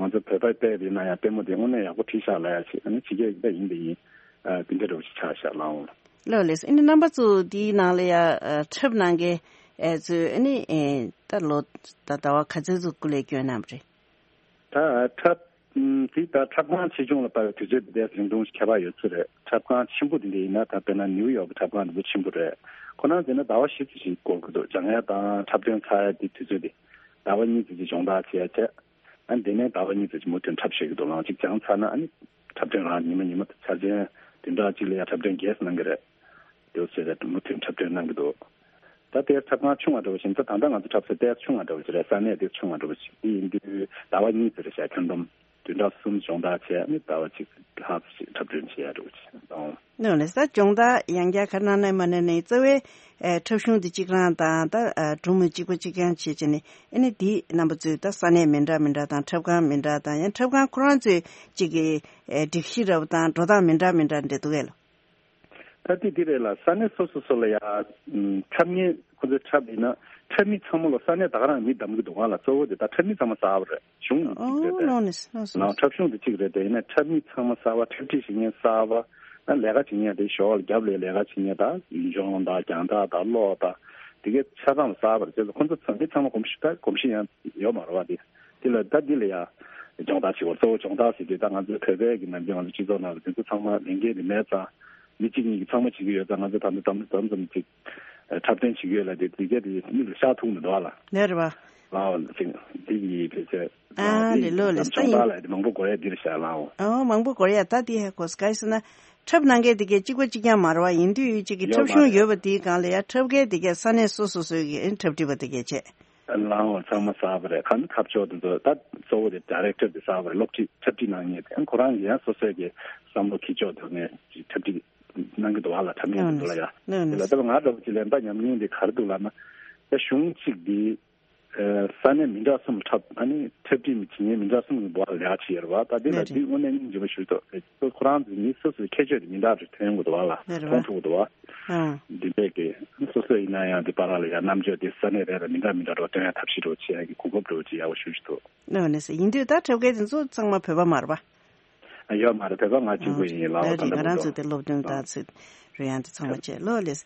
ང་ཚོ་བོད་པའི་དཔེ་རིགས་ན་ཡང་ལྟད་མོ་དེ་དངོས་གནས་ཡག་པོ་བྲིས་ཤག་ལབ་ཡ་ཅིག་ཨ་ནི་ཕྱི་རྒྱལ་གྱི་ད་ཡིན་དེ་ཡིན། དེ་འདྲ་འདྲ་པོ་ཞིག་ཆགས་ཤག་ལགས་འོང་། ལགས་ལགས། ཨ་ནི་རྣམ་པ་ཚོ་འདིའི་ནང་ལ་ཡ་ཨ་འཁྲབ་གནང་མཁན་ཨ་ཚོས་ཨ་ནི་ཨེ་ད་ལོ་ད་ཟླ་བ་ག་ཚོད་ཚོད་སྐུ་ལས་བསྐྱོན་གནང་བ་རེད། ད་འཁྲབ་ཨམ་དེ་ད་འཁྲབ་ཁང་ཆེ་ཆུང་ལ་དཔག་པའི་དུས་ཚོད་དེ་འདྲ་རིང་ཐུང་ཞིག་ཁྱད་པར་ཡོད་ཚོད་རེད། འཁྲབ་ཁང་ཆེན་པོ་དེ་འདྲ་ཡིན་ན་ད་དཔེར་ན་ནིའུ་ཡོག་གི་འཁྲབ་ཁང་དེ་ཚོ་ཆེན་པོ་རེད། ཁོ་རང་ཟེར་ན་ཟླ་བ་བཞི་ཙམ་ཞིག་འགོར་གི་འདུག་སྦྱང་ཡ་དང་འཁྲབ་སྟོན་ཚར་ཡ་དེ་དུས་ཚོད་དེ་ཟླ་བ་གཉིས་ཙམ་ཞིག་སྦྱོང་བརྡར་བྱས་བྱས། ཨ་ནི་དེ་ནས་ཟླ་བ་གཉིས་ཙམ་ཅིག་མུ་མཐུད་འཁྲབ་བཞག་གི་འདུག་ལགས། གཅིག་སྦྱངས་ཚར་ན་ཨ་ནི་འཁྲབ་སྟོན་རང་ཉི་མ་ཉི་མ་འཆར་ཅན་བདུན་ཕྲག་གཅིག་ལ་ཡ་འཁྲབ་སྟོན་བརྒྱད་གནང་གི་རེད། དེ་ཚོ་ཟེར་རེད། མུ་མཐུད་འཁྲབ་སྟོན་གནང་གི་འདུག་ད་ལྟའི་འཁྲབ་ཁང་ཆུང་བ་འདྲ་བོ་ཞིག་ད་ད་ལྟ་ང་ཚོ་འཁྲབ་སའི་སྟེགས་ཆུང་བ་འདྲ་བོ་ཞིག་རེད། ས་གནས་དེ་ཆུང་བ་འདྲ་བོ་ཞིག་དེ་ཡིན་དུས་ཟླ་བ་གཉིས་ཙམ་རེད་ཤག་ཁྱོན་བསྡོམས་བདུན་ཕྲག་གསུམ་སྦྱོང་བརྡར་བྱས་ཨ་ནི་ཟླ་བ་གཅིག་ལྷག་ཙམ་ཞིག་འཁྲབ་སྟོན་བྱེད་ཡ་འདྲ་བོ་ཞིག་གནང་། ནོ་ལེ་ས་སྦྱོང་བརྡར་ཡང་བསྐྱར་ག་གནང་ནས་མ་གནང་ནས་རྩ་བའི་ཨེ་འཁྲབ་གཞུང་འདི་གཅིག་རང་དང་ད་ཨ་སྒྲུང་མི་གཅིག་པ་གཅིག་རྐྱང་བྱེད་བྱས་ནས་ཨ་ནི་འདི་རྣམ་པ་ཚོས་ད་ས་གནས་མི་འདྲ་མི་འདྲ་དང་འཁྲབ་ཁང་མི་འདྲ་དང་ཡང་འཁྲབ་ཁང་ཁོ་རང་ཚོའི་གཅིག་གི་ཨེ་སྒྲིག་གཞི་འདྲ་བོ་དང་འགྲོ་སྟངས་མི་འདྲ་མི་འདྲ་འདྲ་འདུག་གས་ལོ། ད་ལྟའི་འདི་རེད་ལ་ས་གནས་སོ་སོ་སོ་ལ་ཡ་ཨམ་འཁྲབ་མཁན་ཁོ་ཚོའི་འཁྲབ་ཡིན་ན་འཁྲབ་མི་ཚང་མ་ལ་ས་གནས་ད་ག་རང་མི་བདམས་གི་འདུག་ག་ལ། གཙོ་བོ་དེ་ད་འཁྲབ་མི་ཚང་མ་གསར་པ་རེད། གཞུང་གཅིག་རེད་དེ། ཨོ་ནོ་ནི་ནོ་སོ་ནང་འཁྲབ་གཞུང་དེ་གཅིག་རེད་དེ། ཡིན་ན་འཁྲབ་མི་ཚང་མ་གསར་པ། འཁྲབ་ཁྲིད་བྱེད་མཁན་གསར་པ། ཨ་ལས་ཀ་བྱེད་མཁན་དེ་ཞོར་ལ་རྒྱབ་ལ་ལས་ཀ་བྱེད་མཁན་དང་ཡུལ་ལྗོངས་དང་རྒྱང་ཐག་དང་གློག་དང་དེ་གའི་ཆ་ཚང་ལ་གསར་པ་རེད། བྱས་ཙང་ཁོ་ཚོ་ཚང་མི་ཚང་མ་གོམས་གཤིས་ད་གོམས་གཤིས་ཡང་ཡོད་མ་རེད་བ། དེ་དེ་ལ་ད་འདི་ལ་ཡ་སྦྱོང་བརྡར་བྱེད་དགོས། གཙོ་བོ་སྦྱོང་བརྡར་ཟེར་དུས་ད་ང་ཚོའི་བོད་པའི་གི་ནམ་རྒྱུན་ང་ཚོ་སྤྱི་ཚོགས་ནང་ལ་དེ་ཚོ་ཚང་མ་ལས་འགན་དེ་མེད་ཙང་མི་གཅིག་གཉིས་ཀྱིས་ཚང་མ་བྱེད་ཀྱི་ཡོད་ཙང་ང་ཚོ་ད་ལྟ་དམ་དམ་ཙམ་ཅིག་འཁྲབ་སྟོན་བྱེད་ཀྱི་ཡོད་ལ། དེ་དེ་གས་དེ་མིག་ལ་ཤར་ཐུབ་མི་འདུག་ཨ་ལ། ལེ་རེད་བ། ལའོ་ཅིག་འདི་ཡི་བེད་སྤྱད་ཨ་ལེ་ལོ་ལེ་ས་སྦྱོང་ཡིན། བརྡར་ལ་དེ་མང་པོ་གོ་ཡ་འདིར་བཞག་ལའོ། ཨོ་མང་པོ་གོ་ཡ། ད་དེ་ཧ་གོ་སྐལ་ཟེར་ན་འཁྲབ་གནང་མཁན་དེ་གས་གཅིག་པ་གཅིག་རྐྱང་མ་རེད་བ། ཡིན་དུས་གཅིག་གི་ཡོད་འཁྲབ་མ་གཞུང་རེད། ཡོད་པ་དེའི་སྒང་ལ་ཡ་འཁྲབ་མཁན་དེ་གས་ས་གནས་སོ་སོ་སོའི་གི་འཁྲབ་ཁྲིད་པ་དེ་གས་བྱས། ལའོ་ཚང་མ་གསར་པ་རེད། ཁ་ནི་འཁྲབ་ཕྱོགས་དེ་ཚོ་ད་གཙོ་བོ་དེ་ཌའི་རེག་ཊར་དེ་གསར་པ་རེད། སློབ་ཁྲིད་འཁྲབ་ཁྲིད་གནང་མཁན་དེ་ཁོ་རང་གི་ཡང་སོ་སོའི་གི་བསམ་བློ་འཁྱེར་ཕྱོགས་དེ་ནས་འཁྲབ་ཁྲིད་གནང་གི་འདུག་ཨ་ལ། འཁྲབ་མཁན་དེ་ཚོ་ལ་ཡ། ལ་ལ་ད་ང་འདྲ་བོ་ཅིག་ལ་ད་ཉམས་མྱོང་དེ་ག་རེ་འདུག་ལབ་ན། ད་གཞུང་གཅིག་དེ་ས་གནས་མི་འདྲ་གསུམ་འཁྲབ། ཨ་ནི་འཁྲབ་ཁྲིད་མི་བྱེད་མཁན་མི་འདྲ་གསུམ་གྱི་འབོར་ལ་ལས་ཀ་བྱེད་ཡོད་རེད་བ། ད་དེ་ལ་དེ་དངོས་གནས་སྙིང་རྗེ་པོ་ཞུ་ཐུབ་རེད། ཁོ་རང་ཚོ་མི་སོ་སོའི་ཁྱད་ཆོས་དེ་མི་འདྲ་རེ་ཐོན་ཡོང་གི་འདུག་བ་ལ། མཐོང་ཐུབ་ཀྱི་འདུག་བ། འདི་འདྲས་ཀྱི་སོ་སོ་ཡིན་ན་ཡང་དེ་བར་ལ་ཡང་རྣམ་དཔྱོད་དེ་ས་གནས་རེ་རེ་མི་འདྲ་མི་འདྲ་འགྲོ་སྟོན་ཡ་ཐབས་ཤེས་འགྲོ་བྱེད་ཡ་གི་གོ་སྐབས་འགྲོ་བྱེད་ཡག་པོ་ཞུ་ཞུ་ཐུབ། ཨོ་ནས་ཡིན་དུས་ད་འཁྲབ་མཁན་དེ་ཚོ་ཚང་མ་བོད་པ་མ་རེད་བ། ཡོད་མ་རེད། བོད་པ་ང་གཅིག་པུ་ཡིན་ལ། ད་རེས་ང་རང་ཚོ་དེ་སློབ་སྟོན་ད་ཚོད་རེད་ཡང་དེ་ཚང་མ་བྱས་ལོ་ལེས།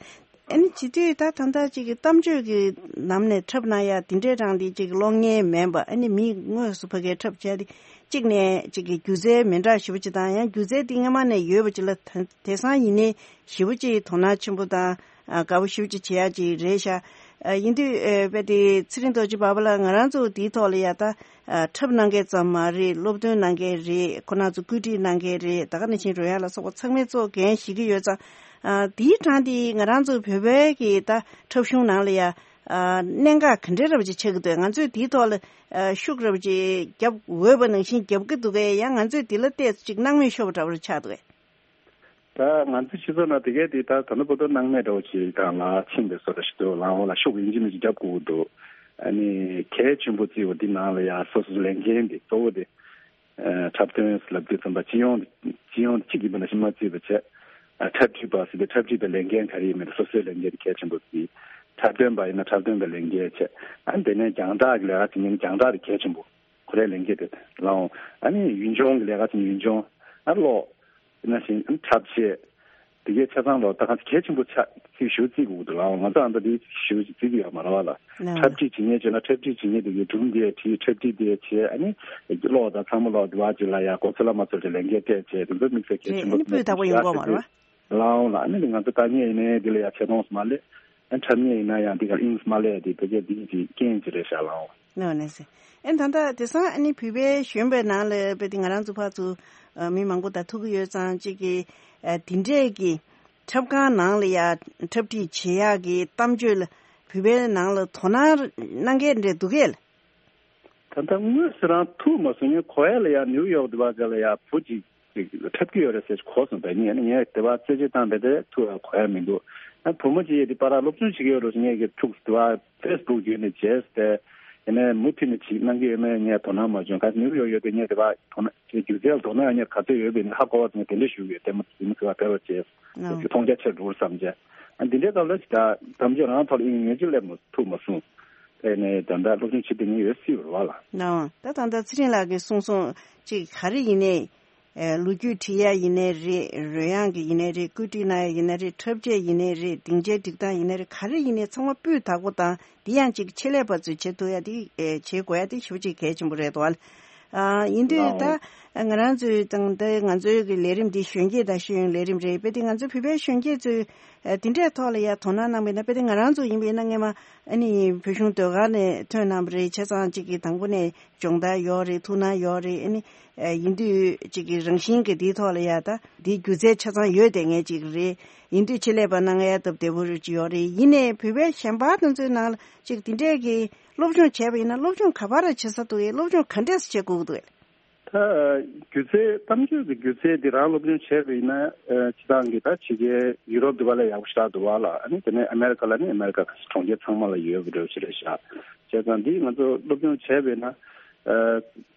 ཨ་ནི་བྱེད་དུས་ད་ད་ལྟ་ཅིག་གི་གཏམ་བརྗོད་ཀྱི་ལམ་ནས་འཁྲབ་གནང་ཡ་དེ་འདྲའི་རང་དེ་ཅིག་གློག་བརྙན་མིན་པ། ཨ་ནི་མི་དངོས་སུ་ཕ་གིར་འཁྲབ་བྱས་ཏེ་གཅིག་ནས་ཅིག་གི་སྒྱུ་རྩལ་མི་འདྲ་ཞེ་པོ་ཅིག་དང་ཡང་སྒྱུ་རྩལ་དེ་སྔ་མ་ནས་ཡོད་པ་ཅིག་ལ་དེང་སང་ཡིན་ནའི་ཞེ་པོ་ཅིག་དོ་སྣང་ཆེན་པོ་དང་དགའ་པོ་ཞེ་པོ་ཅིག་བྱེད་ཡ་ཅིག་རེད་ཤག་ཡིན་དུས་དཔེ་དེ་ཚེ་རིང་རྡོ་རྗེ་བ་བ་ལ་ང་རང་ཚོ་དེའི་ཐོག་ལ་ཡ་ད། ཨ་འཁྲབ་གནང་མཁན་ཙམ་མ་རེད། སློབ་སྟོན་གནང་མཁན་རེད། ཁོ་རང་ཚོ་བཀོད་སྒྲིག་གནང་མཁན་རེད། ད་ག་ནང་བཞིན་རོལ་དབྱངས་ལ་སོགས་པ་ཚང་མས་གཙོ་འགན་བཞེས་ཀྱི་ཡོད་ཙང་། ཨ་དེའི་གྲངས་དེ་ང་རང་ཚོ་བོད་པའི་གི་ད་འཁྲབ་གཞུང་ནང་ལ་ཡ་ཨ་གནད་འགག་ག་འདྲའི་རབ་ཅིག་ཆགས་ཀྱི་འདུག་ང་ཚོས་དེའི་ཐོག་ལ་ཨ་ཤུགས་རབ་ཅིག་རྒྱབ་འོས་པ་ནང་བཞིན་རྒྱབ་ཀྱི་འདུག་གས། ཡང་ང་ཚོས་དེ་ལ་བལྟས་ཚེ་ཅིག་སྣང་མེད་ཤོར་བ་འདྲ་བོ་ཆགས་འདུག་གས། ད་ང་ཚོའི་སྤྱི་ཚོགས་ནང་དེ་གས་དེ་ད་ད་ནུབ་བོད་དོ་སྣང་མེད་འདྲ་བོ་ཞིག་གང་ལ་ཕྱིན་པའི་བཟོ་འདྲ་ཞིག་འདུག་ལའང་འོ་ལ་ཤུགས་ཡིན་གཅིག་མིན་གཅིག་རྒྱབ་དགོས་ཀྱི་འདུག་ཨ་ནི་གལ་ཆེན་པོ་བརྩིས་པ་འདི་ནང་ལ་ཡང་སོ་སོའི་ལས་འགན་དེ་གཙོ་བོ་དེ་ཨ་འཁྲབ་སྟོན་ལབ་དུས་ཙམ་པ་སྤྱི་ཡོངས་སྤྱི་ཡོངས་གཅིག་ཡིན་པ་ནང་བཞིན་མ་བརྩིས་པ་བྱས། ཨ་འཁྲབ་ཁྲིད་པ་ཟེར་དུས་འཁྲབ་ཁྲིད་པའི་ལས་འགན་ག་རེ་ཡིན་མིན་སོ་སོའི་ལས་འགན་དེ་གལ་ཆེན་པོ་བརྩིས། འཁྲབ་སྟོན་པ་ཡིན་ན་འཁྲབ་སྟོན་པའི་ལས་འགན་བྱས། ཨ་ནི་དེ་ནས་རྒྱང་བསྒྲགས་ཀྱི་ལས་ཀ་བྱེད་མཁན་རྒྱང་བསྒྲགས་དེ་གལ་ཆེན་པོ་ཁོ་རའི་ལས་འགན་དེ་ལའང་། ཨ་ནི་ཡུལ་ལྗོངས་ཀྱི་ལས་ཀ་བྱེད་མཁན་ཡུལ་ལྗོངས། ཨ་གློག་ནང་བཞིན་འཁྲབ་ཆས། དེ་གའི་ཆ་ཚང་ལོ་ད་གང་གལ་ཆེན་པོ་ཆགས་ཚིག་ཞུ་རྩིས་དགོས་འདུག་ལ། ང་ཚོ་ཨ་མདའ་དེ་ཞུ་རྩིས་ཀྱི་ཡོད་མ་རེད་བ་ལ། ལགས། འཁྲབ་ཁྲིད་བྱེད་མཁན་བྱས་ན་འཁྲབ་ཁྲིད་བྱེད་མཁན་དེ་གའི་སྒྲུང་དེ་བྲིས། འཁྲབ་ཁྲིད་དེ་བྱས། ཨ་ནི་གློག་དང་ཚང་མ་ལོག་དེ་བ་ཅིག་ལ་ཡ་གོ་ཚོད་ལ་མ་ཚོད་ཀྱི་ལས་འགན་སྤྲད་བྱས། དེ་ཚོ་དམིགས་བསལ་གལ་ཆེན་པོ་ཨ་ནི་སྤུས་དག་པོ་ཡོང་གི་ཡོད་མ་རེད་བ། ལའང་ལ་ཨ་ནི་ང་ཚོ་དཀའ་ངལ་ཡིན་ནའི་དེ་ལ་ཡ་ཆེ་མཐོང་མ་སླེབས། ཨ་འཁྲབ་མཁན་ཡིན་ན་ཡང་འདི་ག་ཨིན་མ་ལས་དེ་བོད་སྐད་འདི་གི་རྐྱེན་གྱིས་རེད་ཤག་ལའང་། ནོ་ནེ་སེ། ཨེ་ད་ལྟ་དེང་སང་ཨ་ནི་བོད་པའི་གཞོན་པའི་ནང་ལ་དཔེ་དེ་ང་རང་ཚོ་ཕར་ཚུར་ཨ་མི་མང་པོ་དང་ཐུག་གི་ཡོད་ཙང་གཅིག་གི་ཨ་དེ་འདྲས་ཀྱི་འཁྲབ་ཁང་ནང་ལ་ཡ་འཁྲབ་ཁྲིད་བྱེད་ཡག་གི་གཏམ་བརྗོད་ལ་བོད་པའི་ནང་ལ་དོ་སྣང་གནང་མཁན་འདྲས་འདུག་གས། ད་ལྟ་དངོས་སུ་རང་ཐུག་མ་སོང་། ངས་གོ་ཡ་ལ་ཡ་ནིའུ་ཡོག་དེ་བ་ག་ལ་ཡ་བུ་གཅིག་ཅིག་འཁྲབ་ཀྱི་ཡོད་རེད་ཟེར་གོ་སོང་། ད་ངས་ནི་ངས་དེ་བ་རྩེད་ཆས་བཏང་བས་དེ་ཐུག་ཡ་གོ་ཡ་མི་འདུག་ཨ་བུ་མོ་ཅིག་ཡོད་དེ་པ་ར་སློབ་སྦྱོང་བྱེད་ཀྱི་ཡོད་རེད་ཟེར། ངས་ཀྱི་ཐུག་དེ་བ་ཕེ་སི་བུག་བརྒྱུད་ནས་བྱས་ཏེ་ཡིན་ནའི་མུ་མཐུད་ནས་ཅིག་གནང་གི་ཡོད་མེད་ངས་དོ་སྣང་མ་བྱུང་། ག་ནིའུ་ཡོག་ཡོད་དེ་ངས་དེ་བ་དོ་སྣང་ཅིག་སྒྱུ་རྩལ་དོ་སྣང་ཡ་ངས་ག་ཚོད་ཡོད་པའི་ནི་ཧ་གོ་བ་ངས་དེ་འདྲ་ཞུ་གི་ཡོད། དེ་མོ་དེ་མོ་དེ་བ་བེ་བ་བྱས་ཨ་ཅིག་མཐོང་རྒྱ་ཆེར་འགྲོ་བསམ་བྱས། ཨ་འདི་འདྲའི་སྐབས་ལ་ཅིག་ད་གཏམ་བརྗོད་རང་ཐོག་ལ་ཨིན་ངས་ཅིག་སླེབས་མ་ཐུབ་མ་སོང་། དེ་ནས་ད་ལྟ་སློབ་སྦྱོང་བྱེད་དེ་ངས་ཡོད་སྲིད་པ་རེད་བ་ལ། ནའང་ད་ད་ལྟ་ཚེ་རིང་ལགས་ཀྱིས་གསུངས་སོང་ཅིག་ག་རེ་ཡིན་ནའི། ཨེ་ལོ་རྒྱུས་འབྲི་ཡ་ཡིན་ནའི་རེད། རོལ་དབྱངས་ཀྱི་ཡིན་ནའི་རེད། བཀོད་སྒྲིག་གནང་ཡ་ཡིན་ནའི་རེད། འཁྲབ་ཆས་ཡིན་ནའི་རེད། སྡིངས་ཆའི་སྒྲིག་སྟངས་ཡིན་ནའི་རེད། ག་རེ་ཡིན་ནའི་ཚང་མ་སྤུས་དག་པོ་དང་། འདི་ཡང་ཅིག་ཆེད་ལས་པ་ཚོས་བྱེད་ཐུབ་ཡ་དེ་ཨེ་བྱེད་དགོས་ཡ་དེ་ཞེ་པོ་ཅིག་གལ་ཆེན་པོ་རེད་འདུག་ཨ། ཨ་ཡིན་དུས་ད་ང་རང་ཚོའི་དང་ད་ང་ཚོའི་གི་ལས་རིམ་འདི་གཞོན་སྐྱེས་དང་ཤེས་ཡོན་ལས་རིམ་རེད། དཔེ་དེ་ང་ཚོ་བོད་པའི་གཞོན་སྐྱེས་ཚོས་ཨ་འདི་འདྲའི་ཐོག་ལ་ཡ་དོ་སྣང་གནང་བ་ཡིན་ན། དཔེ་དེ་ང་རང་ཚོ་ཡིན་པ་ཡིན་ན་སྔས་མ་ཨ་ནི་བོད་གཞུང་ཟློས་གར་ནས་ཐོན་གནང་བ་རེད། བྱས་ཙང་ཅིག་གི་དང་པོ་ནས་སྦྱོང་བརྡར་ཡོད་རེད། ཐུགས་སྣང་ཡོད་རེད། ཨ་ནི་ཨ་ཡིན་དུས་ཅིག་གི་རང་བཞིན་གྱི་འདིའི་ཐོག་ལ་ཡ་ད་འདིའི་སྒྱུ་རྩལ་ཆ་ཚང་ཡོད་བསྡད་མཁན་ཅིག་རེད། ཡིན་དུས་ཆེད་ལས་པ་གནང་ཡ་སྟབས་བདེ་པོ་ཅིག་ཡོད་རེད། ཡིན་ནའི་བོད་པའི་གཞན་པ་དེ་ཚོའི་ནང་ལ་ཅིག་འདི་འདྲས་ཀྱི་སློབ་སྦྱོང་བྱས་པ་ཡིན་ན་སློབ་སྦྱོང་ག་པར་བྱེད་ས་འདུག་གས། སློབ་སྦྱོང་ག་འདྲས་བྱེད་དགོས་ཀྱི་འདུག་གས། ད་སྒྱུ་རྩལ་གཏམ་བརྗོད་ཀྱི་སྒྱུ་རྩལ་འདི་རང་སློབ་སྦྱོང་བྱས་པ་ཡིན་ན་ཨ་སྤྱིར་བཏང་གི་ད་ཕྱི་རྒྱལ་ཡུ་རོབ་འདི་པ་ལ་ཡག་པོ་ཞེ་དྲག་འདུག་བ་ལ། ཨ་ནི་དེ་ནས་ཨ་མེ་རི་ཀ་ལ་ནི་ཨ་མེ་རི་ཀ་གྲོང་ཁྱེར་ཚང་མ་ལ་ཡོད་པ་འདྲ་བོ་ཞིག་རེད་ཤག་བྱས་ཙང་འདི་ང་ཚོ་སློབ་སྦྱོང་བྱས་པས་ན། ཨ་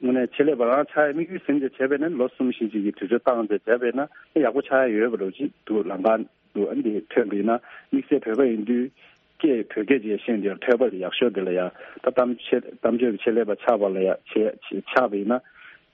དངོས་གནས་ཆེད་ལས་པ་རང་ཆགས་ཡ་དམིགས་ཡུལ་ཟིན་བྱས་བྱས་པས་ན་ལོ་གསུམ་བཞི་ཞིག་གི་དུས་ཚོད་བཏང་བྱས་བྱས་པས་ན་ཡག་པོ་ཆགས་ཡ་ཡོད་པ་འདྲ་བོ་ཅིག་འདུག་ལམ་ཁ་འདུག་ཨ་འདི་ཐོན་པ་ཡིན་ན་དམིགས་བསལ་བོད་པ་ཡིན་དུས་སྐད་བོད་སྐད་ཅིག་ཤེས་འདི་ཐོས་པ་དེ་ཡག་ཤོས་དེ་ལ་ཡ། ད་གཏམ་ཆེ་གཏམ་བརྗོད་ཀྱི་ཆེད་ལས་པ་ཆགས་པ་ལ་ཡ་ཆེ་ཆེ་ཆགས་པ་ཡིན་ན།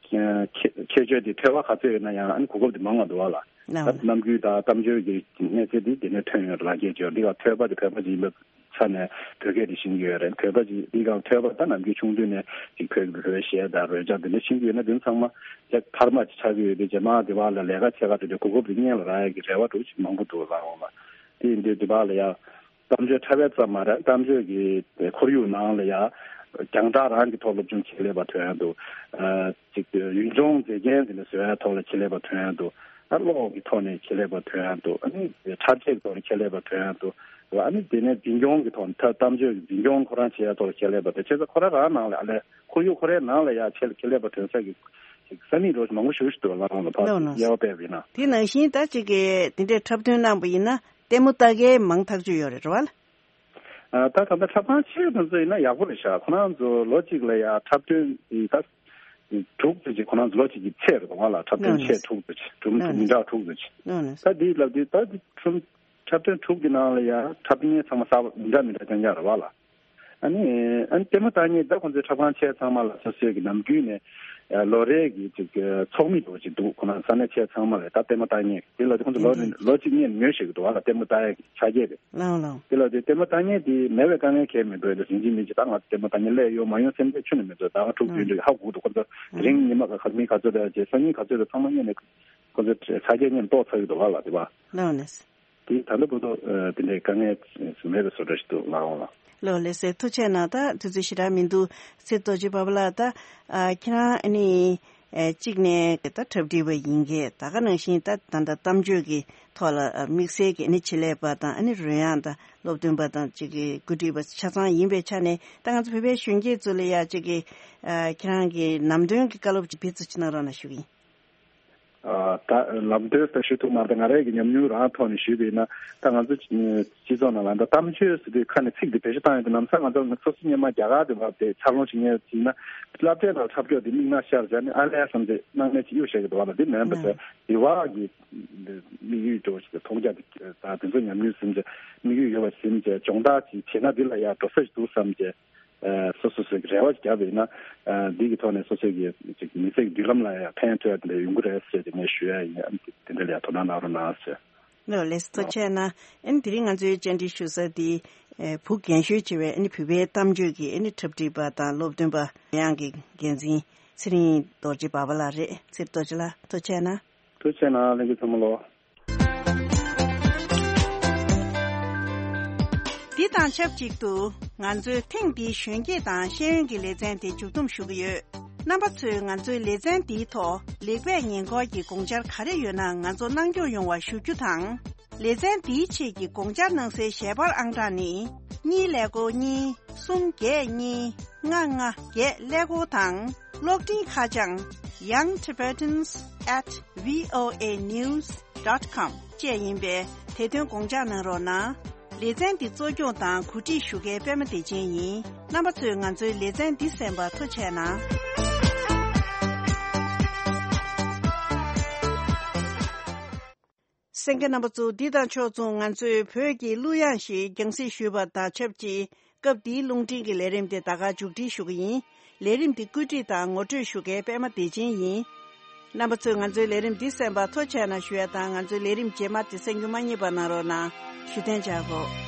ཁྱད་ཁྱད་ཆོས་དེ་ཐོས་པ་ག་ཚོད་ཡོད་ན་ཡང་ཨ་ནི་གོ་སྐབས་དེ་མང་བ་འདུག་བ་ལ། ད་རྣམ་འགྱུར་དང་གཏམ་བརྗོད་ཀྱི་གནས་ཚད་དེ་དེ་ནས་ཐོན་ཡོད་ལ་སྐད་ཆོས་འདི་ག་ཐོས་པ་དེ་བོད་པ་ཅིག་ཡིན་པའི་ཆ་ནས་བོད་སྐད་དེ་ཤེས་ཀྱི་ཡོད་རེད། བོད་པ་ཅིག་འདི་ག་ཐོས་པ་ད་ནམ་རྒྱུན་ཆུང་དུས་ནས་ཅིག་བོད་ཀྱི་བོད་གཞས་དང་རོལ་ཆ་དེ་འདྲ་ཤེས་ཀྱི་ཡོད་ན་དེ་ཚང་མ་ཡ་འཕར་མ་ཅིག་ཆགས་ཀྱི་ཡོད་དུས་རྗེས་མ་དེ་བ་ལ་ལས་ཀ་བྱེད་ག་འགྲོ་དུས་གོ་སྐབས་དེ་སྔོན་ལ་རག་ཡ་གི་རེ་བ་འདྲ་བོ་ཅིག་མང་པོ་འདུག་ལ་འོང་ལ། དེ་ཡིན་དུས་དེ་བ་ལ་ཡ། གཏམ་བརྗོད་འཁྲབ་པ་ཙམ་མ་རེད། གཏམ་བརྗོད་ཀྱི་ཁོར་ཡུག་ནང་ལ་ཡ་རྒྱང་བསྒྲགས་རང་གི་ཐོག་སློབ་སྦྱོང་ཆེད་ལས་པ་ཐོན་ཡ་འདུག་ཨ་ཅིག་ཡུལ་ལྗོངས་མཛེས་རྒྱན་དེ་འདྲ་བཟོ་ཡ་ཐོག་ལ་ཆེད་ལས་པ་ཐོན་ཡ་འདུག་ཨ་གློག་གི་ཐོག་ནས་ཆེད་ལས་པ་ཐོན་ཡ་འདུག་ཨ་ནི་འཁྲབ་ཆས་ཀྱི་ཐོག་ནས་ཆེད་ལས་པ་ཐོན་ཡ་འདུག་ཨ་ནི་དེ་ནས་འཛིན་སྐྱོང་གི་ཐོག་ནས་ད་གཏམ་བརྗོད་ཀྱི་འཛིན་སྐྱོང་ཁོ་རང་བྱེད་ཡ་ཐོག་ལ་ཆེད་ལས་པ་དང་བྱས་ཙང་ཁོ་རང་རང་ནང་ལ་ཨ་ལས་ཁོར་ཡུག་ཁོ་རའི་ནང་ལ་ཡ་ཆེད་ཆེད་ལས་པ་ཐོན་ས་གི་ཅིག་ས་མིག་འགྲོ་མང་པོ་ཞིག་ཞིག་འདུག་ལ་ལ་ཕར་ལོ་ལོ། དབྱེ་བ་སྤེལ་བ་ཡིན་ན། དེ་ནང་བཞིན་ད་ཅིག་གི་དེ་འདྲའི་འཁྲབ་སྟོན་གནང་པ་ཡིན་ན་ལྟད་མོ་ལྟ་མཁན་མང་ཐག་ཆོད་ཡོད་རེད་རེད་བ་ལ། ཨ་ད་ད་ལྟ་འཁྲབ་ཁང་ཆེ་དེ་ཚོ་ཡིན་ན་ཡག་པོ་རེད་ཤག་ཁོ་རང་ཚོ་ལོ་གཅིག་ལ་ཡ་འཁྲབ་སྟོན་ཡི་ད་དྲུག་ཙམ་ཅིག་ཁོ་རང་ཚོ་ལོ་གཅིག་གི་ཚད་རེད་འདུག་བ་ལ། འཁྲབ་སྟོན་ལོ་ཆེ་ནས། དྲུག་ཙམ་ཅིག་དྲུག་ལོ་མི་ནས། འདྲ་དྲུག་ཙམ་ཅིག་ལོ་ནས། ད་འདི་ལབ་དུས་ད་འདི་ཁྲུམ་འཁྲབ་སྟོན་དྲུག་གི་ནང་ལ་ཡ་འཁྲབ་མཁན་ཚང་མ་གསར་པ་མི་འདྲ་མི་འདྲ་རྐྱང་རྐྱང་རེད་བ་ལ། ཨ་ནི་ཨ་ནི་ལྟད་མོ་ལྟ་མཁན་ད་ཁོང་ཚོའི་འཁྲབ་ཁང་ཆེ་ཚང་མ་ལ་སོ་སོའི་གི་ནམ་རྒྱུན་ནས་ལོ་རེ་གི་ཅིག་ཚོགས་མི་འདྲ་བོ་ཅིག་འདུག་ཁོ་ན་ས་གནས་ཆེ་ཚང་མ་ལ་ད་ལྟད་མོ་ལྟ་མཁན་དེ་ལ་ཁོང་ཚོ་ལོ་ལོ་གཅིག་གཉིས་ཉོས་ཤིག་འདུག་བ་ལ། ལྟད་མོ་ལྟ་ཡ་གི་ཆ་རྐྱེན་རེད། ལའོ་ལའོ། དེ་ལ་དེ་ལྟད་མོ་ལྟ་མཁན་དེ་མེད་པའི་དཀའ་ངལ་གང་ཡང་མི་འདུག་ཡ་ད་ཟིན་གྱི་མིན་གྱི་ད་ང་ལྟད་མོ་ལྟ་མཁན་སླེབས་ཡོང་མ་ཡོང་སེམས་ཁྲལ་ཁྱོན་ནས་མི་འདུག་ད་ང་ཕྲུག་བདུན་འདྲ་ཧ་གོ་འདུག་ཁོ་ཚོ་དེ་རིང་ཉི་མ་ག་ག་མི་ག་ཚོད་རེད་ཅེས་སང་ཉིན་ག་ཚོད་རེད་ཚང་མ་སྔོན་ནས་ཁོ་ཚོ་ཆ་རྐྱེན་སྔོན་ཏོག་ཚར་གྱི་འདུག་བ་ལ་དེ་བ། ལའོ་ནས། དེ་ད་ལྟ་བར་དུ་དེ་འདྲའི་དཀའ་ངལ་མེད་པའི་བཟོ་འདྲ་ཞིག་འདུག་ལའོ་ལ། ལོ་ལེགས་སེ་ཐུགས་རྗེ་གནང་། ད་དུས་ཚོད་ཞེ་དྲག་མི་འདུག་ཚེ་རྡོ་རྗེ་པ་པ་ལགས། ད་ཨ་ཁྱེད་རང་ཨ་ནི་ཨ་གཅིག་ནས་ད་འཁྲབ་ཁྲིད་པ་ཡིན་གྱི་ད་ག་ནང་བཞིན་ད་ད་ལྟ་གཏམ་བརྗོད་ཀྱི་ཐོག་ལ་ཨ་དམིགས་བསལ་གྱི་ཨ་ནི་ཆེད་ལས་པ་དང་ཨ་ནི་རོལ་དབྱངས་དང་སློབ་སྟོན་པ་དང་གཅིག་གི་འགོ་ཁྲིད་པ་ཆ་ཚང་ཡིན་པའི་ཆ་ནས་ད་ང་ཚོ་བོད་པའི་གཞོན་སྐྱེས་ཚོ་ལ་ཡ་གཅིག་གི་ཨ་ཁྱེད་རང་གི་ལམ་སྟོན་གྱི་བཀའ་སློབ་ཅིག་ཕེབས་བསུ་ཅིག་གནང་རོགས་གནང་ཞུ་གི་ཡིན། ཨ་ད་ལམ་སྟོན་ཟེར་ཞུ་ཐུབ་མ་རེད། ང་རའི་གི་ཉམས་མྱོང་རང་ཐོག་ནས་ཞུས་པ་ཡིན་ན་ད་ང་ཚོ་སྤྱི་ཚོགས་ནང་ལ་ད་གཏམ་བརྗོད་ཟེར་དུས་ཁ་ནས་ཚིག་འདི་བེད་སྤྱོད་བཏང་ཡོད་དུས་ནམ་སང་ང་ཚོ་ང་ཚོ་སོ་སོ་སྔོན་མ་རྒྱ་གར་དུ་བབས་ཏེ་འཚར་ལོངས་བྱེད་མཁན་ཡིན་ན་སློབ་གྲྭའི་ནང་འཁྲབ་སྐྱོར་འདི་མིག་ནང་ཤར་བྱས་ནས་ཨ་ལས་བསམ་ཚེ་སྣང་མེད་ཅིག་གཡུག་བཞག་གི་འདུག་བ་ལ། འདི་མིན་པ་ཟེར་འདི་བ་གི་དམིགས་ཡུལ་འགྲོ་ཞིག་མཐོང་རྒྱ་འདི་ད་དེ་ཚོ་ཉམས་མྱོང་ཟིན་བྱས་དམིགས་ཡུལ་ཡོད་པ་ཟིན་བྱས་སྦྱོང་བརྡར་ཅིག་བྱས་ན་འདི་ལ་ཡ་འགྲོ་ས་ཞིག་འདུག་བསམ་བྱས། ཨ་སོ་སོ་སོའི་རེ་བ་བརྒྱབ་པ་ཡིན་ན་ཨ་འདི་གི་ཐོག་ནས་སོ་སོའི་གི་ཅིག་མི་ཚེ་གི་མདུན་ལམ་ལ་ཡང་ཕན་ཐོགས་ཡ་དེ་འདྲ་ཡོང་གི་རེད་ཟེར་ཏེ་ངས་ཞུ་ཡ་ཡིན། ཨ་དེ་འདྲ་ལ་ཡང་དོ་སྣང་གནང་རོགས་གནང་ཟེར། ལགས་ལགས་སོ། ཐུགས་རྗེ་གནང་། ཨ་ནི་དེ་རིང་ང་ཚོའི་བཅར་འདྲི་ཞུ་ས་དེ་ཨ་བོད་རྒན་ཤོས་ཆེ་བའི་ཨ་ནི་བོད་པའི་གཏམ་བརྗོད་ཀྱི་ཨ་ནི་འཁྲབ་ཁྲིད་པ་དང་སློབ་སྟོན་པ་ཡང་གི་འགན་འཛིན་ཚེ་རིང་རྡོ་རྗེ་པ་པ་ལགས་རེད། ཚེ་རིང་རྡོ་རྗེ་ལགས་ཐུགས་རྗེ་གནང་། ཐུགས་རྗེ་གནང་ལྷན་རྒྱས་ཚང་མ་ལོ། འདི་དང་ཆབས་ཅིག་ཏུ་ང་ཚོའི་ཐེངས་འདིའི་གཞོན་སྐྱེས་དང་ཤེས་ཡོན་གྱི་ལེ་ཚན་དེ་མཇུག་བསྡོམས་ཞུ་གི་ཡོད། རྣམ་པ་ཚོས་ང་ཚོའི་ལེ་ཚན་འདིའི་ཐོག་ལེགས་སྤེལ་ཉེས་འགོག་གི་དགོངས་འཆར་ག་རེ་ཡོད་ན་ང་ཚོ་གནང་སྐྱོང་ཡོང་བ་ཞུ་རྒྱུ་དང་། ལེ་ཚན་འདིའི་ཆེད་ཀྱི་དགོངས་འཆར་གནང་སའི་ཞལ་པར་ཨང་གྲངས་ནི། གཉིས་ཀླད་ཀོར་གཉིས། གསུམ་བརྒྱད་གཉིས། ལྔ་ལྔ་བརྒྱད་ཀླད་ཀོར་དང་། གློག་འཕྲིན་ཁ་བྱང་Young Tibetans at V O A news dot com བཅས་ཡིན་པས་དེ་དོན་དགོངས་འཇགས་གནང་རོགས་གནང་། ལེ་ཚན་འདི་གཙོ་སྐྱོང་དང་གོ་སྒྲིག་ཞུ་མཁན་པད་མ་བདེ་ཆེན་ཡིན། རྣམ་པ་ཚོས་ང་ཚོའི་ལེ་ཚན་འདི་གསན་པར་ཐུགས་རྗེ་གནང་། གསན་མཁན་རྣམ་པ་ཚོ། འདི་དང་ཕྱོགས་མཚུངས་ང་ཚོའི་བོད་ཀྱི་གླུ་དབྱངས་ཤིག་རྒྱང་སྲིང་ཞུས་པ་དང་ཆབས་ཅིག་སྐབས་འདིའི་རླུང་འཕྲིན་གྱི་ལས་རིམ་དེ་ད་ག་མཇུག་སྒྲིལ་ཞུ་གི་ཡིན། ལས་རིམ་འདི་བཀོད་སྒྲིག་དང་ངོ་སྤྲོད་ཞུ་མཁན་པད་མ་བདེ་ཆེན་ཡིན། རྣམ་པ་ཚོས་ང་ཚོའི་ལས་རིམ་འདི་གསན་པར་ཐུགས་རྗེ་གནང་ཞུ་ཡ་དང་། ང་ཚོའི་ལས་རིམ་རྗེས་མ་དེ་གསན་རྒྱུ་མ་བསྙེལ་བ་གནང་རོགས་གནང་། ཞུ་རྟེན་བྱ་དགོས།